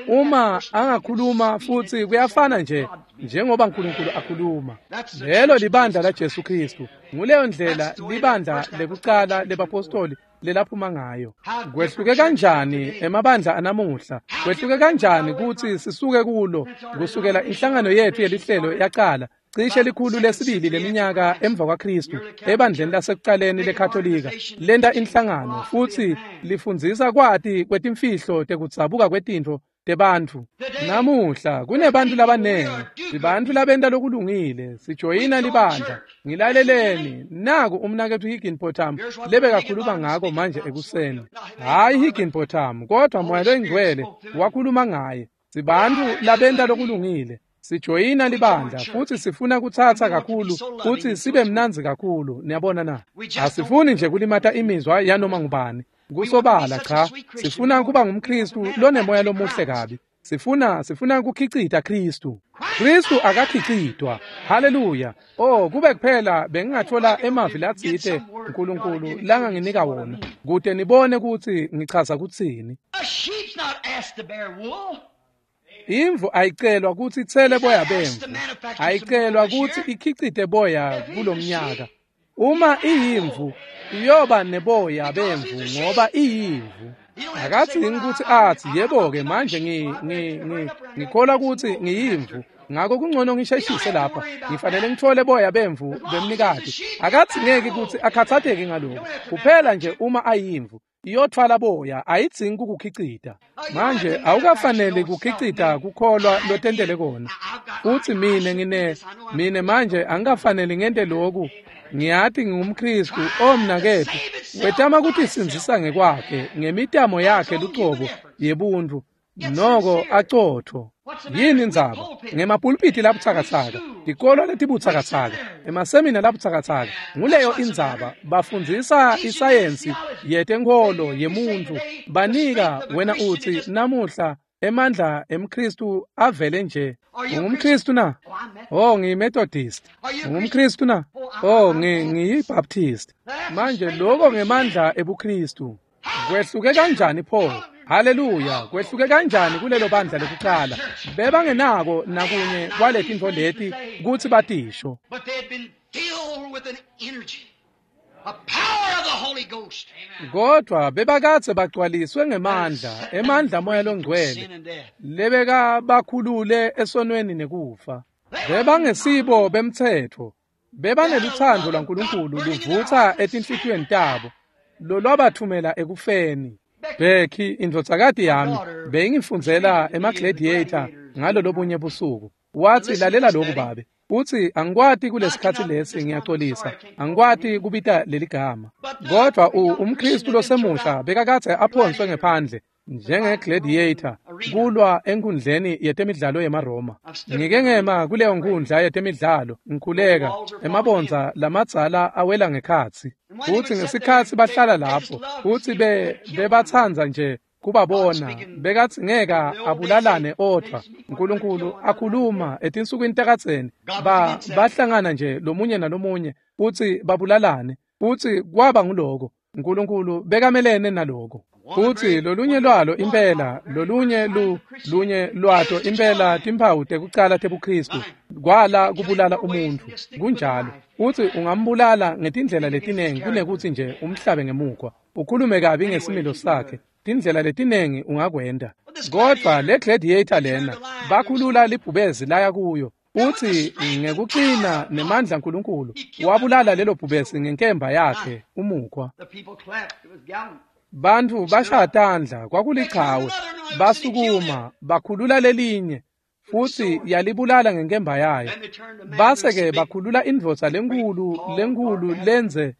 Uma angakhuluma futhi kuyafana nje njengoba uNkulunkulu akhuluma. Lelo libandla la Jesu Kristu. Nguleyo ndlela libandla lekucala lebapostoli lelaphuma ngayo. Kwehluke kanjani emabandla anamuhla? Kwehluke kanjani kutsi sisuke kulo kusukela inhlangano yethu yelihlelo yaqala cishe likhulu lesibili leminyaka emva kwaKristu ebandleni lasekucaleni leKatolika lenta inhlangano futsi lifundzisa kwati kwetimfihlo tekudzabuka kwetintfo tebantfu. Namuhla kunebantu labanengi, sibantfu labenta lokulungile, sijoyina libandla. Ngilaleleni, naku umnaketfu Higginbotham lebekakhuluma ngako manje ekuseni. Hhayi Higginbotham, kodwa Moya loyiNgcwele wakhuluma ngaye. Sibantfu labenta lokulungile, sijoyina libandla futsi sifuna kutsatsa kakhulu futsi sibe mnandzi kakhulu. Niyabona na? Asifuni nje kulimata imizwa yanoma ngubani. Kusobala cha, sifuna kuba ngumKristu lonemoya lomuhle kabi. Sifuna sifuna kukhicita Kristu. Kristu akakhicitwa. Haleluya. Oh, kube kuphela bengingathola emavi latsite uNkulunkulu langanginika wona kute nibone kutsi ngichaza kutsini. Imvu ayicelwa kutsi itsele boya bemvu, ayicelwa kutsi ikhicite boya kulomnyaka. Uma iyimvu iyoba neboya bemvu ngoba iyimvu. Akadzingi kutsi atsi yebo-ke manje ngi ngi ngi ngikholwa kutsi ngiyimvu, ngako kungcono ngisheshise lapha, ngifanele ngitfole boya bemvu bemnikati. Akadzingeki kutsi akhathateke ngaloko, kuphela nje uma ayimvu iyothwala boya, ayidzingi kukukhicita. Manje awukafaneli kukhicita kukholwa lotentele kona. Futsi mine ngine mine manje angikafaneli ngente loku. Ngiyati ngingumKristu, omnaketfu wetama kutisindzisa ngekwakhe ngemitamo yakhe lucobo yebuntu, noko acotfo. Yini indzaba? Ngemapulpiti labutsakatsaka, tikolo letibutsakatsaka, emasemina labutsakatsaka. Nguleyo indzaba. Bafundzisa isayensi yetenkholo yemuntu. Banika wena utsi namuhla emandla emKristu avele nje. UngumKristu na? Oh, ngiyiMethodist. UngumKristu na? Oh, ngiyiBaptist. Manje lokho ngemandla ebuKristu. Kwehluke kanjani pho? Haleluya, kwehluke kanjani kulelo bandla lekucala? Bebangenako nakunye kwaletintfo leti kutsi batisho. Kodwa bebakadze bagcwaliswe ngemandla, emandla moya longcwele, lebeka bakhulule esonweni nekufa. Bebangesibo bemtsetfo, bebanelutsandvo lwaNkulunkulu luvutsa etinhlitiyweni tabo, lolwabathumela ekufeni. Becky, indvodzakati yami, beyingifundzela ema-Gladiator ngalolobunye busuku. Watsi, lalela lokhu babe. Utsi angikwati kulesikhatsi lesi, ngiyaxolisa, angikwati kubita leligama. Kodwa umKristu losemusha bekakadze aphonswe ngephandle, njenge-gladiator kulwa enkundleni yetemidlalo yemaRoma. Ngike ngema kuleyo nkundla yetemidlalo ngikhuleka, emabondza lamadzala awela ngekhatsi. Futsi ngesikhatsi bahlala lapho, futsi be bebatsandza nje kubabona, bekadzingeka abulalane odvwa. Nkulunkulu akhuluma etinsukwini takadzeni, ba bahlangana nje lomunye nalomunye futsi babulalane, futsi kwaba nguloko. Nkulunkulu bekamelene naloko. Futsi lolunye lwalo impela, lolunye lu lunye lwato impela timphawu tekucala tebuKristu, kwala kubulala umuntfu. Kunjalo. Futsi ungambulala ngetindlela letinengi kunekutsi nje umhlabe ngemukhwa, ukhulume kabi ngesimilo sakhe. Tindlela letinengi ungakwenta. Kodvwa le gladiator lena, bakhulula libhubezi laya kuyo. Futsi ngekucina nemandla Nkulunkulu wabulala lelo bhubesi ngenkemba yakhe umukhwa. The people clapped. It was gallant. Bantfu bashaya tandla, kwakulichawe, basukuma, bakhulula lelinye, futsi yalibulala ngenkemba yayo. Then they turned the man Base-ke loose. bakhulula indvodza lenkhulu lenkhulu lenze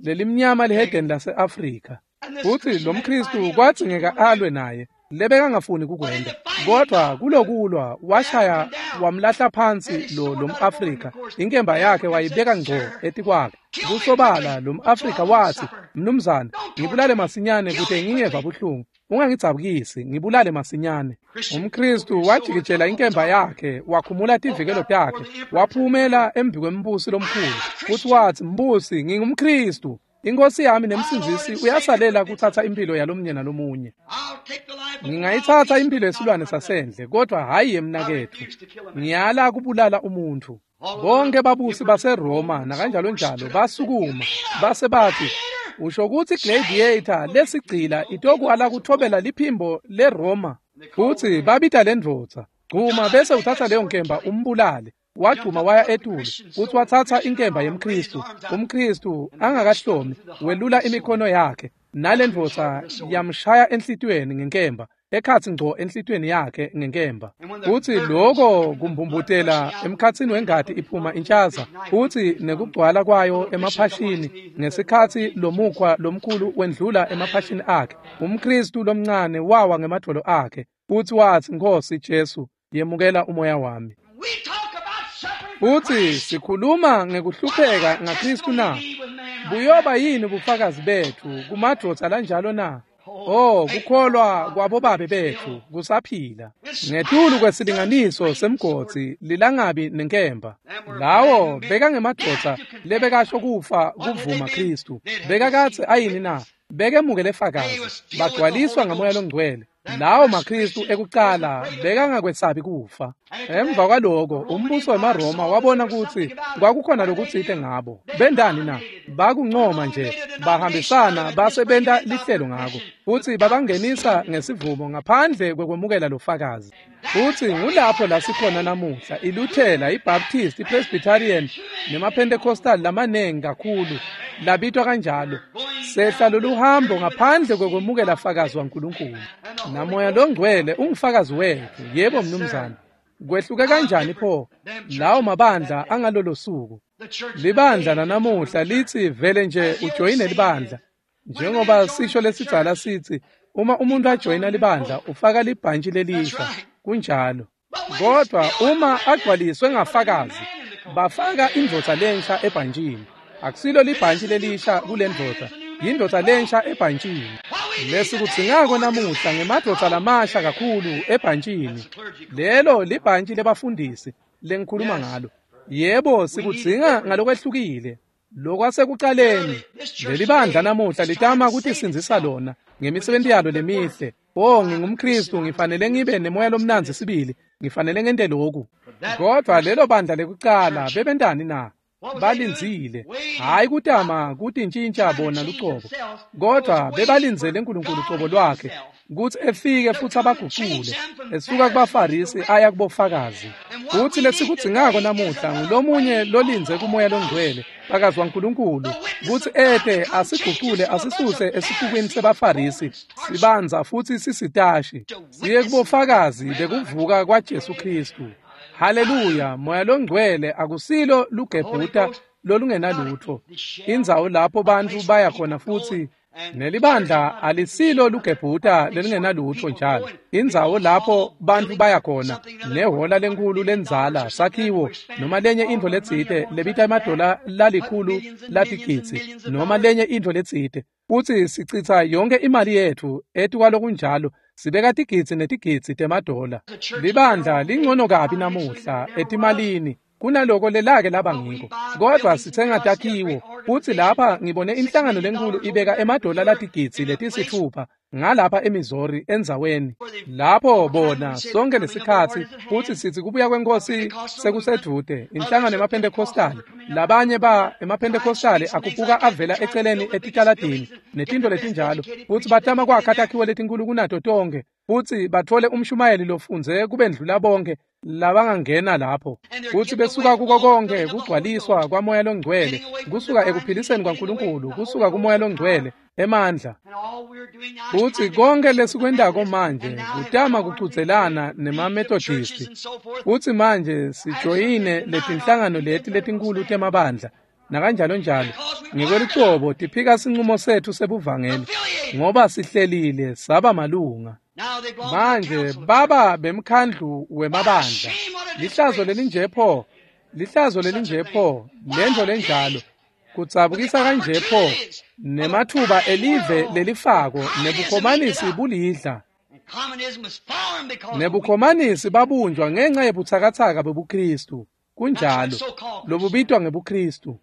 lelimnyama lihedeni lase-Afrika. Futsi lo mKristu kwadzingeka alwe naye, lebekangafuni kukwenta. Kodvwa kulokulwa washaya wamlahla phansi lo lomAfrika, inkemba yakhe wayibeka ngco etikwakhe. Kusobala lo mAfrika watsi, "Mnumzane, ngibulale masinyane kute ngingeva buhlungu. Ungangidzabukisi, ngibulale masinyane." UmKristu wajikijela inkemba yakhe, wakhumula tivikelo takhe, waphumela embikwembusi lomkhulu. Futsi watsi, "Mbusi, ngingumKristu. Inkosi yami nemsindzisi uyasalela kutsatsa imphilo yalomunye nalomunye. I'll take the life of Ngingayitsatsa imphilo yesilwane sasendle, kodvwa hhayi yemnaketfu. Ngiyala kubulala umuntfu." Bonke babusi baseRoma nakanjalo njalo basukuma base batsi, "Usho kutsi gladiator lesigcila itokwala kuthobela liphimbo leRoma?" Futsi babita lendvodza, "Gcuma bese utsatsa leyo nkemba umbulale." Wagcuma waya etulu futsi watsatsa inkemba yemKristu. UmKristu angakahlomi welula imikhono yakhe, nalendvodza yamshaya enhlitiyweni ngenkemba, ekhatsi ngco enhlitiyweni yakhe ngenkemba. Futsi loko kumbumbutela emkhatsini wengati iphuma intshaza, futsi nekugcwala kwayo emaphashini ngesikhatsi lomukhwa lomkhulu wendlula emaphashini akhe. UmKristu lomncane wawa ngemadvolo akhe, futsi watsi, "Nkhosi Jesu, yemukela umoya wami." We talk about suffering for Futsi Christ. sikhuluma ngekuhlupheka ngaKristu na? Buyoba yini bufakazi betfu kumadvodza lanjalo na? Oh, kukholwa kwabobabe betfu kusaphila. Ngetulu kwesilinganiso semgodzi lilangabi nenkemba. Lawo bekangemadvodza lebekasho kufa kuvuma Kristu. Bekakatsi ayini na? Bekemukele fakazi. Bagcwaliswa ngamoya longcwele. Lawo maKristu ekucala bekangakwesabi kufa. Emva kwaloko umbuso wemaRoma wabona kutsi kwakukhona lokutsite ngabo. Bendani na? Bakuncoma nje, bahambisana base benta lihlelo ngako. Futsi babangenisa ngesivumo ngaphandle kwekwemukela lofakazi. Futsi ngulapho la sikhona namuhla, iLuthela, iBaptist, iPresbyterian nemaPentecostal lamanengi kakhulu labitwa kanjalo. Sehla loluhambo ngaphandle kwekwemukela fakazi waNkulunkulu. Namoya longcwele ungufakazi wetfu. Yebo mnumzane. Kwehluke kanjani pho lawo mabandla angalolo suku? The church Libandla lanamuhla lithi vele nje ujoyine libandla. Njengoba sisho lesidzala sithi, uma umuntu ajoyina libandla ufaka libhantshi lelisha. Kunjalo. Kodwa uma agcwaliswe ngafakazi, bafaka indvodza lensha ebhantshini. Akusilo libhantshi lelisha kule ndvodza, yindvodza lensha ebhantshini. Lesikudzingako namuhla ngemadvodza lamasha kakhulu ebhantshini. Lelo libhantshi lebafundisi lengikhuluma ngalo. Yebo, sikudzinga ngalokwehlukile. Lokwasekucaleni, leli bandla namuhla litama kutisindzisa lona ngemisebenti yalo lemihle. Oh, ngingumKristu, ngifanele ngibe nemoya lomnandzi sibili, ngifanele ngente lokhu. Kodwa lelo bandla lekucala bebentani na? Balindzile, hhayi kutama kutintshintsha bona lucobo, kodwa bebalindzele Nkulunkulu cobo lwakhe kutsi efike futsi abagucule, esuka kubaFarisi aya kubofakazi. Futsi lesikudzingako namuhla ngulomunye lolindze kumoya longcwele, fakazi waNkulunkulu, kutsi ete asigucule asisuse esixukwini sebaFarisi, sibanza futsi sisitashi, siye kubofakazi bekuvuka kwaJesu Kristu. Haleluya, moya longcwele akusilo lugebhuta lolungenalutfo, indzawo lapho bantfu baya khona futsi Nelibandla alisilo lugebhuta lelingenalutfo njalo, indzawo lapho bantfu baya khona nehola lenkhulu lendzala sakhiwo noma lenye intfo letsite lebita emadola lalikhulu latigidzi noma lenye intfo letsite, futsi sicitsa yonkhe imali yetfu etikwalokunjalo, sibeka tigidzi netigidzi temadola. Libandla lingcono kabi namuhla etimalini kunaloko lelake laba ngiko, kodvwa sitsenga takhiwo. Futsi lapha ngibone inhlangano lenkhulu ibeka emadola latigidzi letisitfupha ngalapha eMissouri endzaweni lapho bona sonke lesikhatsi, futsi sitsi kubuya kweNkhosi sekusedvute. Inhlangano yemaPhentekhostali, labanye ba emaPhentekhostali akupuka avela eceleni etitaladini netintfo letinjalo, futsi batama kwakha takhiwo letinkhulu kunato tonkhe, futsi batfole umshumayeli lofundze kubendlula bonke labangangena lapho, futsi besuka kuko konke kugcwaliswa kwaMoya loNgcwele, kusuka ekuphiliseni kwaNkulunkulu, kusuka kuMoya loNgcwele emandla. Futsi konke lesikwentako manje kutama kucudzelana nemaMethodisti, futsi manje sijoyine letinhlangano leti letinkhulu temabandla nakanjalo njalo. Ngekwelucobo tiphika sinqumo setfu sebuvangeli ngoba sihlelile saba malunga. Manje baba bemkhandlu wemabandla. Lihlazo lelinje pho, lihlazo lelinje pho, lentfo lenjalo kudzabukisa kanje pho, nematfuba elive lelifako nebukhomanisi bulidla. Nebukhomanisi babunjwa ngenca yebutsakatsaka bebuKristu, kunjalo, lobubitwa ngebuKristu.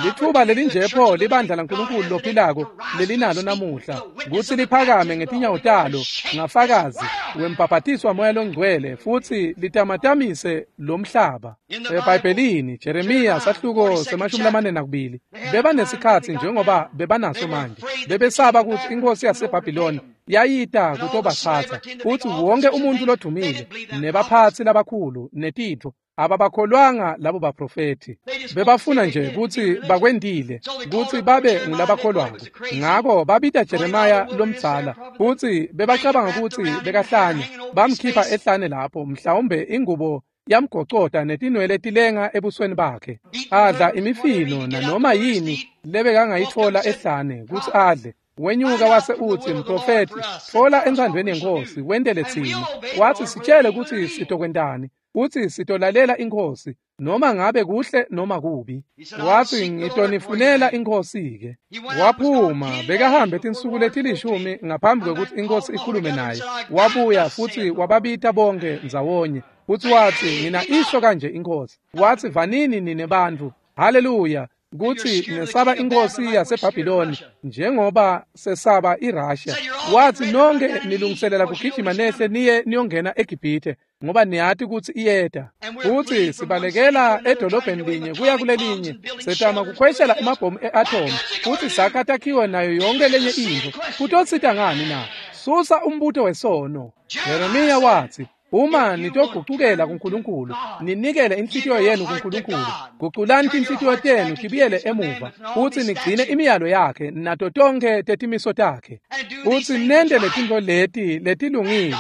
Litfuba lelinje pho libandla laNkulunkulu lophilako lelinalo namuhla kutsi liphakame ngetinyawo talo ngafakazi wembhabhatiswa Moya loNgcwele futsi litamatamise lomhlaba. EBhayibhelini Jeremiya sahluko semashumi lamane nakubili, bebanesikhatsi njengoba bebanaso manje, bebesaba kutsi inkhosi yaseBhabhiloni yayita kutobatsatsa, futsi wonke umuntfu lodumile nebaphatsi labakhulu netintfo ababakholwanga labo baprofethi. Bebafuna nje kutsi bakwentile kutsi babe ngulabakholwako. Ngako babita Jeremiya lomdzala, futsi bebacabanga kutsi bekahlanya, bamkhipha ehlane lapho, mhlawumbe ingubo yamgocota netinwele tilenga ebusweni bakhe, adla imifino nanoma yini lebekangayitfola ehlane kutsi adle. Wenyuka wase utsi, mprofethi, tfola entsandvweni yeNkhosi wentele tsine. Watsi, sitshele kutsi sitokwentani, utsi sitolalela iNkhosi noma ngabe kuhle noma kubi. Watsi, ngitonifunela iNkhosi-ke. Waphuma bekahambe tinsuku letilishumi ngaphambi kwekutsi iNkhosi ikhulume naye. Wabuya futsi wababita bonke ndzawonye, futsi watsi, ngina isho kanje iNkhosi. Watsi, vanini nine bantfu, haleluya, kutsi nesaba inkhosi yaseBhabhiloni njengoba sesaba iRussia. Watsi, nonke nilungiselela kugijima nehle niye niyongena eGibhithe ngoba niyati kutsi iyeta. Futsi sibalekela edolobheni linye kuya kulelinye, setama kukhweshela emabhomu e-atomu, futsi sakha takhiwe nayo yonke lenye intfo. Kutosita ngani na? Susa umbuto wesono. Jeremiya watsi, uma nitogucukela kuNkulunkulu, ninikele inhlitiyo yenu kuNkulunkulu, guculani tinhlitiyo tenu tibuyele emuva, futsi nigcine imiyalo yakhe nato tonkhe tetimiso takhe, futsi nente letintfo leti letilungile,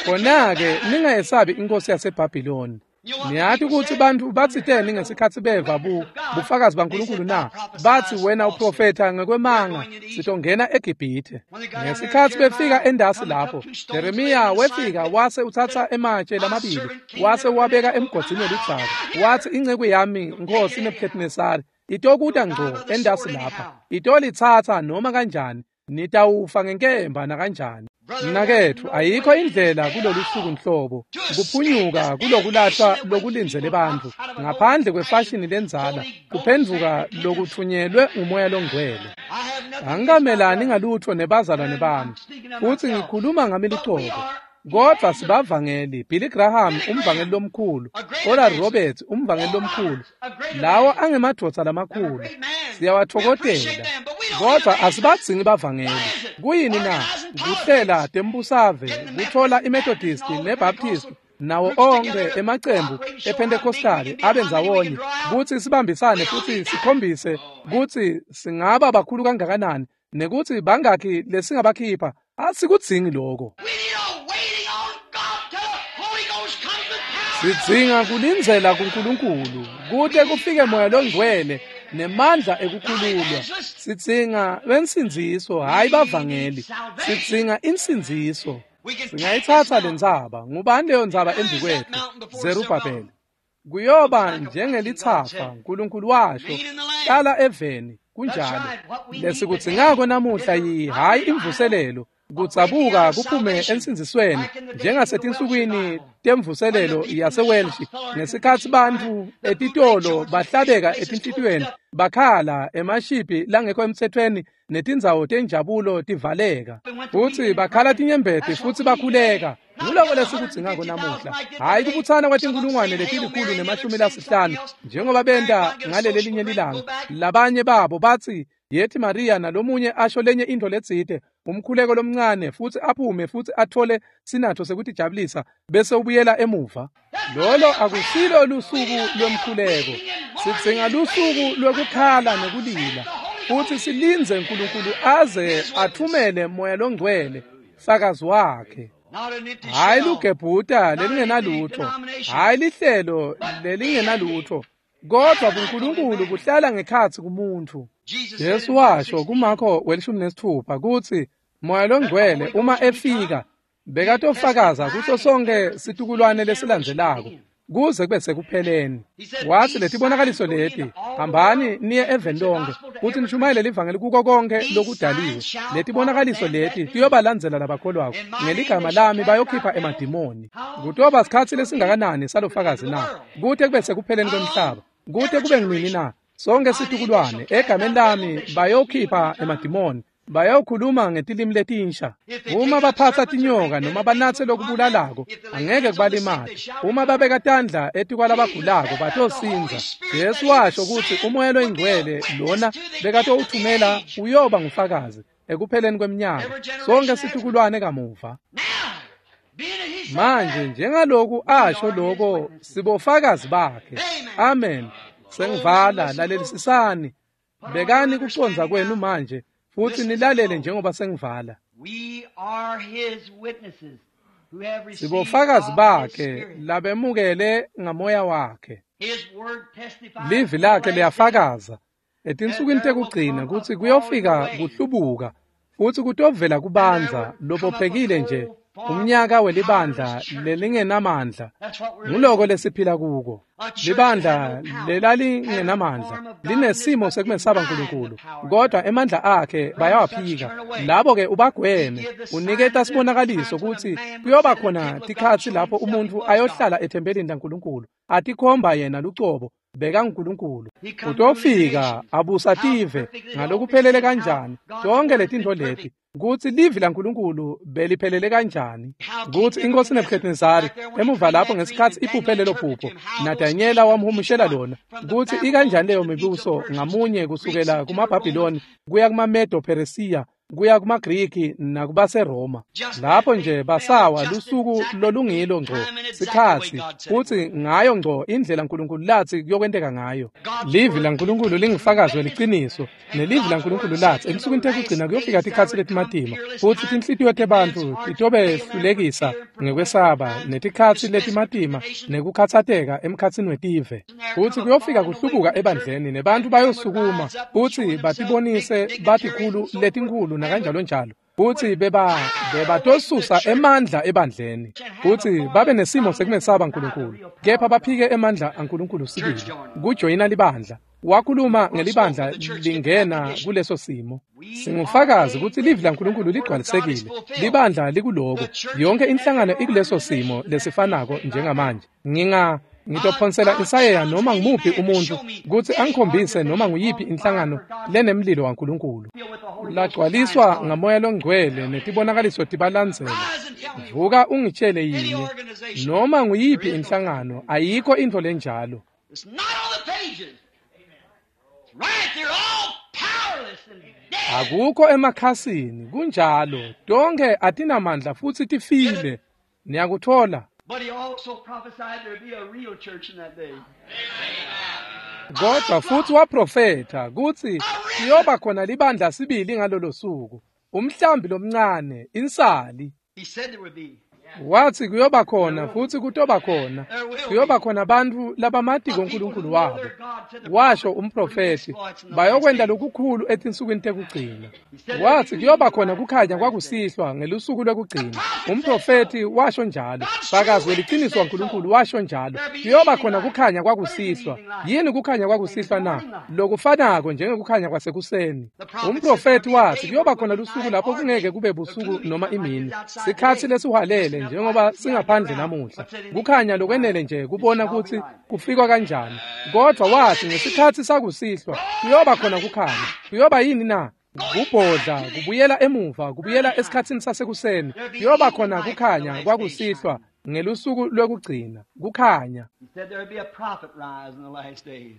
khona-ke ningayesabi inkhosi yaseBhabhiloni. Niyati kutsi bantfu batsiteni ngesikhatsi beva bu bufakazi baNkulunkulu na? Batsi, wena uprofetha ngekwemanga, sitongena eGibhithe. Ngesikhatsi befika endasi lapho, Jeremiya wefika wase utsatsa ematshe lamabili wase wabeka emgodzini weludzaka. Watsi, inceku yami Nkhosi Nebuchadnezzar itokuta ngco endasi lapha, itolitsatsa noma kanjani, nitawufa ngenkemba nakanjani. Mnaketfu, ayikho indlela kulolu suku nhlobo kuphunyuka kulokulahlwa lokulindzele bantfu ngaphandle kwefashini lendzala, kuphendvuka lokutfunyelwe nguMoya loNgcwele. Angikamelani ngalutfo nebazalwane bami, futsi ngikhuluma ngami lucobo, kodvwa sibavangeli. Billy Graham umvangeli lomkhulu, Oral Roberts umvangeli lomkhulu, lawo angemadvodza lamakhulu, siyawatfokotela, kodvwa asibadzingi bavangeli. Kuyini na? Kuhlela tembusave, kutfola iMethodist neBaptist nawo onkhe emacembu ePhentekhostali abe ndzawonye kutsi sibambisane futsi sikhombise kutsi singaba bakhulu kangakanani nekutsi bangakhi lesingabakhipha. Asikudzingi lokho. Sidzinga kulindzela kuNkulunkulu kute kufike Moya loNgcwele nemandla ekukhululwa. Sidzinga bensindziso, hhayi bavangeli. Sidzinga insindziso. Singayitsatsa lentsaba. Ngubani leyo ntsaba embi kwetfu? Zerubhabheli. Kuyoba njengelithafa, Nkulunkulu washo, hlala eveni. Kunjalo. Lesikudzingako namuhla yi hhayi imvuselelo, kudzabuka kuphume ensindzisweni njengasetinsukwini temvuselelo yaseWelsh, ngesikhatsi bantfu etitolo bahlabeka etinhlitiyweni, bakhala emashibhi langekho emtsetfweni netindzawo tenjabulo tivaleka, futsi bakhala tinyembeti futsi bakhuleka. Nguloko lesikudzingako namuhla, hhayi kubutsana kwetinkulungwane letilikhulu nemashumi lasihlanu njengoba benta ngaleli linye lilanga. Labanye babo batsi yethi Maria, nalomunye asho lenye intfo letsite, umkhuleko lomncane, futsi aphume futsi atfole sinatho sekutijabulisa bese ubuyela emuva. Lolo akusilo lusuku lwemkhuleko. Sidzinga lusuku lwekukhala nekulila, futsi silindze Nkulunkulu aze athumele Moya Longcwele, fakazi wakhe. Hhayi lugebhuta lelingenalutfo, hhayi lihlelo lelingenalutfo, kodvwa buNkulunkulu buhlala ngekhatsi kumuntfu. Jesu washo kuMakho welishumi nesitfupha kutsi Moya Longcwele uma efika bekatofakaza kuso sonke situkulwane lesilandzelako kuze kube sekupheleni. Watsi letibonakaliso leti, hambani niye eveni lonke futsi nishumayele livangeli kuko konke lokudaliwe. Letibonakaliso leti tiyobalandzela labakholwako, ngeligama lami bayokhipha emadimoni. Kutoba sikhatsi lesingakanani salofakazi na? Kute kube sekupheleni kwemhlaba. Kute kube nginini na? Sonke situkulwane egameni lami bayokhipha emadimoni, bayokhuluma ngetilimi letinsha. Uma baphatsa tinyoka noma banatse lokubulalako, angeke kubalimate. Uma babeka tandla etikwalabagulako batosindza. Jesu washo kutsi uMoya Loyingcwele lona bekatowuthumela uyoba ngufakazi ekupheleni kweminyaka, sonke situkulwane kamuva. Manje njengaloku asho loko, sibofakazi bakhe. Amen. Sengivala, lalelisisani. Bekani kucondza kwenu manje futsi nilalele njengoba sengivala. Sibofakazi bakhe labemukele ngamoya wakhe. Livi lakhe liyafakaza etinsukwini tekugcina kutsi kuyofika kuhlubuka futsi kutovela kubandza lobophekile nje, umnyaka welibandla lelingenamandla. Nguloko lesiphila kuko. Libandla lelalingenamandla linesimo sekumesaba Nkulunkulu, kodwa emandla akhe bayawaphika. Labo-ke ubagweme. Uniketa sibonakaliso kutsi kuyoba khona tikhatsi lapho umuntfu ayohlala ethempelini laNkulunkulu atikhomba yena lucobo bekanguNkulunkulu. Utofika abusa tive ngalokuphelele kanjani tonke letintfo leti, kutsi livi laNkulunkulu beliphelele kanjani, kutsi inkosi Nebuchadnezzari emuva lapho ngesikhatsi iphuphe lelo phupho naDanyela wamhumushela lona, kutsi ikanjani leyo mibuso ngamunye kusukela kumaBhabhiloni kuya kumaMedo Peresiya kuya kumaGriki nakubaseRoma. Lapho nje basawa lusuku lolungilo ngco sikhatsi, futsi ngayo ngco indlela Nkulunkulu latsi kuyokwenteka ngayo. Livi laNkulunkulu lingufakazi weliciniso, nelivi laNkulunkulu latsi etinsukwini tekugcina kuyofika tikhatsi letimatima, futsi tinhlitiyo tebantfu titobehlulekisa ngekwesaba netikhatsi letimatima nekukhatsateka emkhatsini wetive. Futsi kuyofika kuhlubuka ebandleni, nebantfu bayosukuma futsi batibonise batikhulu letinkhulu nakanjalo njalo, futsi beba bebatosusa emandla ebandleni, futsi babe nesimo sekumesaba Nkulunkulu, kepha baphike emandla aNkulunkulu sibili. Kujoyina libandla. Wakhuluma ngelibandla lingena kuleso simo. Singufakazi kutsi livi laNkulunkulu ligcwalisekile. Libandla likuloko. Yonke inhlangano ikuleso simo lesifanako njengamanje. Nginga ngitophonsela insayeya noma ngumuphi umuntfu kutsi angikhombise noma nguyiphi inhlangano lenemlilo waNkulunkulu lagcwaliswa ngamoya longcwele netibonakaliso tibalandzela. Vuka ungitshele yinye noma nguyiphi inhlangano, ayikho intfo lenjalo. Akukho emakhasini, kunjalo. Tonke atinamandla futsi tifile. Niyakuthola. But he also prophesied there'd be a real church in that day. Kodwa futhi waprofetha kutsi kuyoba khona libandla sibili ngalolo suku, umhlambi lomncane, insali. He said there would be. Wathi kuyoba khona futhi kutoba khona. Kuyoba khona bantfu labamatiko uNkulunkulu wabo. Washo umprofethi, bayokwenta lokukhulu etinsukwini tekugcina. Wathi kuyoba khona kukhanya kwakusihlwa ngelusuku lwekugcina. Umprofethi washo njalo. Fakazi weliciniso waNkulunkulu washo njalo. Kuyoba khona kukhanya kwakusihlwa. Yini kukhanya kwakusihlwa na? Lokufanako njengekukhanya kwasekuseni. Umprofethi wathi kuyoba khona lusuku lapho kungeke kube busuku noma imini. Sikhatsi lesihwalele njengoba singaphandle namuhla. Kukhanya lokwenele nje kubona kutsi kufikwa kanjani. Kodwa wathi ngesikhatsi sakusihlwa kuyoba khona kukhanya. Kuyoba yini na? Kubhodla, kubuyela emuva, kubuyela esikhatsini sasekuseni. Kuyoba khona kukhanya kwakusihlwa ngelusuku lwekugcina. Kukhanya. He said there would be a prophet rise in the last days.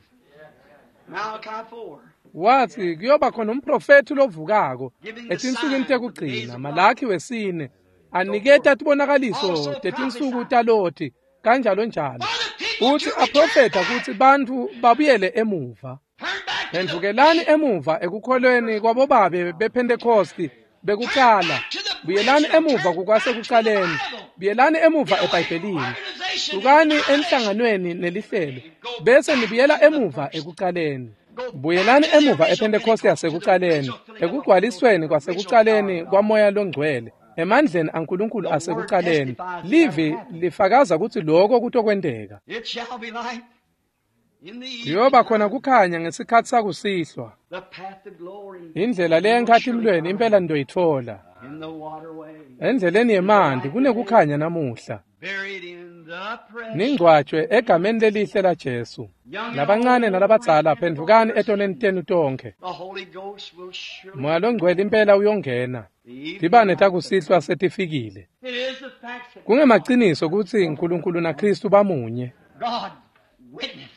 Malachi four. Wathi kuyoba khona umprofethi lovukako etinsukwini tekugcina, Malaki wesine, aniketa tibonakaliso tetinsuku taloti kanjalo njalo. Uthi aprofetha kutsi bantfu babuyele emuva. Turn back to the Phendvukelani emuva ekukholweni kwabobabe bePhentekosti bekuqala. Buyelani emuva kukwasekuqaleni. Buyelani emuva eBhayibhelini. Sukani enhlanganweni nelihlelo bese nibuyela emuva ekuqaleni. Buyelani emuva ePhentekoste yasekuqaleni, ekugcwalisweni kwasekuqaleni kwaMoya loNgcwele, emandleni aNkulunkulu asekuqaleni. Livi lifakaza kutsi lokho kutokwenteka. It shall be light in the evening. Kuyoba khona kukhanya ngesikhatsi sakusihlwa. The path to glory Indlela leya enkhatimulweni impela nitoyitfola. in the waterway. Endleleni yemanti kunekukhanya namuhla. Buried in the precious. Ningcwatjwe egameni lelihle laJesu. Labancane nalabadzala phendvukani etonweni tenu tonkhe. The Holy Ghost will surely. Moya loNgcwele impela uyongena. The evening Tibane takusihlwa setifikile. It is the fact that Kungemaciniso kutsi uNkulunkulu naKristu bamunye. God witness.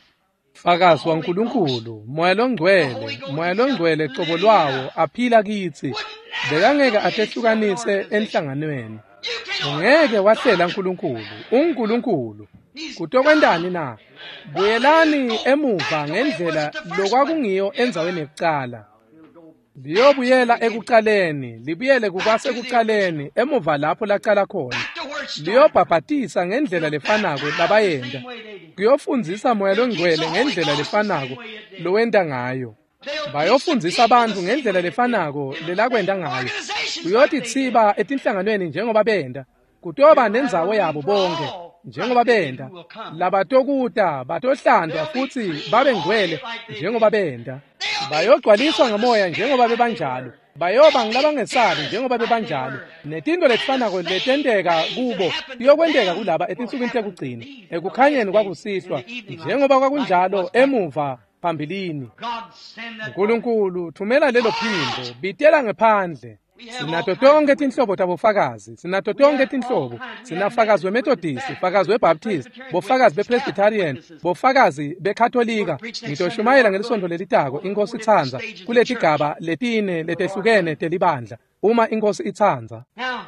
Fakazi waNkulunkulu, Moya loNgcwele, Moya loNgcwele cobo lwawo aphila kitsi. Bekangeke atehlukanise enhlanganweni. You cannot. Ungeke wahlela uNkulunkulu, uNkulunkulu. Kutokwentani na? Buyelani emuva ngendlela lokwakungiyo endzaweni yekucala. Liyobuyela ekuqaleni, libuyele kukwasekuqaleni, emuva lapho laqala khona. Back to where it started. Liyobhabhatisa ngendlela lefanako labayenta. Kuyofundzisa Moya loNgcwele ngendlela lefanako lowenta ngayo. Bayofundzisa bantfu ngendlela lefanako lelakwenta ngayo. Kuyotitsiba etinhlanganweni njengoba benta. Kutoba nendzawo yabo bonke njengoba benta. Labatokuta batohlandwa futsi babe ngcwele njengoba benta. Bayogcwaliswa ngamoya njengoba bebanjalo. Bayoba ngilabangesabi njengoba bebanjalo. Netintfo letifanako letenteka kubo tiyokwenteka kulaba etinsukwini tekugcina, ekukhanyeni kwakusihlwa njengoba kwakunjalo emuva phambilini. God send that. uNkulunkulu thumela lelo phimbo, bitela ngephandle. Sinato tonkhe tinhlobo tabofakazi, sinato tonkhe tinhlobo. Sinafakazi weMethodist, fakazi weBaptist, bofakazi bePresbyterian, bofakazi beKatolika. Ngitoshumayela ngelisonto lelitako, iNkosi itsandza, kuletigaba letine letehlukene telibandla, uma iNkosi itsandza. Now,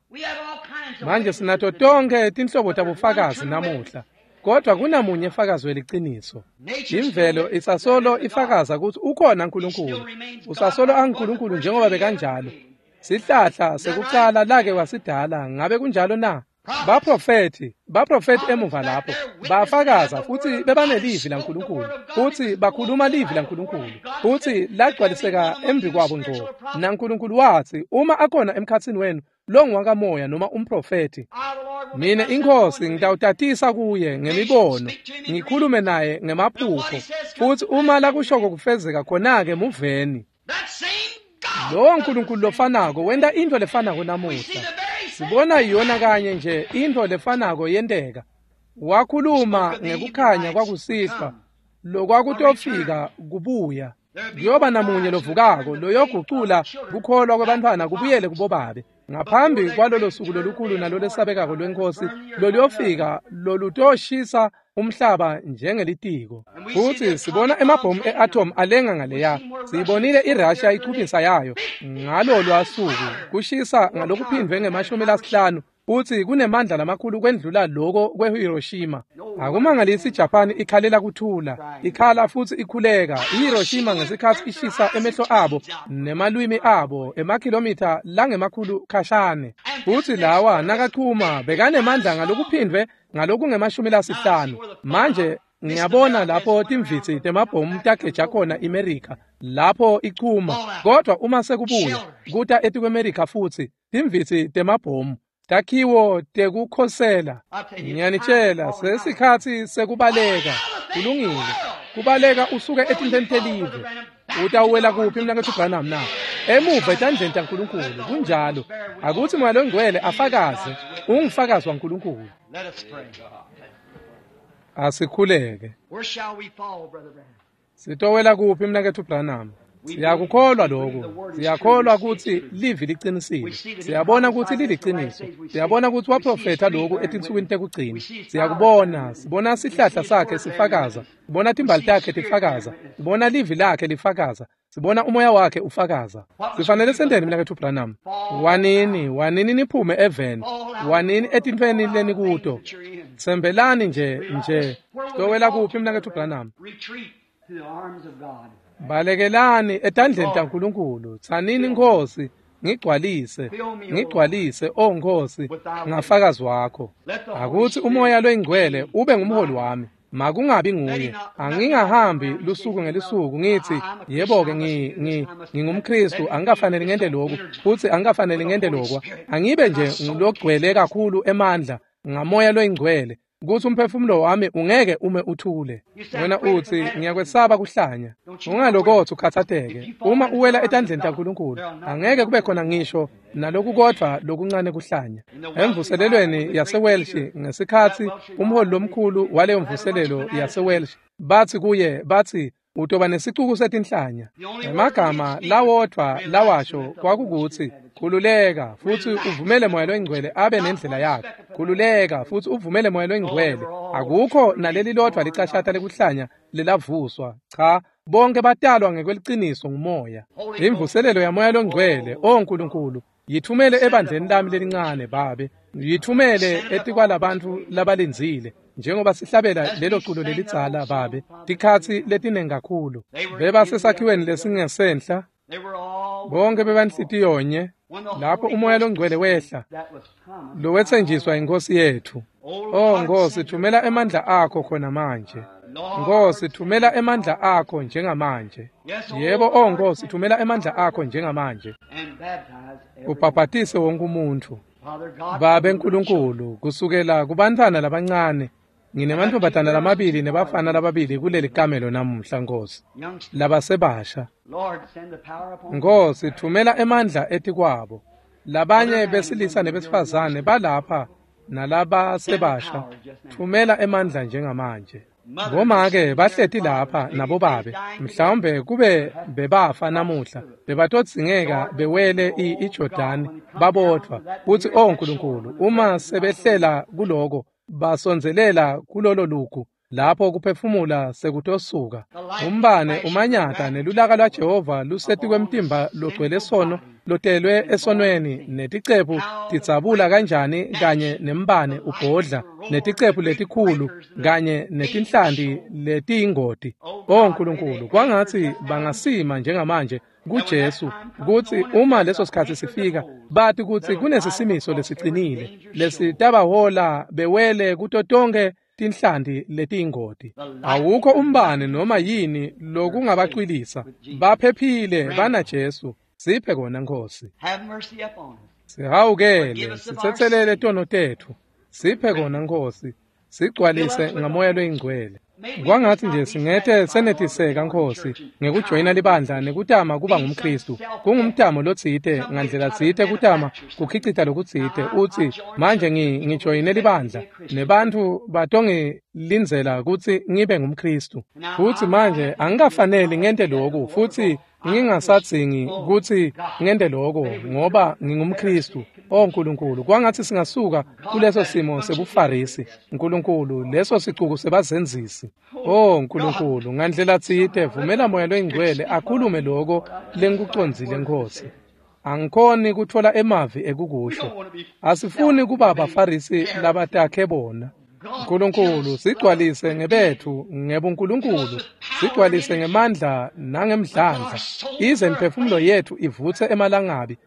we have all kinds of Manje witnesses sinato today. tonkhe tinhlobo tabofakazi namuhla, kodwa kunamunye fakazi weliciniso. Imvelo isasolo ifakaza kutsi ukhona uNkulunkulu. Usasolo anguNkulunkulu njengoba bekanjalo. Sihlahla sekucala lake wasidala, ngabe kunjalo na? Baprofethi, baprofethi emuva lapho bafakaza futsi bebanelivi laNkulunkulu, futsi bakhuluma livi laNkulunkulu, futsi lagcwaliseka embikwabo ngco. NaNkulunkulu watsi, uma akhona emkhatsini wenu longuwakamoya noma umprofethi, I, the Lord, will Mina make myself inkosi known to ngitawutatisa kuye ngemibono, ngikhulume naye ngemaphupho, futsi uma lakushoko kufezeka khona-ke muveni. That same God. Lowo Nkulunkulu lofanako wenta intfo lefanako We see namuhla. the very same Sibona yona kanye nje intfo lefanako yenteka. Wakhuluma ngekukhanya kwakusihlwa lokwakutofika kubuya. Kuyoba namunye lovukako loyogucula kukholwa kwebantfwana kubuyele kubobabe. Ngaphambi kwalolo suku lolukhulu nalolesabekako lwenkosi loluyofika lolutoshisa umhlaba njengelitiko. Futsi sibona emabhomu e-atom alenga ngaleya. Siyibonile iRussia ichubisa yayo ngalolwa suku kushisa ngalokuphindvwe ngemashumi lasihlanu Futsi kunemandla lamakhulu kwendlula loko kweHiroshima. Akumangalisi iJapan ikhalela kuthula, ikhala futsi ikhuleka. IHiroshima ngesikhatsi ishisa emehlo abo nemalwimi abo emakhilomitha langemakhulu khashane. Futsi lawa nakachuma bekanemandla ngalokuphindvwe ngalokungemashumi lasihlanu. Manje ngiyabona lapho timvitsi temabhomu tageja khona iMerika lapho ichuma, kodwa uma sekubuya kuta etikweMerika futsi timvitsi temabhomu takhiwo tekukhosela. Ngiyanitshela, sesikhatsi sekubaleka. Kulungile, kubaleka usuke etintfweni telive. Utawuwela kuphi mnaketfu Branham na? Emuva etandleni taNkulunkulu. Kunjalo. Akutsi Moya Longcwele afakaze, ungufakazi waNkulunkulu. Let us pray. Asikhuleke. Where shall we fall, Brother Branham? Sitowela kuphi mnaketfu Branham? Siyakukholwa lokho. Siyakholwa kutsi livi liqinisile. Siyabona kutsi liliqiniso. Siyabona kutsi waprofetha lokhu etinsukwini tekugcina. Siyakubona, sibona sihlahla sakhe sifakaza, sibona timbali takhe tifakaza, sibona livi lakhe lifakaza, sibona umoya wakhe ufakaza. Sifanele senteni mnaketfu Branham? Wanini, wanini niphume eveni, wanini etintfweni lenikuto. Tsembelani nje nje. Sitowela kuphi mnaketfu Branham? Retreat to the arms of God. Balekelani etandleni taNkulunkulu. Tsanini Nkosi, ngigcwalise, ngigcwalise, o Nkosi, ngafakazi wakho. Akutsi umoya loyingcwele ube ngumholi wami. Makungabi nguye. Angingahambi lusuku ngelisuku ngithi yebo-ke ngi ngi ngingumKristu, angikafaneli ngente lokhu futsi angikafaneli ngente lokwa. Angibe nje ngulogcwele kakhulu emandla ngamoya loyingcwele kutsi umphefumulo wami ungeke ume uthule. Wena utsi ngiyakwesaba kuhlanya. Ungalokotsi ukhatsateke. Uma uwela etandleni taNkulunkulu, angeke kube khona ngisho nalokukodvwa lokuncane kuhlanya. Emvuselelweni yaseWelsh ngesikhatsi umholi lomkhulu waleyo mvuselelo yaseWelsh batsi kuye, batsi utoba nesicuku setinhlanya. Emagama lawodvwa lawasho kwakukutsi khululeka futsi uvumele Moya Loyingcwele abe nendlela yakhe. Khululeka futsi uvumele Moya Loyingcwele. Akukho naleli lodvwa licashata lekuhlanya lelavuswa. Cha, bonke batalwa ngekweliciniso ngumoya. Imvuselelo yaMoya Longcwele, o Nkulunkulu, yithumele ebandleni lami lelincane Babe. Yithumele etikwalabantfu labalindzile njengoba sihlabela lelo culo lelidzala Babe. Tikhatsi letinengi kakhulu bebasesakhiweni lesingesenhla, They were all bonke bebanhlitiyonye lapho umoya longcwele wehla that was promised. lowetsenjiswa inkosi yethu. O Nkosi, thumela emandla akho khona manje. Nkosi, thumela emandla akho njengamanje. Yebo, o Nkosi, thumela emandla akho njengamanje. And baptize every Ubhabhatise wonke umuntfu. Father God. Babe Nkulunkulu, kusukela kubantfwana labancane, nginemantfombatana lamabili nebafana lababili kuleli kamelo namuhla Nkosi, Youngsters, labasebasha. Lord, send the power upon Nkosi, thumela emandla etikwabo. Labanye besilisa nebesifazane balapha nalabasebasha, thumela emandla njengamanje. Bomake bahleti lapha nabobabe, mhlawumbe kube bebafa namuhla, bebatodzingeka bewele i- iJordani babodvwa. Kutsi o Nkulunkulu, uma sebehlela kuloko, basondzelela kulolo lugu lapho kuphefumula sekutosuka. Umbane umanyata nelulaka lwaJehova lusetikwemtimba logcwele sono lotelwe esonweni, neticephu tidzabula kanjani kanye nembane ubhodla, neticephu letikhulu kanye netinhlanti letiyingoti. O Nkulunkulu, kwangatsi bangasima njengamanje kuJesu, kutsi uma leso sikhatsi sifika bati kutsi kunesisimiso lesicinile lesitabahola bewele kuto tonkhe tinhlanti letiyingoti. Awukho umbane noma yini lokungabacwilisa. Baphephile banaJesu. Siphe kona Nkosi. Have mercy upon us. Sihawukele, sitsetselele tono tetfu. Siphe kona Nkosi. Sigcwalise ngamoya loyingcwele. Kwangatsi nje singete senetiseka Nkosi ngekujoyina libandla nekutama kuba ngumKristu. Kungumtamo lotsite ngandlela tsite kutama kukhicita lokutsite utsi manje ngi ngijoyine libandla nebantfu batongilindzela kutsi ngibe ngumKristu. Futsi manje angikafaneli ngente loku futsi ngingasadzingi kutsi ngente loko ngoba ngingumKristu. O Nkulunkulu, kwangatsi singasuka kuleso simo sebuFarisi. Nkulunkulu, leso sicuku sebazenzisi. O Nkulunkulu, ngandlela tsite vumela Moya Loyingcwele akhulume loko lengikucondzile Nkosi. Angikhoni kutfola emavi ekukusho. Asifuni kuba baFarisi labatakhe bona. Nkulunkulu, sigcwalise ngebethu ngebuNkulunkulu, sigcwalise ngemandla nangemdlandla, ize imiphefumulo yethu ivutse emalangabi,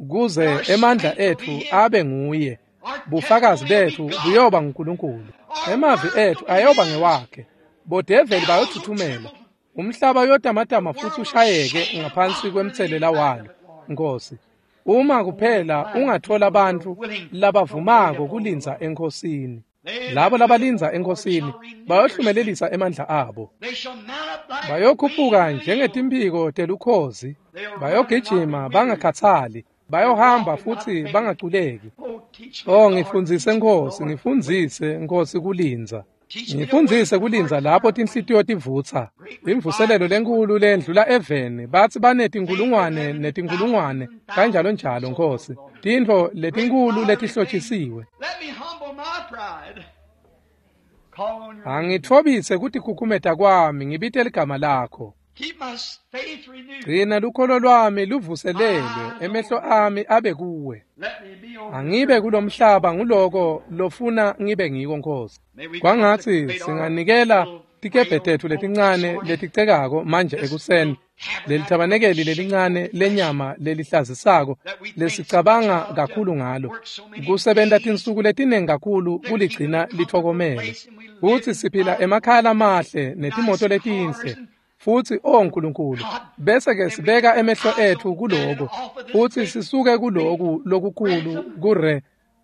kuze emandla ethu abe nguye. Bufakazi bethu buyoba nguNkulunkulu. Emavi ethu ayoba ngewakhe. Bodeveli bayothuthumela. Umhlaba uyotamatama futhi ushayeke ngaphansi kwemtselela walo, Nkosi. Uma kuphela ungathola abantu labavumako kulindza eNkosini. Labo labalindza eNkosini bayohlumelelisa emandla abo. Bayokhuphuka njengetimphiko telukhozi, bayogijima bangakhatsali, bayohamba futhi bangaculeki. Oh, ngifundzise Nkosi, ngifundzise Nkosi kulindza. Ngifundzise kulindza lapho tinhlitiyo tivutsa. Imvuselelo lenkulu lendlula eveni, bathi banetinkulungwane netinkulungwane kanjalo njalo Nkosi. Tintfo letinkulu letihlotshisiwe. Angitfobise kutikhukhumeta kwami, ngibite ligama lakho. Gcina lukholo lwami luvuselelwe, emehlo ami abe kuwe. Angibe kulomhlaba nguloko lofuna ngibe ngiko Nkosi. Kwangatsi singanikela tikebhe tetfu letincane leticekako manje ekuseni, lelithabanekeli lelincane lenyama lelihlazisako lesicabanga kakhulu ngalo, kusebenta tinsuku letiningi kakhulu kuligcina litfokomele. Futsi siphila emakhaya lamahle netimoto letinhle. Futsi oh Nkulunkulu, bese ke sibeka emehlo ethu kuloko, futsi sisuke kuloku lokukhulu kure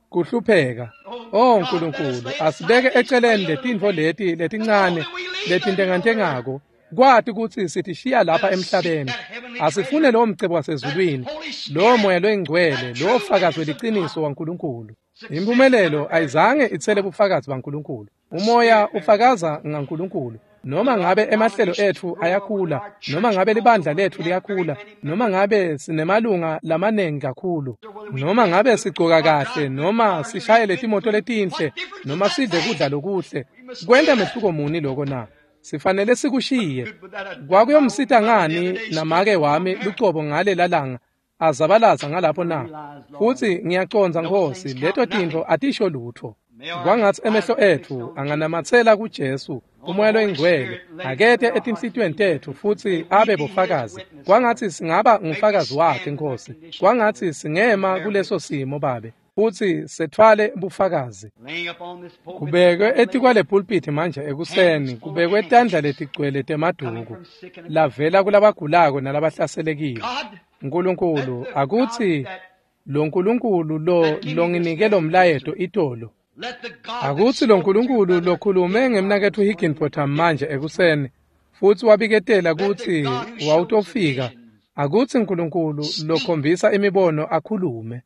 kuhlupheka. Oh Nkulunkulu, asibeke eceleni letintfo leti letincane letintengantengako, kwati kutsi sitishiya lapha emhlabeni. Asifune lowo mcebo wasezulwini, lowo moya loyingcwele, lowo fakazi weliciniso waNkulunkulu. Impumelelo ayizange itsele bufakazi baNkulunkulu. Umoya ufakaza ngaNkulunkulu. Noma ngabe emahlelo ethu ayakhula, noma ngabe libandla lethu liyakhula, noma ngabe sinemalunga lamanengi kakhulu, noma ngabe sigcoka kahle, noma sishayele timoto letinhle, noma sidle kudla lokuhle, kwenta mehluko muni loko na? Sifanele sikushiye. Kwakuyomsita ngani namake wami lucobo ngalela langa azabalaza ngalapho na? Futsi ngiyacondza Nkosi, leto tintfo atisho lutfo. Kwangatsi emehlo ethu anganamatsela kuJesu, umoya loyingcwele akete etinhlitiyweni tetfu futsi abe bofakazi. Kwangatsi singaba ngufakazi wakhe Nkosi. Kwangatsi singema kuleso simo Babe, futsi setfwale bufakazi. Kubekwe etikwale pulpit manje ekuseni, kubekwe tandla letigcwele temaduku lavela kulabagulako nalabahlaselekile. Nkulunkulu, akutsi lo Nkulunkulu lo longinike lo mlayeto itolo, akutsi lo Nkulunkulu lokhulume ngemnaketfu Higginbotham manje ekuseni futsi wabiketela kutsi wawutofika, akutsi Nkulunkulu lokhombisa imibono akhulume.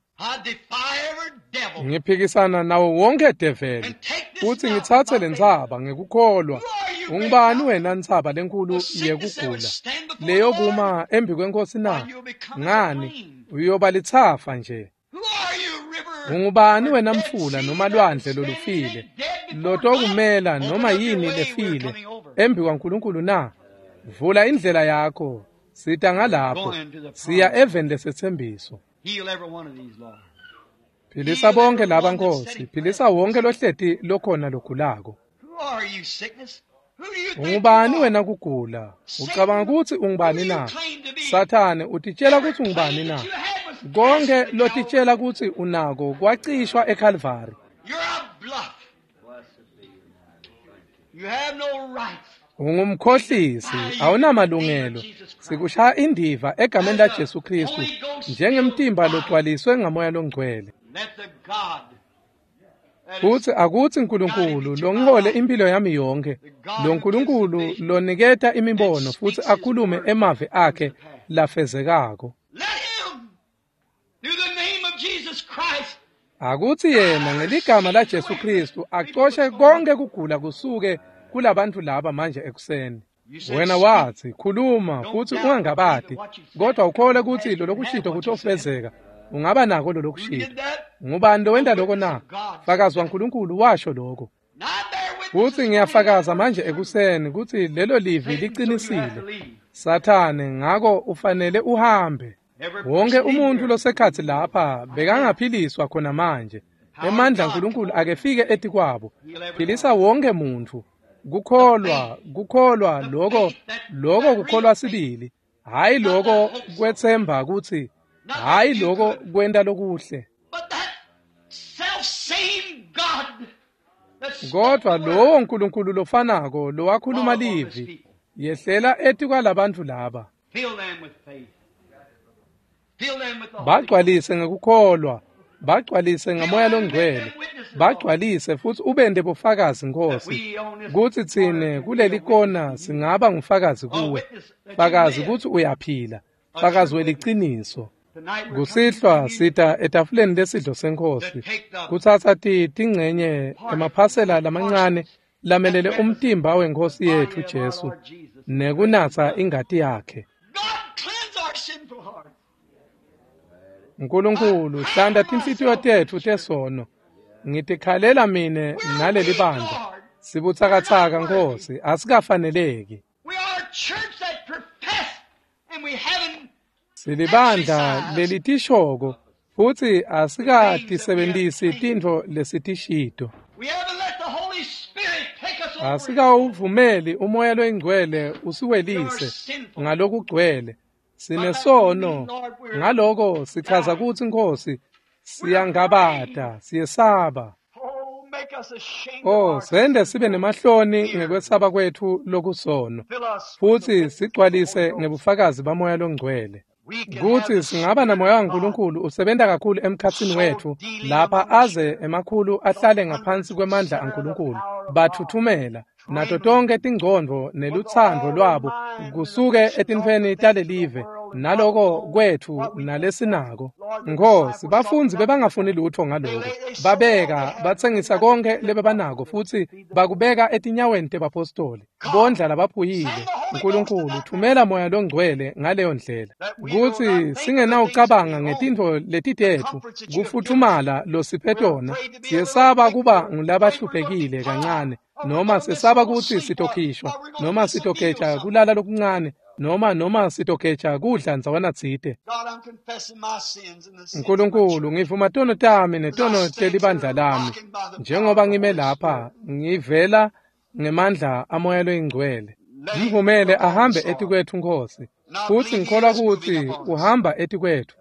Ngiphikisana nawo wonke develi futsi ngitsatse lentsaba ngekukholwa. Ungubani wena ntsaba lenkulu yekugula leyokuma embi kwenkosi na? Ngani, uyoba litsafa nje. Ungubani wena mfula noma lwandle lolufile lotokumela noma yini lefile embi kwaNkulunkulu na? Vula indlela yakho, sita ngalapho, siya eveni lesetsembiso. Philisa bonke laba Nkosi, philisa wonke lohleti lokhona logulako. Ungubani wena kugula? Ucabanga kutsi ungubani na? Sathane utitshela kutsi ungubani na? Konke lotitshela kutsi unako kwacishwa eKalvari. Ungumkhohlisi, awunamalungelo. Sikushaya indiva egameni laJesu Kristu njengemtimba logcwaliswe ngamoya longcwele. Futsi akutsi Nkulunkulu longihole impilo yami yonke, lo Nkulunkulu loniketa imibono futsi akhulume emavi akhe lafezekako. Akutsi yena ngeligama laJesu Kristu acoshe konke kugula kusuke kulabantu laba manje ekuseni. Wena wathi, khuluma futsi ungangabati, kodwa ukhole kutsi lolokushito kutofezeka. Ungaba nako lolokushito. Ngubani lowenta loko na? Fakazi waNkulunkulu washo lokho. Futsi ngiyafakaza manje ekuseni kutsi lelo livi liqinisile. Sathane, ngako ufanele uhambe. Wonke umuntu losekhatsi lapha bekangaphiliswa khona manje. Emandla aNkulunkulu akefike etikwabo. Philisa wonke muntfu. Kukholwa, kukholwa lokho, lokho kukholwa sibili. Hayi lokho kwetsemba kutsi, hayi lokho kwenta lokuhle. Kodwa lowo Nkulunkulu lofanako lowakhuluma livi, yehlela etikwalabantfu laba. Bagcwalise ngekukholwa, bagcwalise ngamoya longcwele, bagcwalise futsi ubente bufakazi Nkosi, kutsi tsine kuleli kona singaba ngufakazi kuwe, fakazi kutsi uyaphila, fakazi weliciniso. Kusihlwa sita etafuleni lesidlo seNkhosi, kutsatsa tingcenye emaphasela lamancane lamelele umtimba weNkhosi yetfu Jesu nekunatsa ingati yakhe. Nkulunkulu, hlanta tinhlitiyo tetfu tesono. Ngitikhalela mine naleli bandla. Sibutsakatsaka Nkosi, asikafaneleki. Silibandla lelitishoko futsi asikatisebentisi tintfo lesitishito. Asikawuvumeli umoya loyingcwele usiwelise ngalokugcwele. Sinesono, ngaloko sichaza kutsi Nkosi siyangabata, siyesaba. Oh, sende sibe nemahloni ngekwesaba kwetfu lokusono, futsi sigcwalise ngebufakazi bamoya longcwele. Kutsi singaba namoya waNkulunkulu usebenta kakhulu emkhatsini wetfu lapha aze emakhulu ahlale ngaphansi kwemandla aNkulunkulu, bathuthumela nato tonke tingcondvo nelutsandvo lwabo kusuke etintfweni talelive naloko kwetfu nalesinako. Nkosi, bafundzi bebangafuni lutfo ngaloko, babeka batsengisa konke lebebanako futsi bakubeka etinyaweni tebapostoli, bondla labaphuyile. Nkulunkulu, thumela moya longcwele ngaleyo ndlela kutsi singenawucabanga ngetintfo letitetfu kufuthumala losiphe tona. Siyesaba kuba ngulabahluphekile kancane, noma sesaba kutsi sitokhishwa, noma sitogeja kulala lokuncane, noma noma sitogeja kudla ndzawana tsite. Nkulunkulu, ngivuma tono tami netono telibandla lami, njengoba ngime lapha ngivela ngemandla amoya loyingcwele. Mvumele ahambe etikwetfu Nkosi, futsi ngikholwa kutsi uhamba etikwetfu.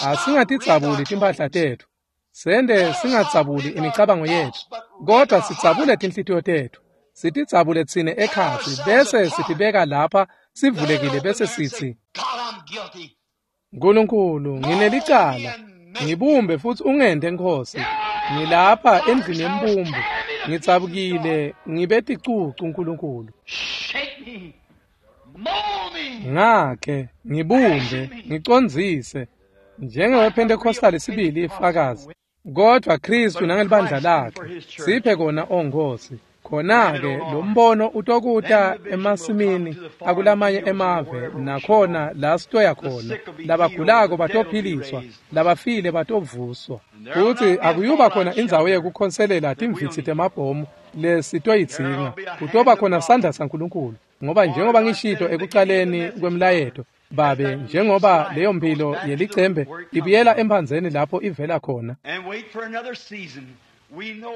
Asingatidzabuli timphahla tetfu, sende singadzabuli imicabango yetfu, kodwa sidzabule tinhlitiyo tetfu, sitidzabule tsine ekhatsi, bese sitibeka lapha sivulekile, bese sitsi, Nkulunkulu, nginelicala, ngibumbe futsi ungente Nkosi. Ngilapha endlini yembumbu, ngidzabukile, ngibe ticucu Nkulunkulu. Ngakhe, ngibumbe, ngicondzise, njengewePentecostal sibili ifakazi, kodwa Kristu nangelibandla lakhe siphe kona, o Nkosi. Khona-ke lo mbono utokuta emasimini akulamanye emave, nakhona la sitoya khona, labagulako batophiliswa, labafile batovuswa, futsi akuyuba khona indzawo yekukhonselela timvitsi temabhomu lesitoyidzinga. Kutoba khona sandla saNkulunkulu, ngoba njengoba ngishito ekucaleni kwemlayeto, Babe, njengoba leyo mphilo yelicembe ibuyela emphandzeni lapho ivela khona,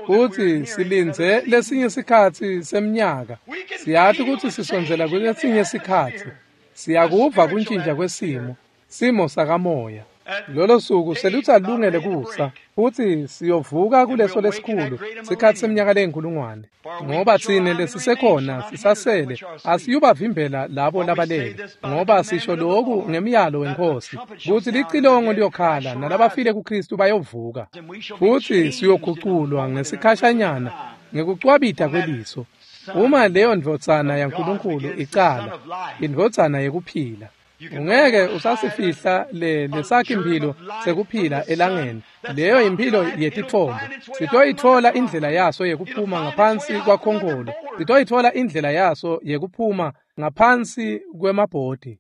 futsi silindze lesinye sikhatsi semnyaka. Siyati kutsi sisondzela kulesinye sikhatsi. Siyakuva kuntjintja kwesimo, simo sakamoya. Lolo suku selutsalungele kusa, futsi siyovuka kuleso lesikhulu sikhatsi seminyaka leyinkulungwane, ngoba tsine lesisekhona sisasele asiyubavimbela labo labalele, ngoba sisho loku ngemyalo weNkhosi kutsi licilongo liyokhala nalabafile kuKristu bayovuka, futsi siyoguculwa ngesikhashanyana ngekucwabita kweliso. Uma leyo ndvodzana yaNkulunkulu icala, indvodzana yekuphila, ungeke usasifihla le lesakhi imphilo sekuphila elangeni. Leyo imphilo yetitfombo. Sitoyitfola indlela yaso yekuphuma ngaphansi kwakhonkolo, sitoyitfola indlela yaso yekuphuma ngaphansi kwemabhodi.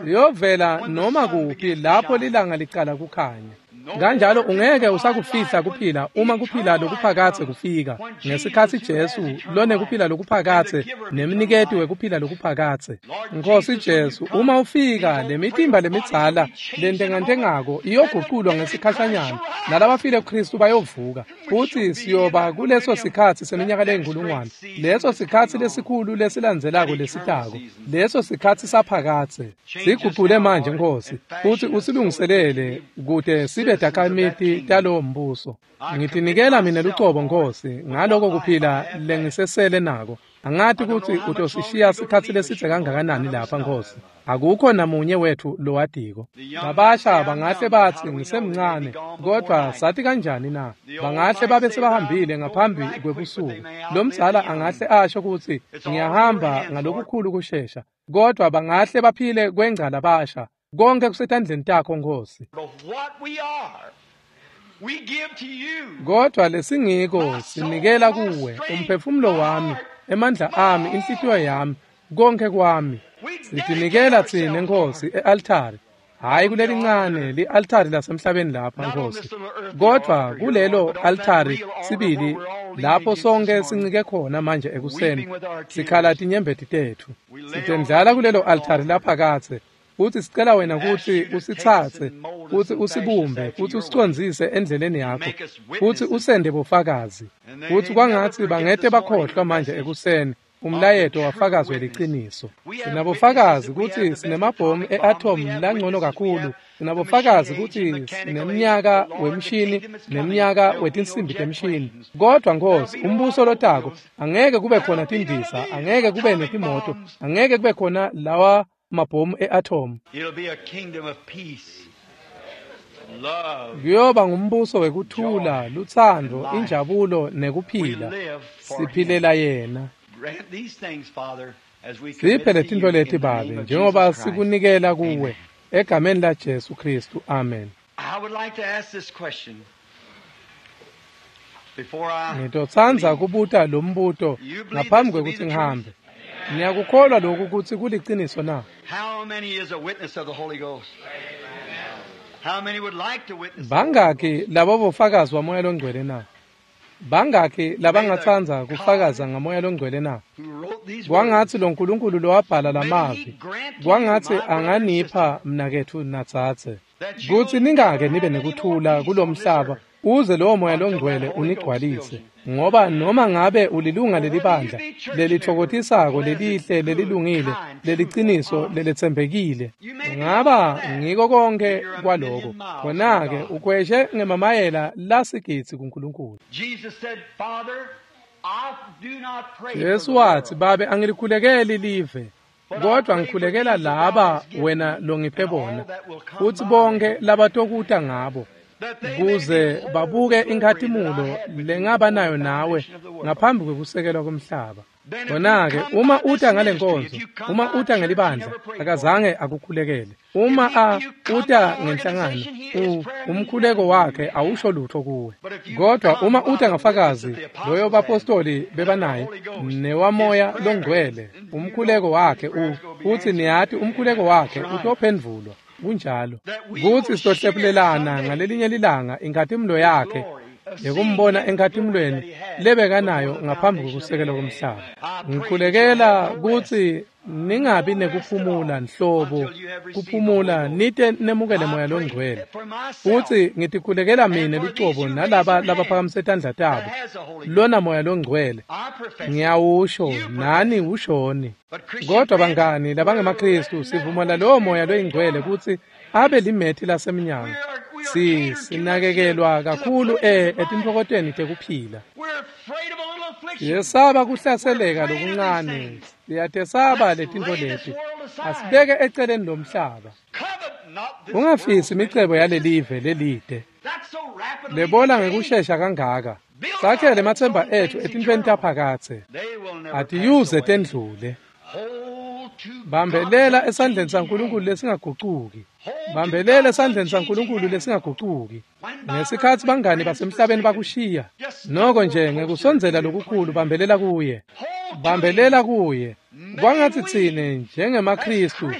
Liyovela noma kuphi lapho lilanga licala kukhanya. Kanjalo ungeke usakufihla kuphila uma kuphila lokuphakadze kufika. Ngesikhatsi Jesu lonekuphila lokuphakadze nemniketi wekuphila lokuphakadze. Nkosi Jesu, uma ufika lemitimba lemidzala lentengantengako iyoguculwa ngesikhashanyana, nalabafile kuKristu bayovuka. Futhi siyoba kuleso sikhatsi seminyaka leyinkulungwane, leso sikhatsi lesikhulu lesilandzelako lesitako, leso sikhatsi saphakadze. Sigucule manje Nkosi, futhi usilungiselele kute sibe takhamiti talowo mbuso. Ngitinikela mina lucobo Nkosi ngaloko kuphila lengisesele nako. Angati kutsi utosishiya sikhatsi lesidze kangakanani lapha Nkosi. Akukho namunye wethu lowadiko. Labasha bangahle batsi ngisemncane, kodwa sathi kanjani na? Bangahle babe sebahambile ngaphambi kwebusuku. Lomdzala angahle asho kutsi ngiyahamba ngalokukhulu kushesha, kodwa bangahle baphile kwengca labasha. Konke kusetandleni takho Nkosi. Kodwa lesingiko sinikela kuwe, umphefumulo wami, emandla ami, inhlitiyo yami, konke kwami. Sitinikela tsine Nkosi e-altari, hhayi kulelincane li-altari lasemhlabeni lapha Nkosi, kodwa kulelo altari sibili lapho sonke sincike khona manje ekuseni, sikhala tinyembeti tetfu. Sitendlala kulelo altari laphakadze, futhi sicela wena kutsi usitsatse, futhi usibumbe, futhi usicondzise endleleni yakho, futhi usende bofakazi. Futhi kwangatsi bangete bakhohlwa manje ekuseni umlayeto wafakazwe liciniso. Sinabofakazi kutsi sinemabhomu e-atom langcono kakhulu. Sinabofakazi kutsi sinemnyaka wemshini nemnyaka wetinsimbi temshini. Kodwa Nkosi, umbuso lotako angeke kube khona tindiza, angeke kube netimoto, angeke kube khona lawa mabhomu e-atom. Kuyoba ngumbuso wekuthula, lutsandvo, injabulo nekuphila. Siphilela yena. Siphe letintfo leti Babe, njengoba sikunikela kuwe egameni la Jesu Kristu. Amen. Ngitotsandza kubuta lo mbuto ngaphambi kwekutsi ngihambe. Niyakukholwa lokhu kutsi kuliciniso na? Bangaki labo bofakazi waMoya loNgcwele na? Bangaki labangatsandza kufakaza ngaMoya loNgcwele na? Kwangatsi lo Nkulunkulu lowabhala lamavi, kwangatsi anganipha mnaketfu nadzadze, kutsi ningake nibe nekuthula kulomhlaba uze lowo Moya loNgcwele unigcwalise. Ngoba noma ngabe ulilunga lelibandla lelitfokotisako, lelihle, lelilungile, leliciniso, leletsembekile, ngaba ngiko konke kwaloko, khona-ke ukhweshe ngemamayela lasigidzi kuNkulunkulu. Jesu watsi, Babe, angilikhulekeli live, kodwa ngikhulekela laba wena longiphe bona, futsi bonke labatokuta ngabo, kuze babuke inkhatimulo lengaba nayo nawe ngaphambi kwekusekelwa komhlaba. Khona-ke uma uta ngale nkonzo, uma uta ngelibandla, akazange akukhulekele. Uma a uta ngenhlangano, umkhuleko wakhe awusho lutho kuwe. Kodwa uma uta ngafakazi loyo bapostoli bebanaye newaMoya loNgcwele, umkhuleko wakhe u futhi niyati umkhuleko wakhe utophendvulwa. Kunjalo kutsi sitohlephulelana ngalelinye lilanga inkhatimulo yakhe yekumbona enkhatimulweni lebekanayo ngaphambi kwekusekelwa komhlaba. Ngikhulekela kutsi ningabi nekuphumula nhlobo, kuphumula nite nemukele Moya loNgcwele. Futsi ngitikhulekela mine lucobo nalaba labaphakamise tandla tabo, lona Moya loNgcwele ngiyawusho nani ushoni. Kodwa bangani labangemaKristu, sivumela lowo Moya loyiNgcwele kutsi abe limethi lasemnyango. Si sinakekelwa kakhulu e etintfokotweni tekuphila. Siyesaba kuhlaseleka lokuncane, siyatesaba letintfo leti. Asibeke eceleni lomhlaba. Ungafisi imicebo yalelive lelide lebola ngekushesha kangaka. Sakhele ematsemba etfu etintfweni taphakadze, atiyuze tendlule. Bambelela esandleni saNkulunkulu lesingagucuki. Bambelela esandleni saNkulunkulu lesingagucuki. Ngesikhatsi bangani basemhlabeni bakushiya, noko nje ngekusondzela lokukhulu bambelela kuye. Bambelela kuye. Kwangatsi tsine njengemaKristu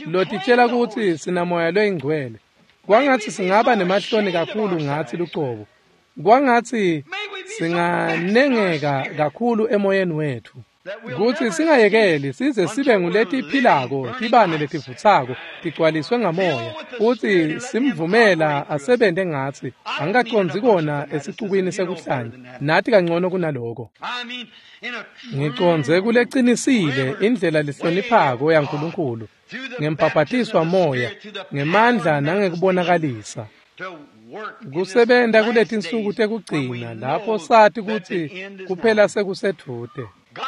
lotitshela kutsi sinaMoya loyiNgcwele, Kwangatsi singaba nemahloni kakhulu ngatsi lucobo. Kwangatsi singanengeka kakhulu emoyeni wetfu. Kutsi singayekeli size sibe nguletiphilako tibane letivutsako tigcwaliswe ngamoya futsi simvumela asebente ngatsi. Angikacondzi kona esicukwini sekuhlanya nathi kangcono kunaloko. Ngicondze kulecinisile indlela lehloniphako yaNkulunkulu ngembhabhatiswa moya ngemandla nangekubonakalisa. Kusebenta kuletinsuku tekugcina lapho sati kutsi kuphela sekusedvute.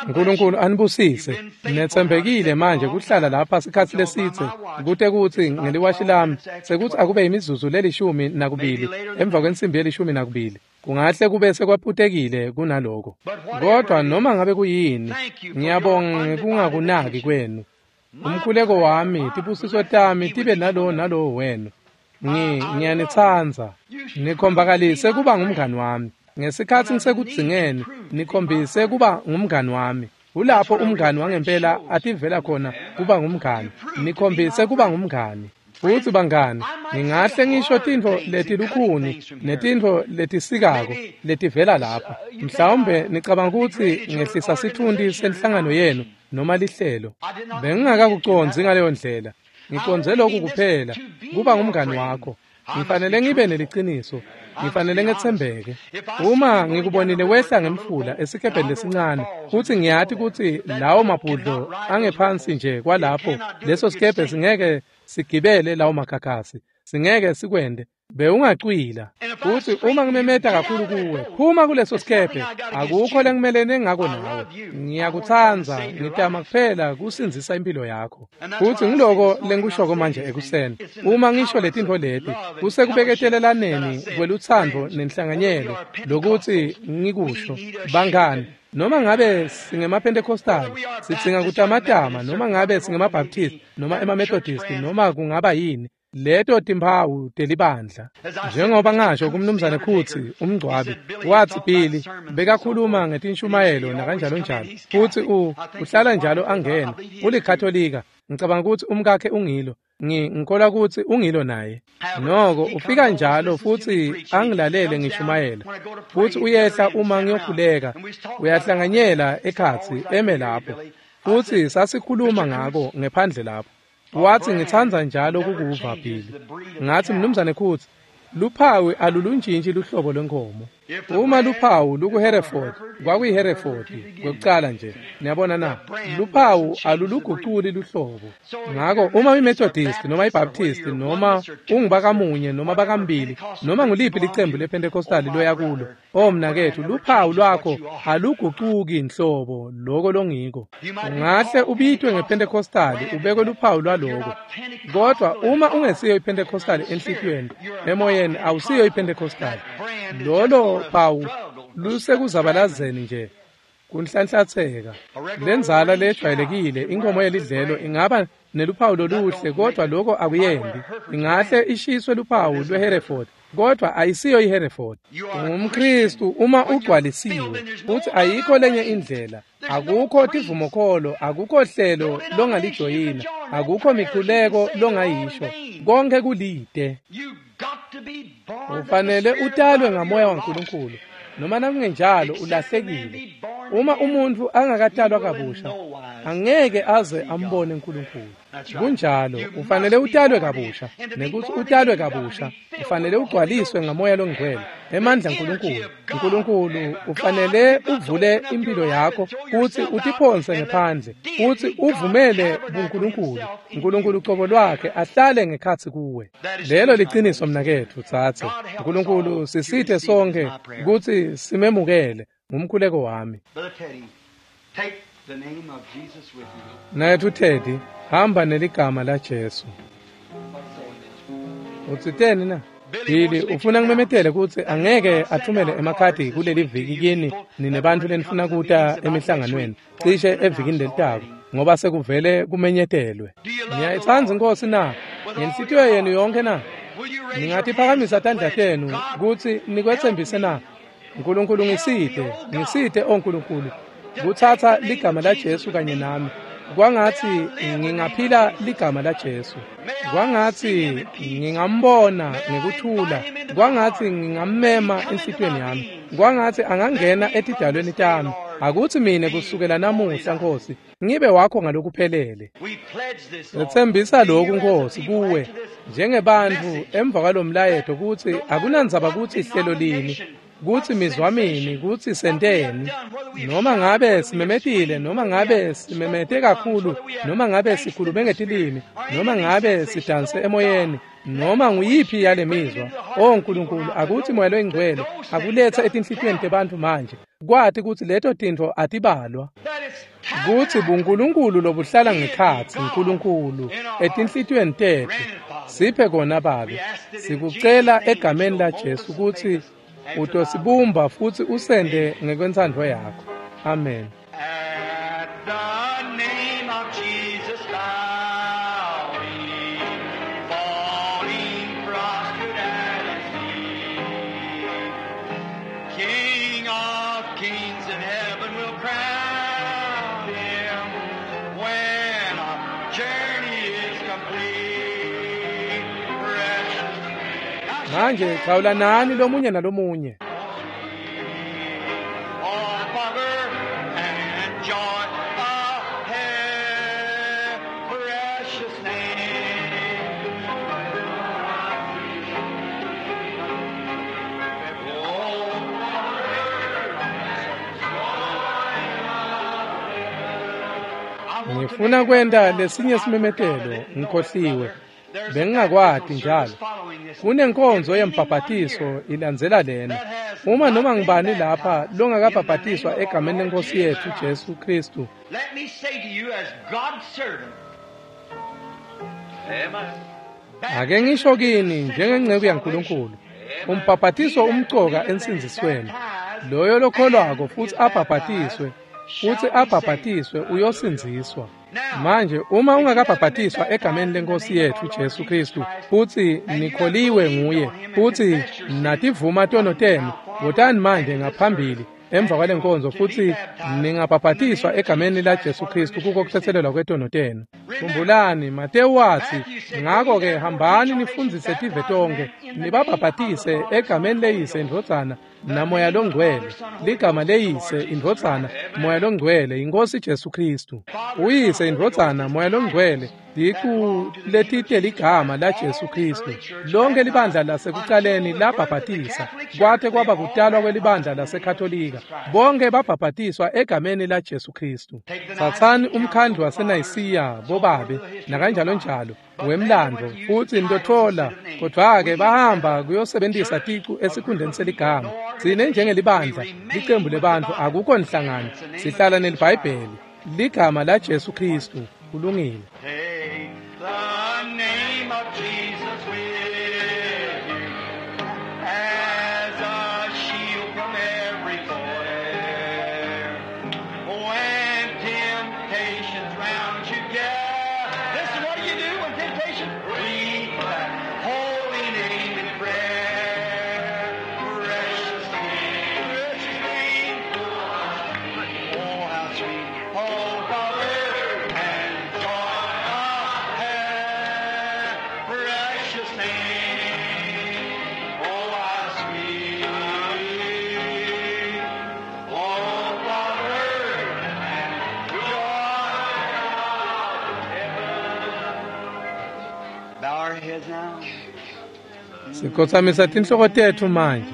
Nkulunkulu anibusise. Netsembekile manje kuhlala lapha sikhatsi lesitse kute kutsi ngeliwashi lami sekutsi akube imizuzu lelishumi nakubili emva kwensimbi yelishumi nakubili. Kungahle kube sekwaphutekile kunaloko. Kodwa noma ngabe kuyini, ngiyabonga ngekungakunaki kwenu. Umkhuleko wami, tibusiso tami tibe nalowo nalowo wenu. Ngi ngiyanitsandza. Nikhombakalise kuba ngumngani wami. Ngesikhatsi ngisekudzingeni, nikhombise kuba ngumngani wami. Kulapho umngani wangempela ativela khona kuba ngumngani. Nikhombise kuba ngumngani. Futsi bangani, ngingahle ngisho tintfo letilukhuni netintfo letisikako letivela lapha. Mhlawumbe nicabanga kutsi ngehlisa sitfunti senhlangano yenu noma lihlelo. Bengingakakucondzi ngaleyo ndlela. Ngicondze lokhu kuphela, kuba ngumngani wakho. Ngifanele ngibe neliciniso. Ngifanele ngetsembeke. Uma ngikubonile wehla ngemfula esikebheni lesincane futsi ngiyati kutsi lawo mabhudlo angephansi nje kwalapho leso sikebhe singeke sigibele lawo magagasi, singeke sikwende. Bewungacwila. Futsi uma ngimemeta kakhulu kuwe, phuma kuleso sikebhe, akukho lengimelene ngako nawe. Ngiyakutsandza, ngitama kuphela kusindzisa impilo yakho. Futsi ngiloko lengikushoko manje ekuseni. Uma ngisho letintfo leti, kusekubeketelaneni kwelutsandvo nenhlanganyelo lokutsi ngikusho. Bangani, noma ngabe singemaPentecostal, sidzinga kutamatama, noma ngabe singemaBaptist, noma emaMethodist, noma kungaba yini. Leto timphawu telibandla. Njengoba ngasho kumnumzane Khutsi umngcwabi, watsi Billy bekakhuluma ngetinshumayelo nakanjalo njalo. Futsi u uhlala njalo angena, ulikatolika. Ngicabanga kutsi umkakhe ungilo. Ngi ngikholwa kutsi ungilo naye. Noko ufika njalo futsi angilalele ngishumayela. Futsi uyehla uma ngiyokhuleka, uyahlanganyela ekhatsi eme lapho. Futsi sasikhuluma ngako ngephandle lapho. Watsi ngitsandza njalo kukuva Billy. Ngatsi mnumzane Khutsi, luphawu aluluntjintji luhlobo lwenkomo. Uma luphawu lukuHereford, kwakuyiHereford kwekucala nje. Niyabona na? Luphawu aluluguculi luhlobo. Ngako uma iMethodist noma iBaptist noma ungubakamunye noma bakambili noma nguliphi licembu lePentecostal loya kulo, oh mnaketfu, luphawu lwakho alugucuki nhlobo loko longiko. Ungahle ubitwe ngePentecostal ubekwe luphawu lwaloko. Kodwa uma ungesiyo iPentecostal enhlitiyweni, emoyeni awusiyo iPentecostal. Lolo phawu lusekuzabalazeni nje kunhlanhlatheka. Lenzala lejwayelekile inkomo yelidlelo ingaba neluphawu loluhle, kodwa lokho akuyendi. Ingahle ishiswe luphawu lweHereford, kodwa ayisiyo iHereford. UngumKristu uma ugcwalisiwe, futhi ayikho lenye indlela. Akukho tivumokholo, akukho hlelo longalijoyina, akukho mikhuleko longayisho. Konke kulide. Ufanele utalwe ngamoya waNkulunkulu, noma nakungenjalo ulahlekile. Uma umuntu angakatalwa kabusha, angeke aze ambone uNkulunkulu. Kunjalo, ufanele utalwe kabusha, nekuthi utalwe kabusha, ufanele ugcwaliswe ngamoya longcwele, emandla aNkulunkulu. uNkulunkulu ufanele uvule impilo yakho futhi utiphonse ngephandle, futhi uvumele buNkulunkulu. uNkulunkulu ucobo lwakhe ahlale ngekhatsi kuwe. Lelo liciniso mnaketfu tsatse. uNkulunkulu sisithe sonke kutsi simemukele. Ngumkhuleko wami. Mnaketfu Teddy, hamba neligama la Jesu. Utsiteni na? Billy ufuna ngimemetele kutsi angeke athumele emakhadi kuleli viki kini nine bantfu lenifuna kuta emihlanganweni cishe evikini lelitako, ngoba sekuvele kumenyetelwe. Niyayitsandza iNkhosi na? Ngenhlitiyo yenu yonke na? Ningatiphakamisa tandla tenu kutsi nikwetsembise na? Nkulunkulu ngisite, ngisite o Nkulunkulu, kutsatsa ligama la Jesu kanye nami, Kwangatsi ngingaphila ligama laJesu. Kwangatsi ngingambona ngekuthula. Kwangatsi ngingammema enhlitiyweni yami. Kwangatsi angangena etidalweni tami. Akutsi mine kusukela namuhla Nkosi ngibe wakho ngalokuphelele. Setsembisa lokhu Nkosi kuwe njengebantfu emva kwalomlayeto kutsi akunandzaba kutsi hlelo lini, kutsi mizwa mini, kutsi senteni, noma ngabe simemetile, noma ngabe simemete kakhulu, noma ngabe sikhulume ngetilimi, noma ngabe sidanse emoyeni, noma nguyiphi yale mizwa. O Nkulunkulu, akutsi Moya loyiNgcwele akulethe etinhlitiyweni tebantfu manje kwati kutsi leto tintfo atibalwa, kutsi buNkulunkulu lobuhlala ngekhatsi Nkulunkulu etinhlitiyweni tetfu. Siphe kona Babe, sikucela egameni laJesu kutsi utosibumba futsi usende ngekwentsandvo yakho. Amen. At the name of Jesus bowing, falling prostrate at his feet, King of kings in heaven will crown him when our journey is complete. Precious Manje chawulanani lomunye nalomunye. all power and joy of heaven, precious name. Ngifuna kwenta lesinye simemetelo, ngikhohliwe. Bengingakwati njalo. Kunenkonzo yembhabhatiso ilandzela lena. Uma noma ngibani lapha longakabhabhatiswa egameni leNkosi yethu Jesu Kristu, Let me say to you as God's servant. Amen. ake ngisho kini njengenceku yaNkulunkulu, umbhabhatiso umcoka ensindzisweni. Loyo lokholwako futsi abhabhatiswe, futsi abhabhatiswe uyosindziswa. Manje uma ungakabhabhatiswa egameni leNkosi yethu Jesu Kristu futsi nikholiwe nguye futsi nativuma tono tenu, wotani manje ngaphambili emva kwale nkonzo futsi ningabhabhatiswa egameni laJesu Kristu kuko kutsetselelwa kwetono tenu. Khumbulani, Matewu watsi, ngako-ke hambani nifundzise tive tonkhe, nibabhabhatise egameni leYise, iNdvodzana naMoya loNgcwele. Ligama leYise, iNdvodzana, Moya loNgcwele, iNkosi Jesu Kristu. Uyise, iNdvodzana, Moya loNgcwele, ticu letite ligama laJesu Kristu. Lonke libandla lasekucaleni labhabhatisa, kwate kwaba kutalwa kwelibandla laseKatolika. Bonke babhabhatiswa egameni laJesu Kristu. Tsatsani umkhandlu waseNayisiya, bobabe, nakanjalo njalo, wemlandvo, futsi nitotfola, kodvwa-ke bahamba kuyosebentisa ticu esikhundleni seligama. Tsine njengelibandla, licembu lebantfu, akukho nhlangano, sihlala neliBhayibheli. Ligama laJesu Kristu. Kulungile. Take the name of Jesus with you as a shield from every foe. When temptations round you gather, listen, what do you do when temptation? Read that holy name in prayer. Precious name, precious name. Oh, how sweet, oh, power and joy of heaven. Precious name, oh, how sweet, oh, power and joy of heaven. Bow our heads now. Sikhotsamisa tinhloko tetfu manje.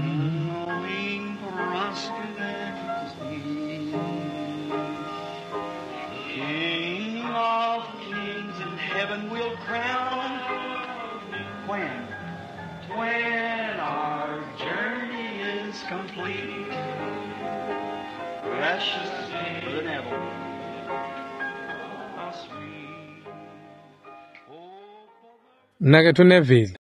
Knowing prostrate at his feet, King of kings in heaven will crown when, when our journey is complete. Precious Brother Neville, how sweet. Oh, Mnaketfu Neville.